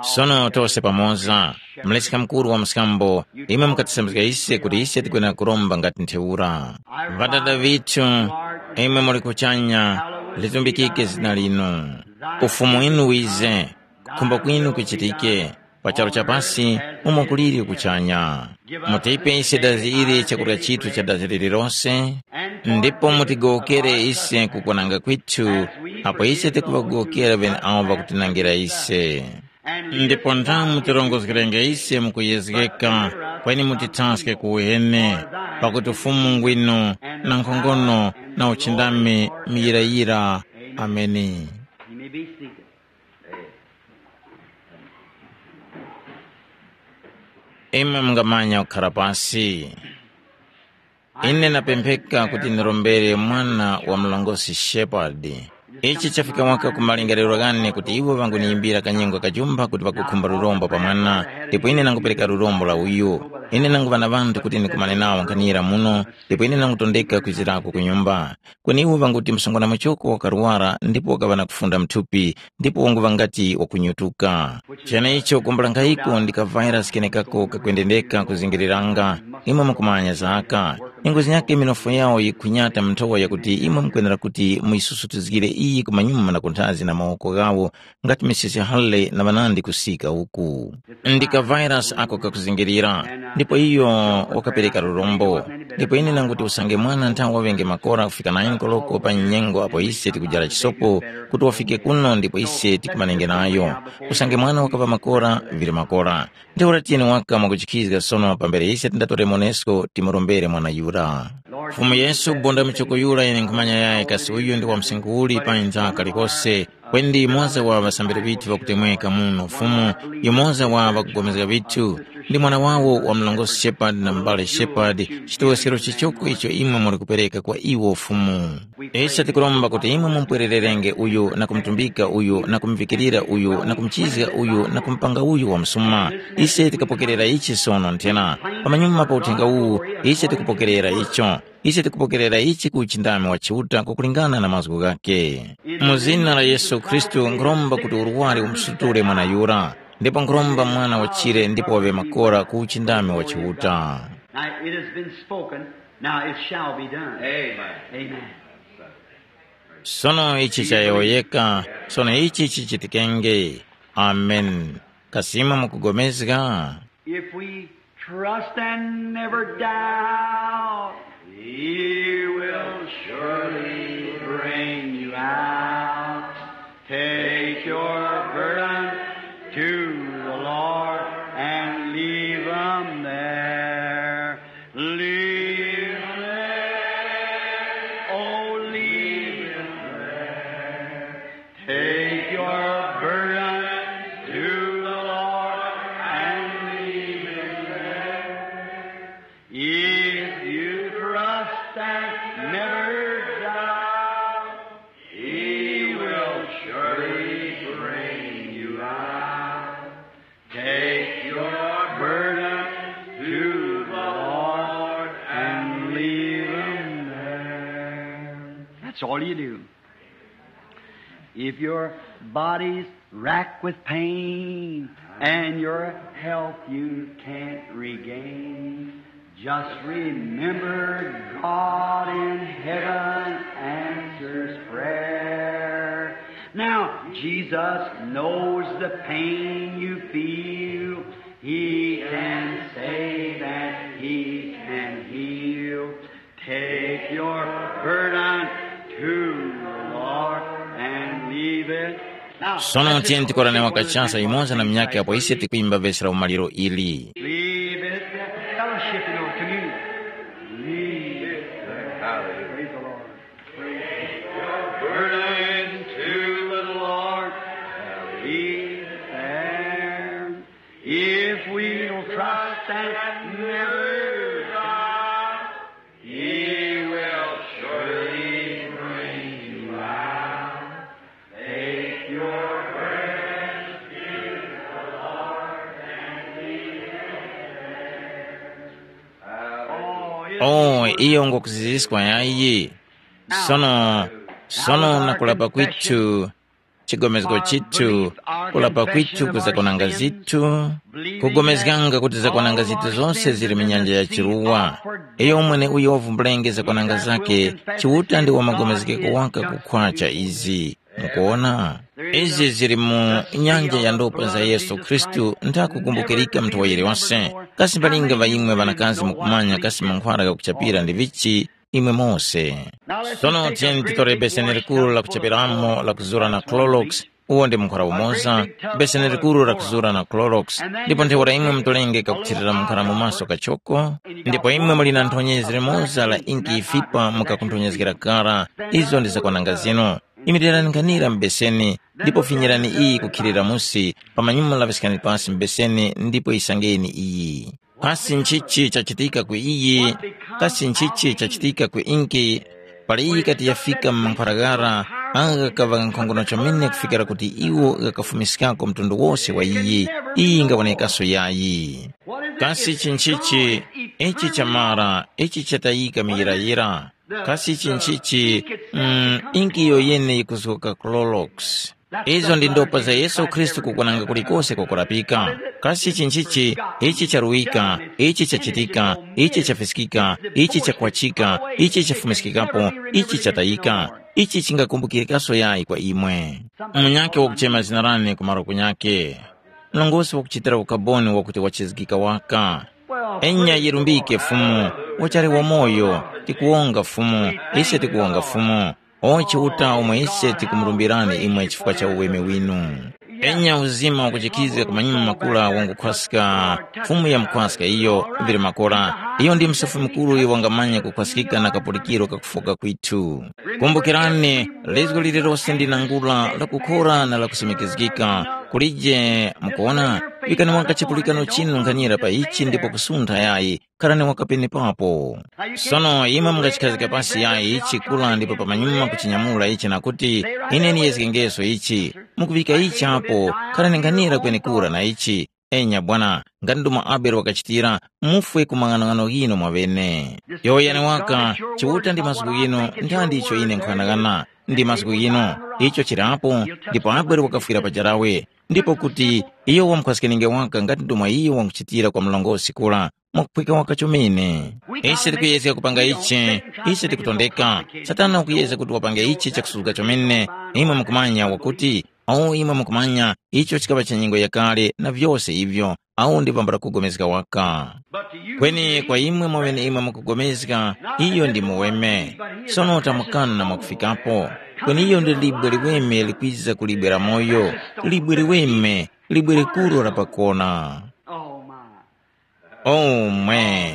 Sono tose pamoza, mleska mukuru wa mskambo, imwe mukatisambizga ise kuti ise tikwenera kuromba ngati ntheura. Ŵadada vithu, imwe muli kuchanya, litumbikike zina linu. Ufumu winu wize, kukhumba kwinu kuchitike, pa charu cha pasi umo kuliri kuchanya. Mutipe ise dazi ili chakurya chithu cha dazi lililose, ndipo mutigowokere ise kukwananga kwithu, apo ise tikuŵagowokera ŵeneawo ŵakutinangira ise. Ndipo nthamu mutirongozgerenge ise mukuyezgeka, kweni mutithaske ku uheni, pakuti Ufumu ngwinu, na nkhongono, na uchindami muyirayira. Ameni. You may be seated. Imwe mungamanya kukhala pasi. Ine napempheka kuti ndirombere mwana wa mlongosi Shepard. Ichi chafika waka ku malingaliro ghane kuti iwo ŵanguniyimbira kanyengo kajumba kuti ŵakukhumba lurombo pa mwana, ndipo ine nangupereka lurombo la uyu. Ine nanguŵa na ŵanthu kuti ndikumane nawo nkhanira muno, ndipo ine nangutondeka kwizirako ku nyumba. Kweni iwo ŵanguti msungwana muchoko wakaruwara ndipo wakaŵa na kufunda mthupi ndipo wanguŵa ngati wakunyutuka. Cheneicho kumbula nkhayiko ndi kavairasi kenekako kakwendendeka kuzingiriranga, imwe mukumanya zaka. Nyengo zinyakhe minofu yawo yikhunyata mu nthowa yakuti imwe mukwenera kuti muyisusutizgire iyi kumanyuma na kunthazi na mawoko ghawo ngati misisi hale na ŵanandi kusika uku. Ndi kavairasi ako kakuzingirira. ndipo iyo wakapereka lurombo. Ndipo ine nanguti usange mwana nthawi waŵenge makora kufika nine koloko pa nyengo apo ise tikujara chisopo, kuti wafike kuno ndipo ise tikumanenge nayo. Usange mwana wakaŵa makora, vili makora. Ntheura tiyeni waka mwakuchikhizga sono pambere ise tindatore monesko timurombere mwana yura. Fumu Yesu bonda michoko yura ine nkhumanya yaye kasi uyu ndi wa msinguli pa nja kalikose. Kwendi yumoza wa ŵasambiri ŵithu ŵakutemweka muno Fumu, yumoza wa ŵakugomezga ŵithu, ndi mwana wawo wa mlongosi Shepard na m'bale Shepard, chitowesero chichoko icho imwe muli kupereka kwa iwo Fumu. Ise tikuromba kuti imwe mumupwerererenge uyu na kumutumbika uyu na kumuvikirira uyu na kumuchizga uyu na kumupanga uyu wa msuma. Ise tikapokerera ichi sono nthena. Pamanyuma pa uthenga uwu, ise tikupokerera icho. Ise tikupokerera ichi ku uchindami wa Chiuta kukulingana na mazgu ghake. Mu zina la Yesu Khristu nkhuromba kuti urwari umusutule mwana yura, ndipo nkhuromba mwana wachire ndipo waŵe makora ku uchindami wa Chiuta. Now it has been spoken, now it shall be done. Amen. Amen. Sono ichi chayowoyeka, sono ichi chichitikenge. Amen. Kasima mukugomezga? If we trust and never doubt, He will surely bring you out. Take your burden to the Lord and leave them there. Leave them there. Oh, leave them there. Take your burden to the Lord and leave them there. If you trust and never doubt, He will surely bring you out. Take your burden to the Lord and leave them there. That's all you do. If your body's racked with pain and your health you can't regain, just remember God in heaven answers prayer. Now, Jesus knows the pain you feel. He can save and He can heal. Take your burden to the Lord and leave it. Now, sono let's tiyeni just tikorane sing one of the wakachasa things imodzi na minyaka yapo ise tikwimba vesi la umaliro ili. Leave it. Fellowship, you know, communion. Leave it. Hallelujah. Praise the Lord. Burden to the Lord. Leave it there. If we will trust and never doubt, He will surely bring you out. Take your burden to the Lord and leave it there. Oh, iyo ngokuziziskwa yayi. Sono, sono na kulapa kwithu, chigomezgo chithu, kulapa kwithu kuzakwananga zithu, kugomezganga kuti zakwananga zithu zose zili mu nyanja ya chiruwa. Iyo umwene uyo wavumbulenge zakwananga zake, Chiuta ndi wamagomezgeko waka kukhwacha izi. Mukuona? Izi zili mu nyanja ya ndopa za Yesu Khristu, ntha kukumbukirika mnthu wayilewase. Kasi palinga ŵa imwe ŵanakazi mukumanya kasi mankhwala ghakuchapira ndi vichi, imwe mose. Sono tiyeni titore besene likuru la kucheperamo la kuzura na Clorox, uwo ndi munkhora umoza, besene likuru la kuzura na Clorox, ndipo ntheura imwe mutolenge kakuthirira munkhora mu maso kachoko, ndipo imwe muli na nthonyezi limoza la inki ifipa mukakunthonyezgera kara, izo ndi zakwananga zinu. Imirirani nkhanira m'beseni, ndipo finyirani iyi kukhilira musi, pamanyuma laŵiskani pasi m'beseni ndipo yisangeni iyi. Kasi nchichi chachitika ku iyi? Kasi nchichi chachitika ku inki? Pali iyi kati yafika mu mankhwara ghara, agha ghakaŵa nkhongono chomene kufikira kuti iwo ghakafumiskako mtundu wose wa iyi, iyi ingawonekaso yayi. Kasi ichi nchichi? Ichi chamara, ichi chatayika miyirayira. Kasi ichi nchichi? Mm, inki iyo yene yikuzgoka Clorox. Izo ndi ndopa za Yesu Khristu kukwananga kulikose kwakurapika. Kasi ichi nchichi? Ichi charuwika, ichi chachitika, ichi chafiskika, ichi chakwachika, ichi chafumiskikapo, ichi chatayika. Ichi chingakumbukirikaso yayi kwa imwe. Munyakhe wakuchema zina lane ku malo kunyakhe. Mlongosi wakuchitira ukaboni wakuti wachizgika waka. Enya yirumbike Fumu, wachali wamoyo, tikuwonga Fumu, ise tikuwonga Fumu. O Chiuta umo ise tikumurumbirani imwe chifukwa cha uweme winu. Enya uzima ukuchikizga ku manyuma makula wangukhwaska, Fumu ya mukhwaska iyo, vili makora, iyo ndi msofi mukuru uyo wangamanya kukhwaskika na kapulikiro kakufoka kwithu. Kumbukirani, lizgo lililose ndi nangula lakukhora na lakusimikizgika, kulije mukuwona, pikani waka chipulikano chinu nkhanira pa ichi ndipo kusuntha yayi, kharani waka penepapo. Sono imwe mungachikazika pasi yayi ichi kula ndipo pamanyuma kuchinyamula ichi na kuti, ine niyezgengeso ichi, mukuŵika ichi apo, kharani nkhanira kwenekura na ichi. Enya bwana, ngati ndomwe Abele wakachitira, mufwe ku mang'anong'ano ghinu mwaŵene. Yowoyani waka, Chiuta ndi mazgu ghinu, nthandi icho ine nkhughanaghana, ndi mazgu ghinu, icho chili apo, ndipo Abele wakafwira pa jarawe, ndipo kuti iyo wamkhwaskenge waka ngati ndomwe iyo wanguchitira kwa mlongosi kura, mwakuphwika waka chomene. Ise tikuyezga kupanga ichi, ise tikutondeka. Satana wakuyezga kuti wapange ichi chakusuzga chomene, imwe mukumanya wakuti, awo imwe mukumanya, icho chikaŵa cha nyengo yakale na vyose ivyo, awo ndi pambala kugomezga waka. Kweni kwa imwe mwaŵene imwe mukugomezga, iyo ndi muweme. Sono tamukana mwakufikapo. Kweni iyo ndi libwe liweme likwiza ku libwe la moyo, libwe liweme, libwe likuru la pakona. Oh my. Omwe.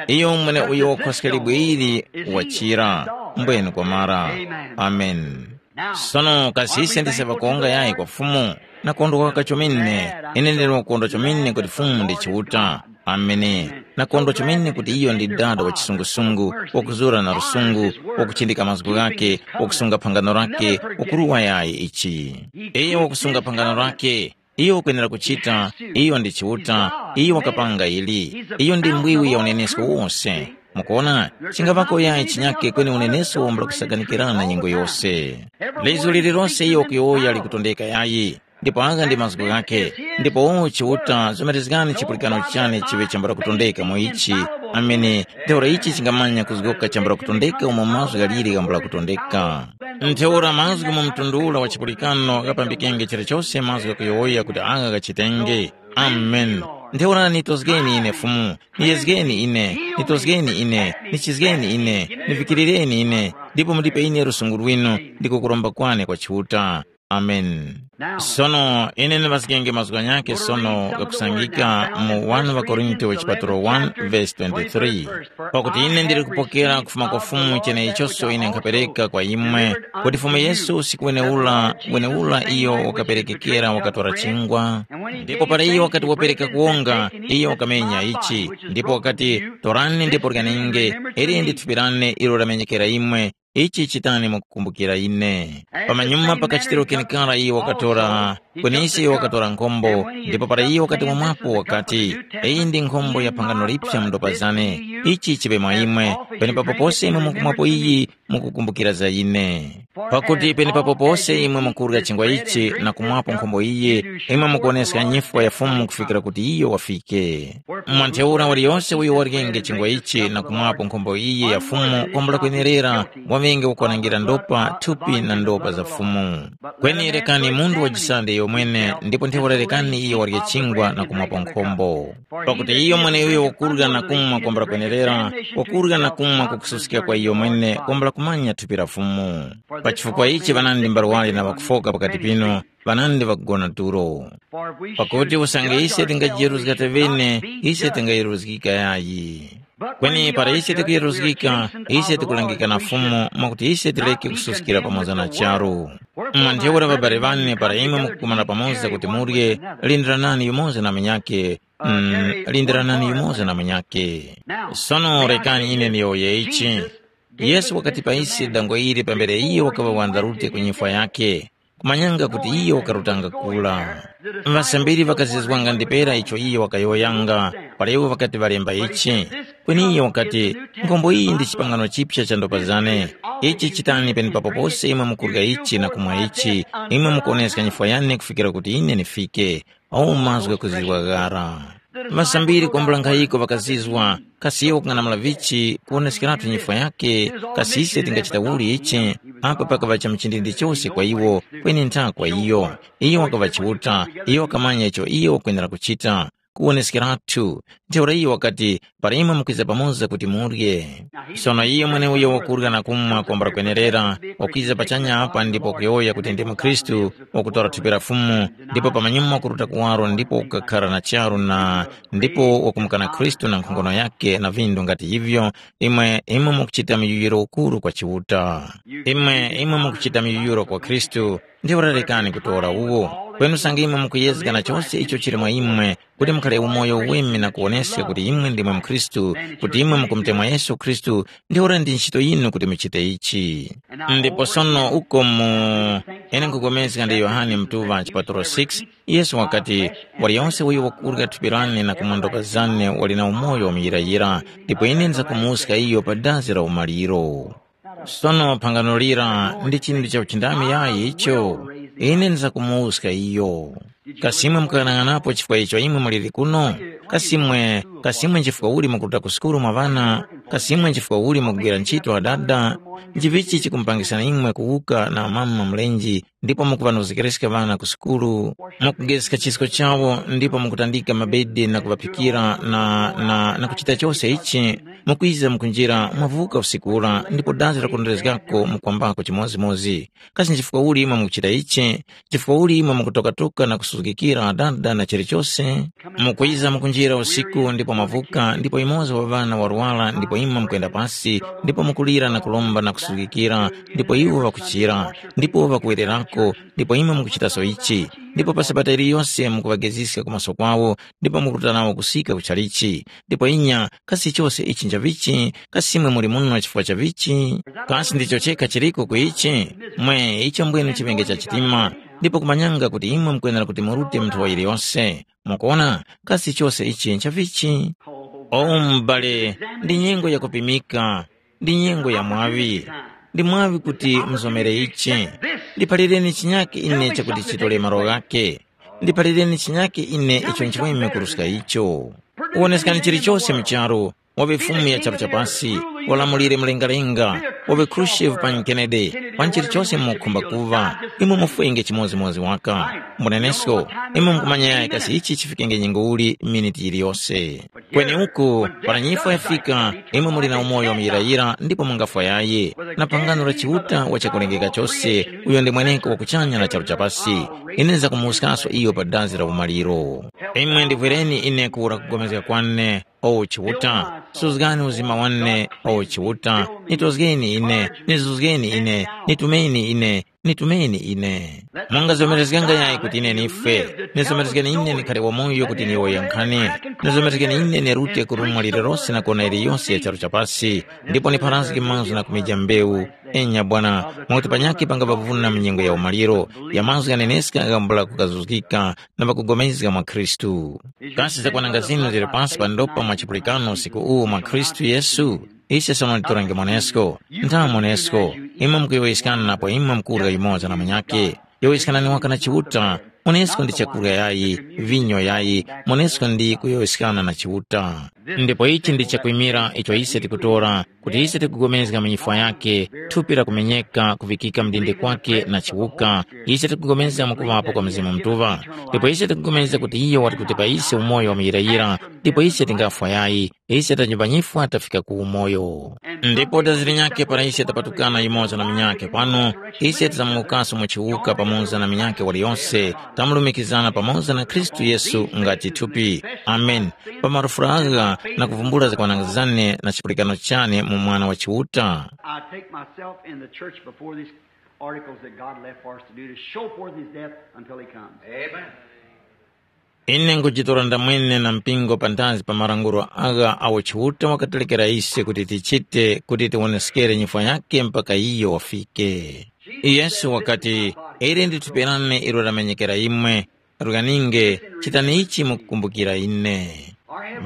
Iyo mwene uyo wakhoska libwe ili wachira. Mbwenu kwamara. Amen. Sono kasi ise ndise ŵakuwonga yayi kwa Fumu? Nakondwa waka chomene. Ine ndili wakondwa chomene kuti Fumu ndi Chiuta. Amene. Nakondwa chomene kuti iyo ndi Dada wa chisungusungu, wakuzura na lusungu, wakuchindika mazgu ghake, wakusunga phangano lake, wakuruwa yayi ichi. Iyo wakusunga phangano lake. Iyo ukwenera kuchita, iyo ndi Chiuta, iyo wakapanga ili. Iyo ndi mbwiwi ya unenesko wose. Mukuona, chingaŵako yayi chinyake kweni unenesko wambula kusakanikirana nyengo yose. Lezo lililonse iyo wakuyowoya likutondeka yayi, ndipo agha ndi mazgu ghakhe, ndipo uwo Chiuta zomerezgani chipulikano chane chiŵe chambula kutondeka mu ichi, amene ntheura ichi chingamanya kuzgoka chambula kutondeka umo mazgu ghaliri ghambula kutondeka. Ntheura mazgu mu mtundu ura wa chipulikano ghapambikenge chilichose mazgu ghakuyowoya kuti agha ghachitenge. Amen. Ntheura nitozgeni ine Fumu, niyezgeni ine, nitozgeni ine, nichizgeni ine, nivikirireni ine, ndipo mundipe ine lusungu lwinu ndi kukuromba kwane kwa Chiuta. Amen. Sono ine ndiŵazgenge mazgu ghanyakhe sono ghakusangika mu wani ŵakorinto chipatulo one verse twenty-three, pakuti ine ndili kupokera kufuma kwa Fumu cheneichoso ine nkhapereka kwa imwe, kuti Fumu Yesu usiku weneura, weneura iyo wakaperekekera wakatora chingwa, ndipo para iyo wakati wapereka kuwonga, iyo wakamenya ichi, ndipo wakati, torani ndipo lyaninge, ili ndi thupi lane ilo lamenyekera imwe, ichi chitani mwakukumbukira ine. Pamanyuma pa kachitiro kenekara iyo wakatora, kwenesi iyo wakatora nkhombo, ndipo para iyo wakati wamwapo wakati, iyi ndi nkhombo ya phangano lipya mu ndopa zane, ichi chiŵe mwa imwe, penepapo pose imwe mukumwapo iyi, mukukumbukira za ine. Pakuti penepapo pose imwe mukurya chingwa ichi na kumwapo nkhombo iyi, imwe mukuwoneska nyifwa ya Fumu kufikira kuti iyo wafike. Mwa ntheura waliyose uyo waryenge chingwa ichi na kumwapo nkhombo iyi ya Fumu kwambula kwenerera, waŵenge wakwanangira ndopa thupi na ndopa za Fumu. Kweni rekani munthu wajisande iyomwene ndipo ntheura rekani iyo warye chingwa na kumwapo nkhombo. Pakuti iyo mweneuyo wakurya na kumwa kwambula kwenerera, wakurya na kumwa kukususkika kwa iyomwene kwambula kumanya thupi la Fumu. Pa chifukwa ichi ŵanandi mbarwale na ŵakufoka pakati pinu, ŵanandi ŵakugona tulo. Pakuti usange ise tingajeruzga teŵene, ise tingajeruzgika yayi. Kweni para ise tikuyeruzgika, ise tikulangika na Fumu mwakuti ise tireke kususkira pamoza na charu. Mwa ntheura ŵabale ŵane para imwe mukukumana pamoza kuti murye, lindiranani yumoza na munyakhe, mm, lindiranani yumoza na munyakhe. Sono rekani ine ndiyowoye ichi. Yesu wakati pa ise dangwe ili pambere iyo wakaŵa wanda rute ku nyifwa yakhe, kumanyanga kuti iyo wakarutanga kula. Ŵasambiri ŵakazizwanga ndipera icho iyo wakayowoyanga, para iwo ŵakati ŵalemba ichi. Kweni iyo wakati, nkhombo iyi ndi chipangano chipya cha ndopa zane. Ichi chitani penepapo pose imwe mukurya ichi na kumwa ichi, imwe mukuwoneska nyifwa yane kufikira kuti ine ndifike. Awo mazgu ghakuzizwa ghara. Masambiri kwambula nkhayiko ŵakazizwa, kasi iwo kung'anamula vichi kuwoneskeratu nyifwa yakhe, kasi ise tingachita uli ichi? Apa pakaŵa cha mchindindi chose kwa iwo, kweni ntha kwa iyo. Iyo wakaŵa Chiuta, iyo wakamanya icho iyo wakwenera kuchita. kuwoneskeratu. Ntheura iyo wakati, para imwe mukwiza pamoza kuti murye. Sono iyo mweneuyo wakurya na kumwa kwambula kwenerera, wakwiza pachanya apa ndipo kuyowoya kuti ndi mukhristu, wakutora thupi la Fumu, ndipo pamanyuma wakuruta kuwaro ndipo kukakhara na charu na ndipo wakumukana Khristu na nkhongono yakhe na vindu ngati ivyo, imwe imwe mukuchita miyuyiro ukuru kwa Chiuta. Imwe imwe mukuchita miyuyiro kwa Khristu, ntheura rekani kutora uwo. Kweni usange imwe mukuyezga na chose icho chili mwa imwe, kuti mukhale umoyo wimi na kuwoneska kuti imwe ndimwe mkhristu, kuti imwe mukumutemwa Yesu Khristu, ntheura ndi ntchito yinu kuti muchite ichi. Ndipo sono uko mu ine nkupulikana ndi Yohane mutuŵa chipatulo six, Yesu wakati, waliyonse uyo wakurya thupi lane na kumondoka zane wali na umoyo wa muyirayira, ndipo ine nzakumuwuska iyo pa dazi la umaliro. Sono phangano lira ndi chinthu cha uchindami yayi icho, ine nzakumuwuska iyo. Kasi imwe mukaghanag'anapo chifukwa icho imwe muliri kuno? Kasi imwe kasi imwe nchifukwa uli mukuruta ku sukulu mwa ŵana? Kasi imwe nchifukwa uli mukugwira ntchito adada? Nchivichi chikumupangisani imwe kuwuka na mama mlenji ndipo mukuŵanozekereska ŵana ku sukulu, mukugeska chisko chawo ndipo mukutandika mabedi na kuŵaphikira na, na, na kuchita chose ichi? Mukwiza mukunjira mwavuka usiku ura ndipo dazi lakondezgako mukwambako chimodzimodzi. Kasi nchifukwa uli imwe mukuchita ichi? Chifukwa uli imwe mukutokatoka na kusuzgikira dada na chilichose? Mukwiza mukunjira usiku ndipo mwavuka ndipo yumoza wa ŵana warwara ndipo imwe mukwenda pasi ndipo mukulira na kulomba na kusuzgikira, ndipo iwo ŵakuchira ndipo ŵakuwererako, ndipo imwe mukuchitaso ichi. Ndipo pa sabata iliyose mukuŵageziska kumaso kwawo ndipo mukuruta nawo kusika ku chalichi. Ndipo inya, kasi chose ichi nchavichi? Kasi imwe muli muno chifukwa cha vichi? Kasi ndicho chekha chiliko ku ichi? Mwe icho mbwenu chiŵenge cha chitima, ndipo kumanyanga kuti imwe mukwenera kuti murute mu nthowa yiliyose. Mukuona, kasi chose ichi nchavichi? O m'bale, ndi nyengo yakupimika, ndi nyengo ya mwaŵi. Ndi mwaŵi kuti muzomere ichi. Ndiphalireni chinyake ine chakuti chitole malo ghake. Ndiphalireni chinyake ine icho nchiweme kuruska icho. Woneskani chilichose mu charu, waŵe fumu ya charu cha pasi, walamulire mlengalenga, waŵe Khrushchev panyi Kennedy, panyi chilichose mukhumba kuŵa, imwe mufwenge chimodzimodzi waka. Mbunenesko, imwe mukumanya yaya kasi ichi chifikenge nyengo uli miniti yiliyose. Kweni uku, para nyifwa yafika, imwe muli na umoyo muyirayira ndipo mungafwa yaye, na phangano la Chiuta wa chakulengeka chose, uyo ndi mweneko wa kuchanya na charu cha pasi. Ine nzakumuwuskaso iyo pa dazi la umaliro. Imwe ndivwereni ine kura kugomezga kwane, o Chiuta. Suzgani uzima wane, o Chiuta. Nitozgeni ine, nizuzgeni ine, nitumeni ine, nitumeni ine. Mungazomerezganga yayi kuti ine nifwe, nizomerezgeni ine nikhale wamoyo kuti niwoyankhane. Nizomerezgeni ine nirute ku lumo lililose na kona iliyose ya charu cha pasi, ndipo nipharazge mazgu na kumija mbewu. Enya Bwana, mwakuti panyakhe pangapavuna mu nyengo ya umaliro, ya mazgu ghaneneska ghambula kukazuzgika na ŵakugomezga mwa Khristu. Kasi zakwananga zinu zili pasi pa ndopa mwa chipulikano usiku uwu mwa Khristu Yesu? Ise sono titorange monesko. Ntha monesko, imwe mukuyowoyeskana apo imwe mukurya yumoza na munyakhe. Yowoyeskanani waka na Chiuta, monesko ndi chakurya yayi, vinyo yayi, monesko ndi kuyowoyeskana na Chiuta. Ndipo ichi ndi chakwimira icho ise tikutora, kuti ise tikugomezga mu nyifwa yakhe, thupi lakumenyeka kuvikika mdindi kwake na chiwuka, ise tikugomezga mukuŵapo kwa Mzimu Mutuŵa. Ndipo ise tikugomezga kuti iyo wati kutipa ise umoyo wa muyirayira, ndipo ise tingafwa yayi, ise tajumba nyifwa tafika ku umoyo. Ndipo dazi linyakhe para ise tapatukana yumoza na munyakhe pano, ise tizamuwukaso mu chiwuka pamoza na munyakhe waliyose, tamulumikizana pamoza na Khristu Yesu ngati thupi. Amen. Pa marufura agha na kuvumbula zakwananga zane na chipulikano chane mu Mwana wa Chiuta. I take myself and the church before these articles that God left for us to do to show forth his death until he comes. Amen. Ine nkujitora ndamwene na mpingo panthazi pa malangulo agha awo Chiuta wakatilekera ise kuti tichite kuti tiwoneskere nyifwa yakhe mpaka iyo wafike. Yesu wakati, ili ndi thupi lane ilo lamenyekera imwe, rikaninge, chitani ichi mukukumbukira ine.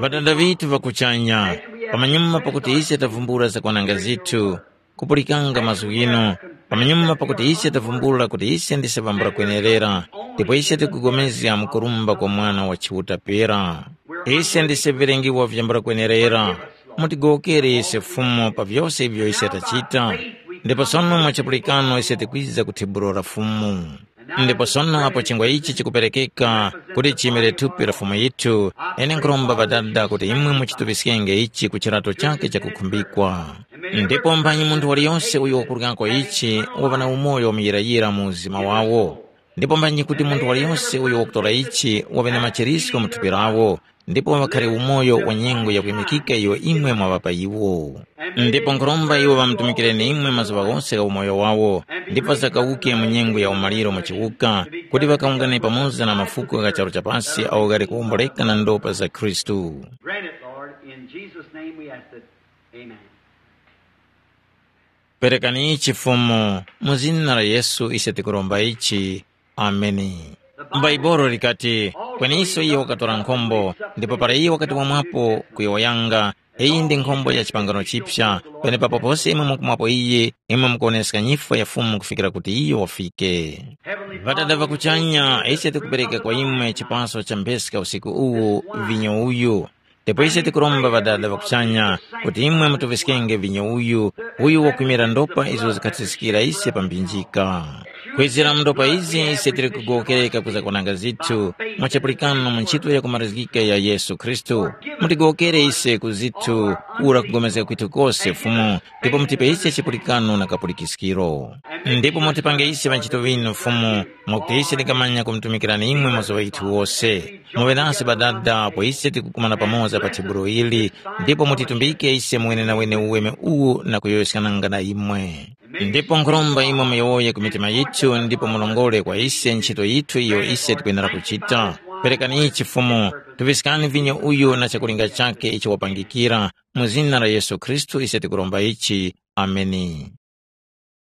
Ŵadada ŵithu ŵa kuchanya, pamanyuma pakuti ise tavumbula zakwananga zithu, kupulikanga mazgu ghinu, pamanyuma pakuti ise tavumbula kuti ise ndise ŵambula kwenerera, ndipo ise tikugomezga mukurumba kwa Mwana wa Chiuta pera. Ise ndise vilengiwa vyambula kwenerera, mutigowokere ise Fumu pa vyose ivyo ise tachita, ndipo sono mwa chipulikano ise tikwiza ku thebulura Fumu. Ndipo sono apo chingwa ichi chikuperekeka kuti chimire thupi la Fumu yithu, ine nkhuromba Ŵadada kuti imwe muchituŵiskenge ichi ku chirato chake chakukhumbikwa. Ndipo mphanyi munthu waliyonse uyo wakuryako ichi waŵa na umoyo wa muyirayira mu uzima wawo. Ndipo mbanyi kuti munthu waliyonse uyo wakutora ichi waŵe na machirisko mu thupi lawo, ndipo ŵakhare umoyo wa nyengo yakuyimikika iyo imwe mwaŵapa iwo. Ndipo nkhuromba iwo ŵamutumikireni imwe mazuŵa ghose gha umoyo wawo, ndipo ŵasakawuke mu nyengo ya umaliro mwachiwuka, kuti ŵakawungane pamoza na mafuko gha charu chapasi agho ghali kuwomboleka na ndopa za Khristu. Grant it, Lord. In Jesus' name we ask it. Amen. Perekani ichi Fumu, mu zina la Yesu ise tikuromba ichi. Ameni. Bhaibuli likati, kweneso iye wakatora nkhombo, ndipo para iye wakati wamwapo kuyowoyanga, iyi ndi nkhombo ya chipangano chipya, penepapo pose imwe mukumwapo iye, imwe mukuwoneska nyifwa ya Fumu kufikira kuti iyo wafike. Ŵadada ŵa kuchanya, ise tikupereka kwa imwe chipaso cha mpheska usiku uwu, vinyo uyu. Ndipo ise tikuromba Ŵadada ŵa kuchanya kuti imwe mutuviskenge vinyo uyu, uyu wakwimira ndopa izo zikhatisiskira ise pa mbinjika. Kwezera mu ndopa izi ise tili kugowokereka kuzakwananga zithu mwa chapulikano mu ntchito yakumarizgika ya Yesu Khristu. Mutigowokere ise ku zithu ura kugomezga kwithu kose Fumu, ndipo mutipe ise chipulikano na kapulikiskiro. Ndipo mutipange ise ŵantchito ŵinu Fumu, mwakuti ise tikamanya kumutumikirani imwe mazuŵa ghithu wose. Muŵe nase Ŵadada apo ise tikukumana pamoza pa tebulo ili, ndipo mutitumbike ise muwene na wene uweme uwu na kuyowoyeskananga na imwe. Ndipo nkhuromba imwe muyowoye ku mitima yithu ndipo mulongole kwa ise ntchito yithu iyo ise tikwenera kuchita. Perekani ichi Fumu, tuŵiskani vinyo uyu na chakulinga chakhe icho wapangikira, mu zina la Yesu Khristu ise tikuromba ichi. Ameni.